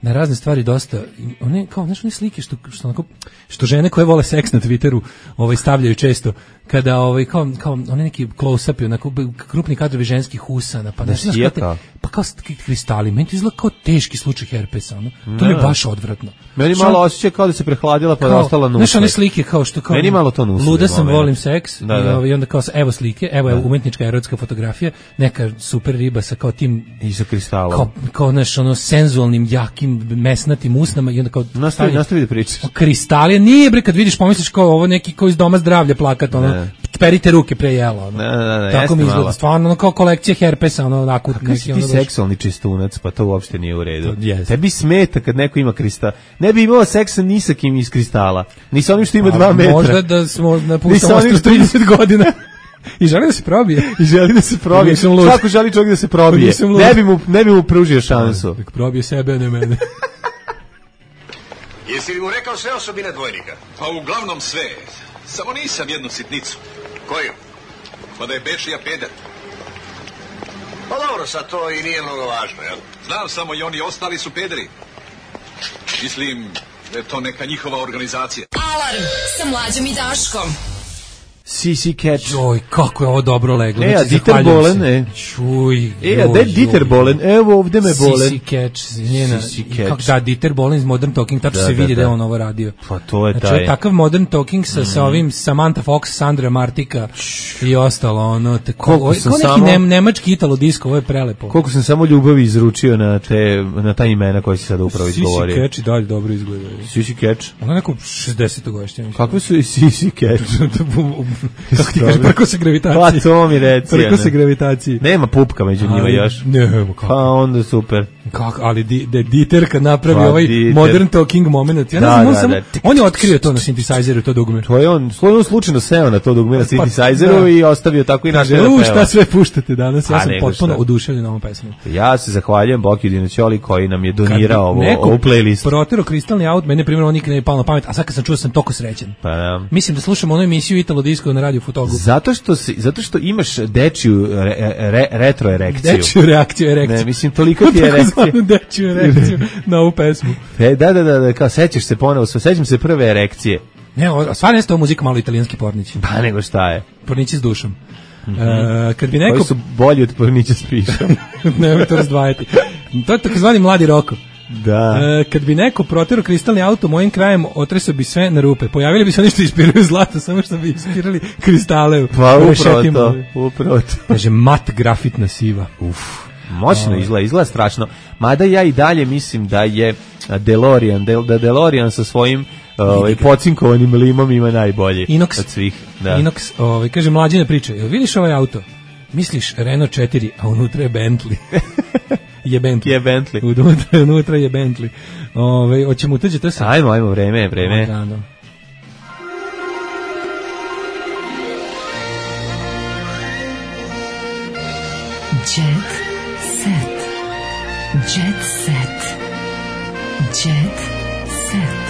na razne stvari dosta, one kao znaš one slike što što onako, što žene koje vole seks na Twitteru, ovaj stavljaju često kada ovaj kao kao one neki close up onako krupni kadrovi ženskih usana, pa da znaš kako pa kao kristali, meni to izgleda kao teški slučaj herpesa, ono. To mi je baš odvratno. Meni malo osjeća kao da se prehladila pa da ostala nužna. Znaš one slike kao što kao meni malo to nužno. Luda sam, volim seks da, i, da. ovaj, onda kao evo slike, evo je umetnička erotska fotografija, neka super riba sa kao tim i sa kristalom. Kao kao znaš ono senzualnim jakim mesnatim usnama i onda kao nastavi nastavi da pričaš. Kristali nije bre kad vidiš pomisliš kao ovo neki koji iz doma zdravlja plakat ono perite ruke pre jela ono. Ne, ne, ne, tako mi izgleda stvarno ono kao kolekcija herpesa ono onako neki ono seksualni čistunac pa to uopšte nije u redu. Yes. Tebi smeta kad neko ima kristal. Ne bi imao seksa ni sa kim iz kristala. Ni sa onim što ima dva metra. Možda da smo napuštamo trideset godina. I želi da se probije. I želi da se probije. Svako želi čovjek da se probije. Ne bi mu, ne bi mu pružio šansu. Nek probije sebe, a ne mene. Jesi li mu rekao sve osobine dvojnika? Pa uglavnom sve. Samo nisam jednu sitnicu. Koju? Pa da je Bečija peder. Pa dobro, sad to i nije mnogo važno, jel? Znam samo i oni ostali su pederi. Mislim da je to neka njihova organizacija. Alarm sa Mlađom i Daškom. C C Catch. Joj, kako je ovo dobro leglo. E, a Dieter Bohlen, e. Čuj. E, a da je Dieter Bohlen, evo ovde me Bohlen. C C Catch, njena. Kako da, Dieter Bohlen iz Modern Talking, tačno da, se vidi da, da. da je on ovo radio. Pa to je znači, taj. Takav Modern Talking sa, mm. sa ovim Samantha Fox, Sandra Martika i ostalo, ono, te, ko, ovo, kao neki samo, nem, nemački italo disko, ovo je prelepo. Koliko sam samo ljubavi izručio na te, na ta imena koje si sada upravo izgovorio. C C Catch i dalje dobro izgleda. C C Catch. Ono neko šezdesetogodišnje. Kakve su i C C Catch? Kako ti kažeš, preko se gravitacije. Pa to mi reci. Preko se gravitacije. Nema pupka među njima još. Ne, kako. Pa onda super. Kako, ali di, de, Dieter kad napravi pa, ovaj Dieter. Modern Talking moment, ja ne znam, da, on, da, sam, da. on je otkrio to na synthesizeru, to dugme. To je on, on slučajno seo na to dugme na synthesizeru pa, i ostavio tako i naše da peva. Šta sve puštate danas, ja A, sam potpuno oduševljen ovom pesmom. Ja se zahvaljujem Boki Dinoćoli koji nam je donirao ovo, ovu playlist. Protero kristalni aut, mene primjer on nikad ne je palo na pamet, a sad kad sam čuo sam toliko srećan. Pa, ja. Mislim da slušam onu emisiju Italo Disco na Radio Futogu. Zato što si, zato što imaš dečiju re, re, retro erekciju. Dečiju reakciju, erekciju. Ne, mislim toliko ti je erekcija. Dečiju erekciju na ovu pesmu. E, da, da, da, da, kao sećaš se ponovo, sećam se prve erekcije. Ne, stvarno je to muzika malo italijanski pornić. Pa nego šta je? Pornići s dušom. Mm-hmm. Uh, kad bi neko... Koji su bolji od pornića s pišom. Nemoj to razdvajati. To je takozvani mladi roko. Da. E, kad bi neko proterao kristalni auto mojim krajem, otresao bi sve na rupe. Pojavili bi se oni što ispiraju zlato, samo što bi ispirali kristale. Pa upravo to, upravo to. Kaže, mat grafitna siva. Uf, moćno izgleda, izgleda strašno. Mada ja i dalje mislim da je DeLorean, da DeLorean sa svojim ovaj pocinkovanim limom ima najbolje Inox, od svih. Da. Inox, ovaj, kaže, mlađina priča, jel vidiš ovaj auto? Misliš Renault četiri, a unutra je Bentley. je Bentley. Je Bentley. Unutra, unutra je Bentley. Ove, hoćemo uteđeti se. Ajmo, ajmo, vreme, vreme. Odano. Jet set. Jet set. Jet set.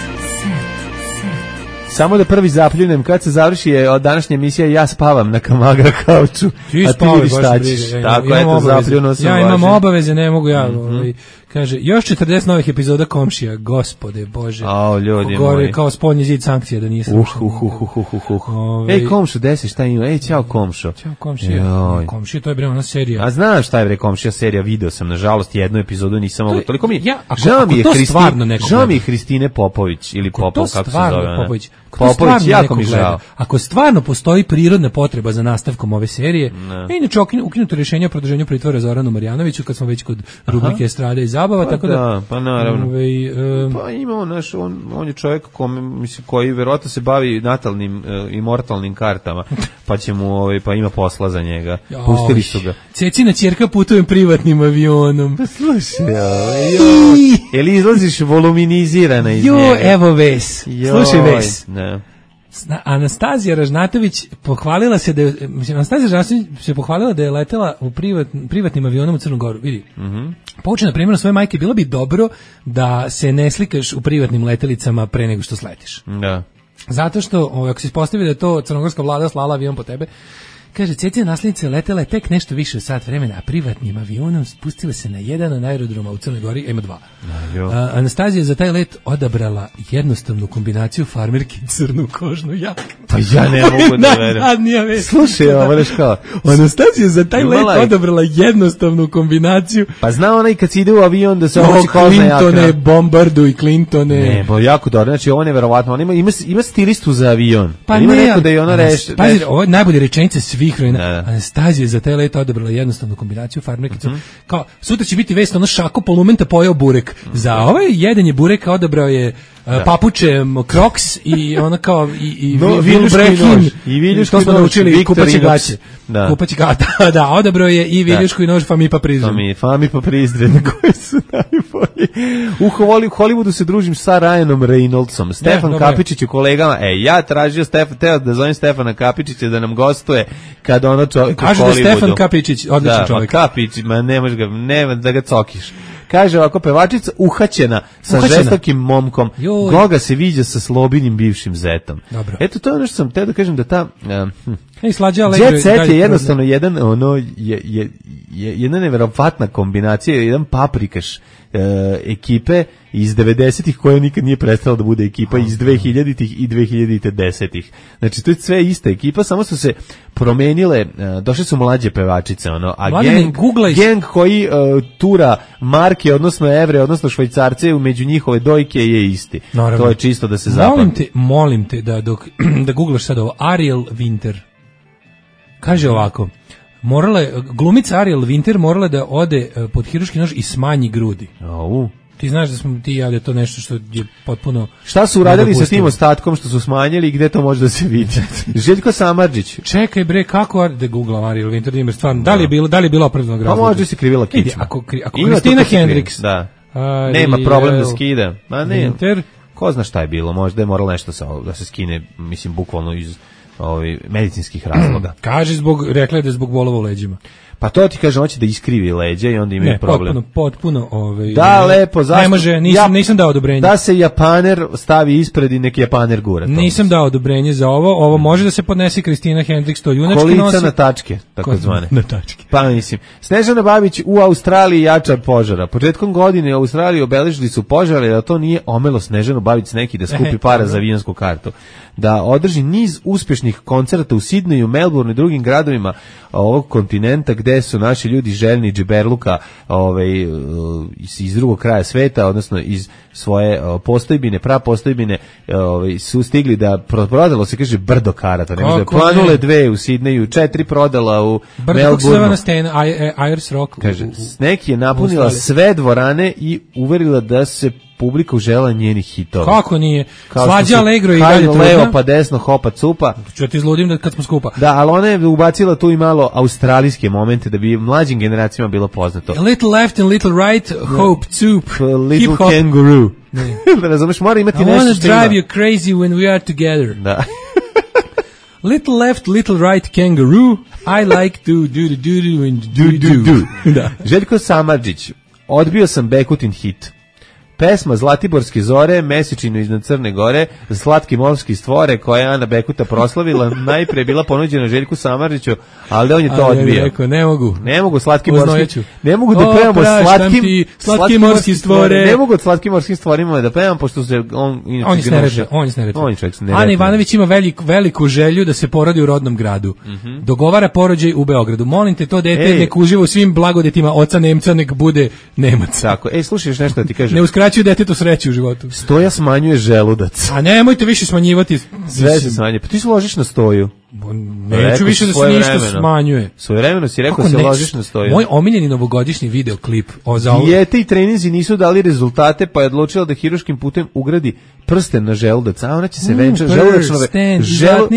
Samo da prvi zapljunem, kad se završi je od današnje emisije ja spavam na Kamagra kauču, ti a ti vidiš šta ćeš. Tako, eto, zapljuno sam. Ja imam važen. Obaveze, ne mogu ja. Mm-hmm. Ovaj, kaže, još četrdeset novih epizoda Komšija, gospode Bože. O, ljudi gore, moji. kao spoljni zid sankcija da nije uh, uh, uh, uh, uh, uh. Ove... Ej, Komšo, desi šta ima? Ej, ćao Komšo. Ćao Komšija. Komšija, to je bre ona serija. A znaš šta je bre Komšija serija, video sam, nažalost, jednu epizodu nisam mogu. Toliko mi ja, ako, žao mi je Hristine, žao mi je Hristine Popović ili Popov, kako se zove. Popović. Popović, jako mi žao. Ako stvarno postoji prirodna potreba za nastavkom ove serije, ne. Inače ukinuto rješenje o produženju pritvora Zoranu Marjanoviću, kad smo već kod rubrike Estrada i zabava, pa tako da, da pa naravno. Ove, um, pa imamo naš, on, on je čovjek kome, mislim, koji verovatno se bavi natalnim uh, i mortalnim kartama, pa će mu, ovaj, pa ima posla za njega. Pustili su ga. Cecina ćerka putujem privatnim avionom. Slušaj, jel izlaziš voluminizirana iz jo, njega? Jo, evo Ves. Joj, slušaj Ves. Ne. Anastazija Ražnatović pohvalila se da je, mislim, Anastazija Ražnatović se pohvalila da je letela u privat, privatnim avionom u Crnu Goru, vidi. Mm-hmm. Poučena primjerom svoje majke, bilo bi dobro da se ne slikaš u privatnim letelicama pre nego što sletiš. Da. Zato što, ovaj, ako se ispostavi da je to crnogorska vlada slala avion po tebe, kaže, Cecina naslednica letela je tek nešto više od sat vremena, a privatnim avionom spustila se na jedan od aerodroma u Crnoj Gori, ima dva. A, Anastazija je za taj let odabrala jednostavnu kombinaciju farmerki i crnu kožnu jaknu. Pa ja ne mogu da verujem. Slušaj, ovo reš kao. Anastazija je za taj let odabrala jednostavnu kombinaciju. Pa zna ona i kad se ide u avion da se obuči kožna jakna. Clintone, Bombardu i Clintone. Ne, bo jako dobro, znači ovo je neverovatno. Ima, ima, ima stilistu za avion. Pa ima ne, neko da je ona reši. Pazi, ovo je najbolje rečenice svi Anastazija za taj let odabrala jednostavnu kombinaciju farmerkicu. Mm-hmm. Kao, sutra će biti vest, ono šako polumenta pojeo burek. Mm-hmm. Za ovaj jedan je burek odabrao je uh, papuče Crocs i ona kao i, i no, viljuški nož. I viljuški to smo nož, naučili kupaći gaće. Da. Kupaći gaće, da, odabrao je i viljuški nož Fami pa Prizren. Fami, Fami pa Prizren, koji su najbolji. U Hollywoodu se družim sa Ryanom Reynoldsom. Stefan ne, Kapičić u kolegama. E, ja tražio Stefan, teo da zovem Stefana Kapičića da nam gostuje kad ono čovjek u Hollywoodu. Kaže da Stefan Kapičić, odličan da, čovjek. Da, Kapić, ma ne možeš ga, nema da ga cokiš. Kaže ovako, pevačica uhaćena sa uhaćena. žestokim momkom, Joj. Goga se viđa sa Slobinim bivšim zetom. Dobro. Eto, to je ono što sam teo da kažem da ta... Uh, hm. Ej, slađa Jet set je jednostavno jedan, ono, je, je, je jedna neverovatna kombinacija, jedan paprikaš uh, ekipe iz devedesetih koja nikad nije prestala da bude ekipa iz dvehiljaditih i dve hiljade desetih. Znači to je sve ista ekipa, samo su se promenile, uh, došle su mlađe pevačice, ono, a gang, gang koji uh, tura marke, odnosno evre, odnosno švajcarce, među njihove dojke je isti. Naravno. To je čisto da se zapamti. Molim te, molim te da dok da googlaš sad ovo, Ariel Winter. Kaže ovako, morala je, glumica Ariel Winter morala da ode pod hirurški nož i smanji grudi. Au. Ti znaš da smo ti ja da je to nešto što je potpuno... Šta su uradili sa tim ostatkom što su smanjili i gde to može da se vidi? Željko Samardžić. Čekaj bre, kako da googlam Ariel Winter, stvarno, da li je bilo, da li je bilo opravdanog razloga? Pa možda se krivila kičma. Ako, ako Kristina Hendricks... Da. Ariel, nema problem da skida. Ma ne, Winter. Ko zna šta je bilo, možda je moralo nešto sa, da se skine, mislim, bukvalno iz ovi, medicinskih razloga. Kaže, zbog, rekla je da je zbog bolova u leđima. Pa to ti kaže, hoće da iskrivi leđa i onda imaju ne, problem. Ne, potpuno, potpuno. Ovaj, da, lepo, zašto? Ne može, nisam, ja, nisam dao odobrenje. Da se Japaner stavi ispred i neki Japaner gura. Nisam dao odobrenje za ovo. Ovo može da se podnese Kristina Hendricks, to junački nosi. Kolica na tačke, tako zvane. Na tačke. Pa mislim. Snežana Babić u Australiji jača požara. Početkom godine u Australiji obeležili su požare, da to nije omelo Snežanu Babić neki da skupi para za avionsku kartu. Da održi niz uspješnih koncerta u Sidneju, Melbourneu i drugim gradovima ovog kontinenta gde su naši ljudi željni džiberluka ovaj, iz drugog kraja sveta, odnosno iz svoje postojbine, prapostojbine ovaj, su stigli da prodalo se, kaže, brdo karata. Ne može, planule dve u Sidneju, četiri prodala u Melbourneu. Ayers Rock. Kaže, neki je napunila sve dvorane i uverila da se publika užela njenih hitova. Kako nije? Slađa Allegro i dalje trudna. Levo pa desno, hopa cupa. Ću ti izludim da kad smo skupa. Da, ali ona je ubacila tu i malo australijske momente da bi mlađim generacijama bilo poznato. A little left and little right, hope, soup, little kangaroo. Razumeš, mora imati I nešto što ima. I wanna drive you crazy when we are together. Da. Little left, little right kangaroo, I like to do do do do and do do do. Da. Željko Samardžić, odbio sam Bekutin hit. Pesma Zlatiborske zore, Mesečinu iznad Crne Gore, Slatki morski stvore, koja je Ana Bekuta proslavila, najprije bila ponuđena Željku Samardžiću, ali on je to odbio. Ja rekao, ne mogu. Ne mogu Slatki morski. Ne mogu da pevamo slatkim, slatki morski stvore. Ne mogu od Slatkim morskim stvorima da pevam, pošto se on inače on je sneređa, on je sneređa. On je čovjek sneređa. Ana Ivanović ima veliku, veliku želju da se porodi u rodnom gradu. Mm -hmm. Dogovara porođaj u Beogradu. Molim te, to dete nek uživa u svim blagodetima oca Nemca, nek bude Nemac. Tako. Ej, slušaš nešto da ti kažem. Ne uskraćuju detetu sreću u životu. Stoja smanjuje želudac. A nemojte više smanjivati. Sve se smanjuje. Pa ti se ložiš na Stoju. Neću više da se ništa smanjuje. Svojevremeno si rekao se ložiš na Stoju. Moj omiljeni novogodišnji videoklip o za dijete i treninzi nisu dali rezultate, pa je odlučila da hiruškim putem ugradi prsten na želudac, a ona će se venčati mm, želudačno želu...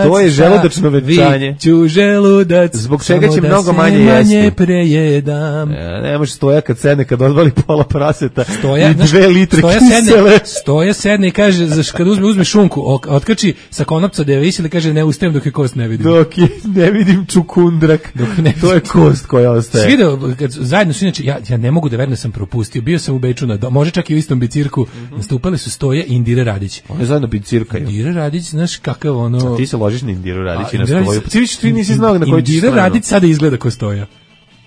To je želudačno venčanje. Viću želudac, zbog čega će mnogo manje jesti. Manje prejedam. Ja, ne može Stoja kad sedne, kad odvali pola praseta stoja, i dve litre stoja kisele. Sedne, stoja sedne i kaže, zaš, kad uzme, uzme šunku, otkači sa konopca da je visili, kaže ne ustajem dok je kost ne vidim. Dok je, ne vidim čukundrak, dok ne to je kost koja ostaje. Svi da, kad, zajedno su inače, ja, ja ne mogu da verujem da sam propustio, bio sam u Beču, na, može čak i u istom bicirku, mm-hmm. nastupali su Stoje i Indire Radić. Oni zajedno bicirkaju. Indire Radić, znaš kakav ono... A ti se ložiš na Indiru Radić i na Stoju. Ti viš, ti nisi znao na koji ćeš Indire Radić sada izgleda ko Stoja.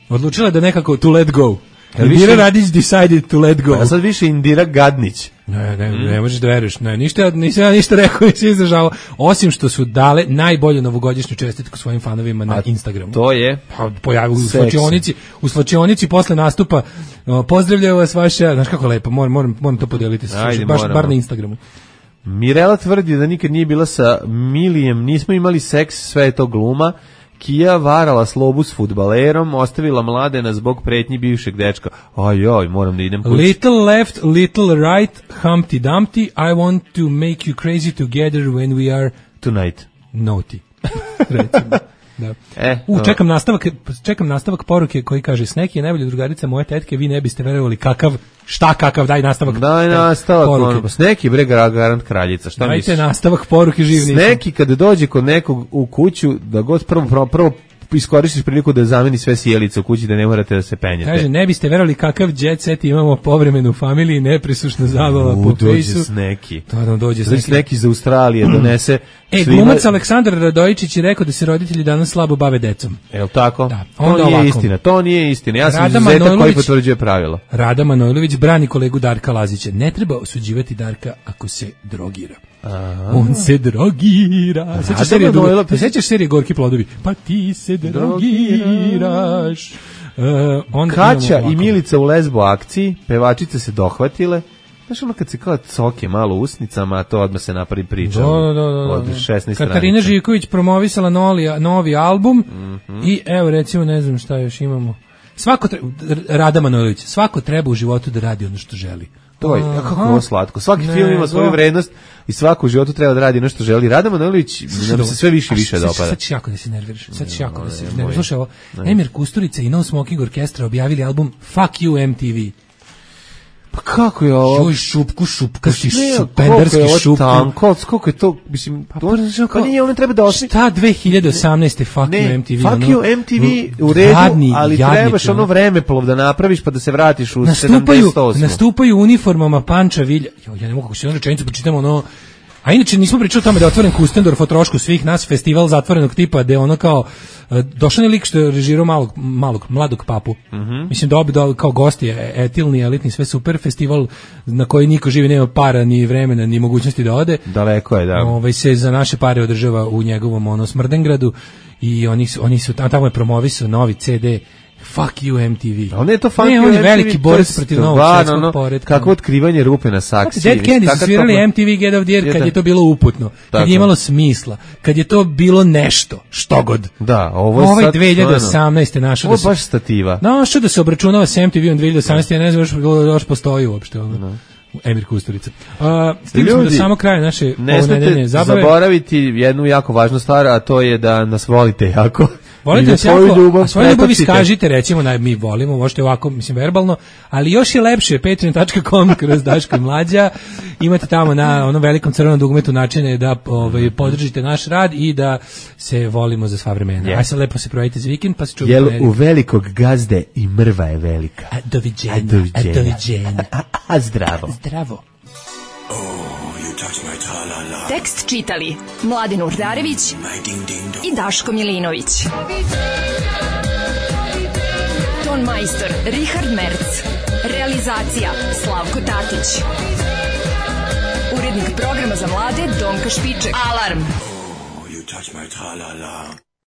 Odlučila da nekako to let go. Indira Radić decided to let go. A sad više Indira Gadnić. Ne, ne, mm. ne možeš da veruješ. Ne, ništa, nisam ja ništa rekao, nisam izdržavao. Osim što su dale najbolju novogodišnju čestitku svojim fanovima na Instagramu. To je? Pa pojavi u slačionici, u slačionici posle nastupa. Pozdravljaju vas vaša, znaš kako lepo, moram, moram, moram to podeliti. Ajde, baš, bar na Instagramu. Mirela tvrdi da nikad nije bila sa Milijem, nismo imali seks, sve je to gluma. Kija varala Slobu s fudbalerom, ostavila Mladena zbog pretnji bivšeg dečka. Ajoj, moram da idem kući. Little left, little right, Humpty Dumpty, I want to make you crazy together when we are tonight. Naughty. Recimo. Da. E, U, čekam nastavak, čekam nastavak poruke koji kaže Sneki je najbolja drugarica moje tetke, vi ne biste verovali kakav, šta kakav, daj nastavak. Daj nastavak poruke. Sneki bre garant kraljica, šta misliš? Dajte nastavak poruke živnice. Sneki kada dođe kod nekog u kuću, da god prvo, prvo, prvo iskoristiš priliku da zameni sve sjelice u kući, da ne morate da se penjete. Kaže, ne biste verovali kakav jet set imamo povremenu u familiji, neprisušna zabava u, po dođe fejsu. Sneki. To dođe Sneki. Sneki iz Australije donese. E, glumac Aleksandar Radojičić je rekao da se roditelji danas slabo bave decom. Je li tako? Da. To nije ovako. Istina, to nije istina. Ja sam izuzetak koji potvrđuje pravilo. Rada Manojlović brani kolegu Darka Lazića. Ne treba osuđivati Darka ako se drogira. Aha. On se drogira. Sećaš serije, sećaš serije Gorki plodovi? Pa ti se drogiraš. Uh, onda Kaća i Milica u lesbo akciji, pevačice se dohvatile. Znaš ono kad se kao coke malo usnicama, a to odmah se napravi priča. Da, da, da, da. Od šesnaest stranica. Katarina Živković promovisala novi, novi album mm-hmm. i evo recimo ne znam šta još imamo. Svako treba, Rada Manojlović, svako treba u životu da radi ono što želi. To je, ja, kako ovo slatko. Svaki ne, film ima svoju vrednost i svako u životu treba da radi ono što želi. Rada Manojlović nam se sve više i više dopada. Sad ćeš jako da se nerviraš. Sad ćeš jako da se nerviraš. Slušaj ovo, Emir Kusturica i No Smoking Orkestra objavili album Fuck You M T V. Pa kako je ovo? Joj, šupku, šupka si, šupenderski šupku. Tanko, koliko je to, mislim, pa, to, pa nije, ono treba da osmi. Šta dve hiljade osamnaeste Fuck ne, You M T V? Fuck ono, You M T V u redu, jadni, ali jadnik, trebaš ono vremeplov da napraviš pa da se vratiš u sedamdeset osam. Nastupaju uniformama Panča Vilja. Jo, ja ne mogu kako se jednu rečenicu pročitam, ono. A inače nismo pričali o tome da je otvoren Kustendorf o trošku svih nas, festival zatvorenog tipa, gde ono kao došao je lik što je režirao malog, malog, mladog papu. Mm-hmm. Mislim da obi da kao gosti, etilni, elitni, sve super, festival na koji niko živi, nema para, ni vremena, ni mogućnosti da ode. Daleko je, da. Ovaj se za naše pare održava u njegovom ono Smrdengradu i oni su, oni su tamo je promovisao novi ce de Fuck You M T V. A on je to Fuck ne, You on je M T V, veliki borac protiv novog svjetskog no, poretka. Kako otkrivanje rupe na saksiji. Dead Candy su svirali M T V Get Off The Air kad je to bilo uputno, kad tako je imalo smisla, kad je to bilo nešto, što god. Da, ovo je ovaj sad... dve hiljade osamnaeste našao da se... Ovo baš stativa. Našao da se obračunava s M T V-om dve hiljade osamnaeste, ja ne znam još, još postoji uopšte. Ono. No. Emir Kusturica. Uh, Stigli smo do samo kraja naše ne smete zaboraviti jednu jako važnu stvar, a to je da nas volite jako. volite nas jako, a svoju ljubav iskažite, recimo, na, mi volimo, možete ovako, mislim, verbalno, ali još je lepše, patreon dot com kroz Daško i Mlađa, imate tamo na onom velikom crvenom dugmetu načine da ovaj, podržite naš rad i da se volimo za sva vremena. Yeah. Aj sad lepo se provedite za vikend, pa se čuvite. Jel u velikog gazde i mrva je velika. A doviđenja. A doviđenja. A, doviđenja. a, a, a zdravo. Zdravo. Tekst čitali Mladen Urdarević i Daško Milinović. Ton majstor Richard Merc. Realizacija Slavko Tatić. Urednik programa za mlade Donka Špiček. Alarm! Oh, you touch my tra-la-la.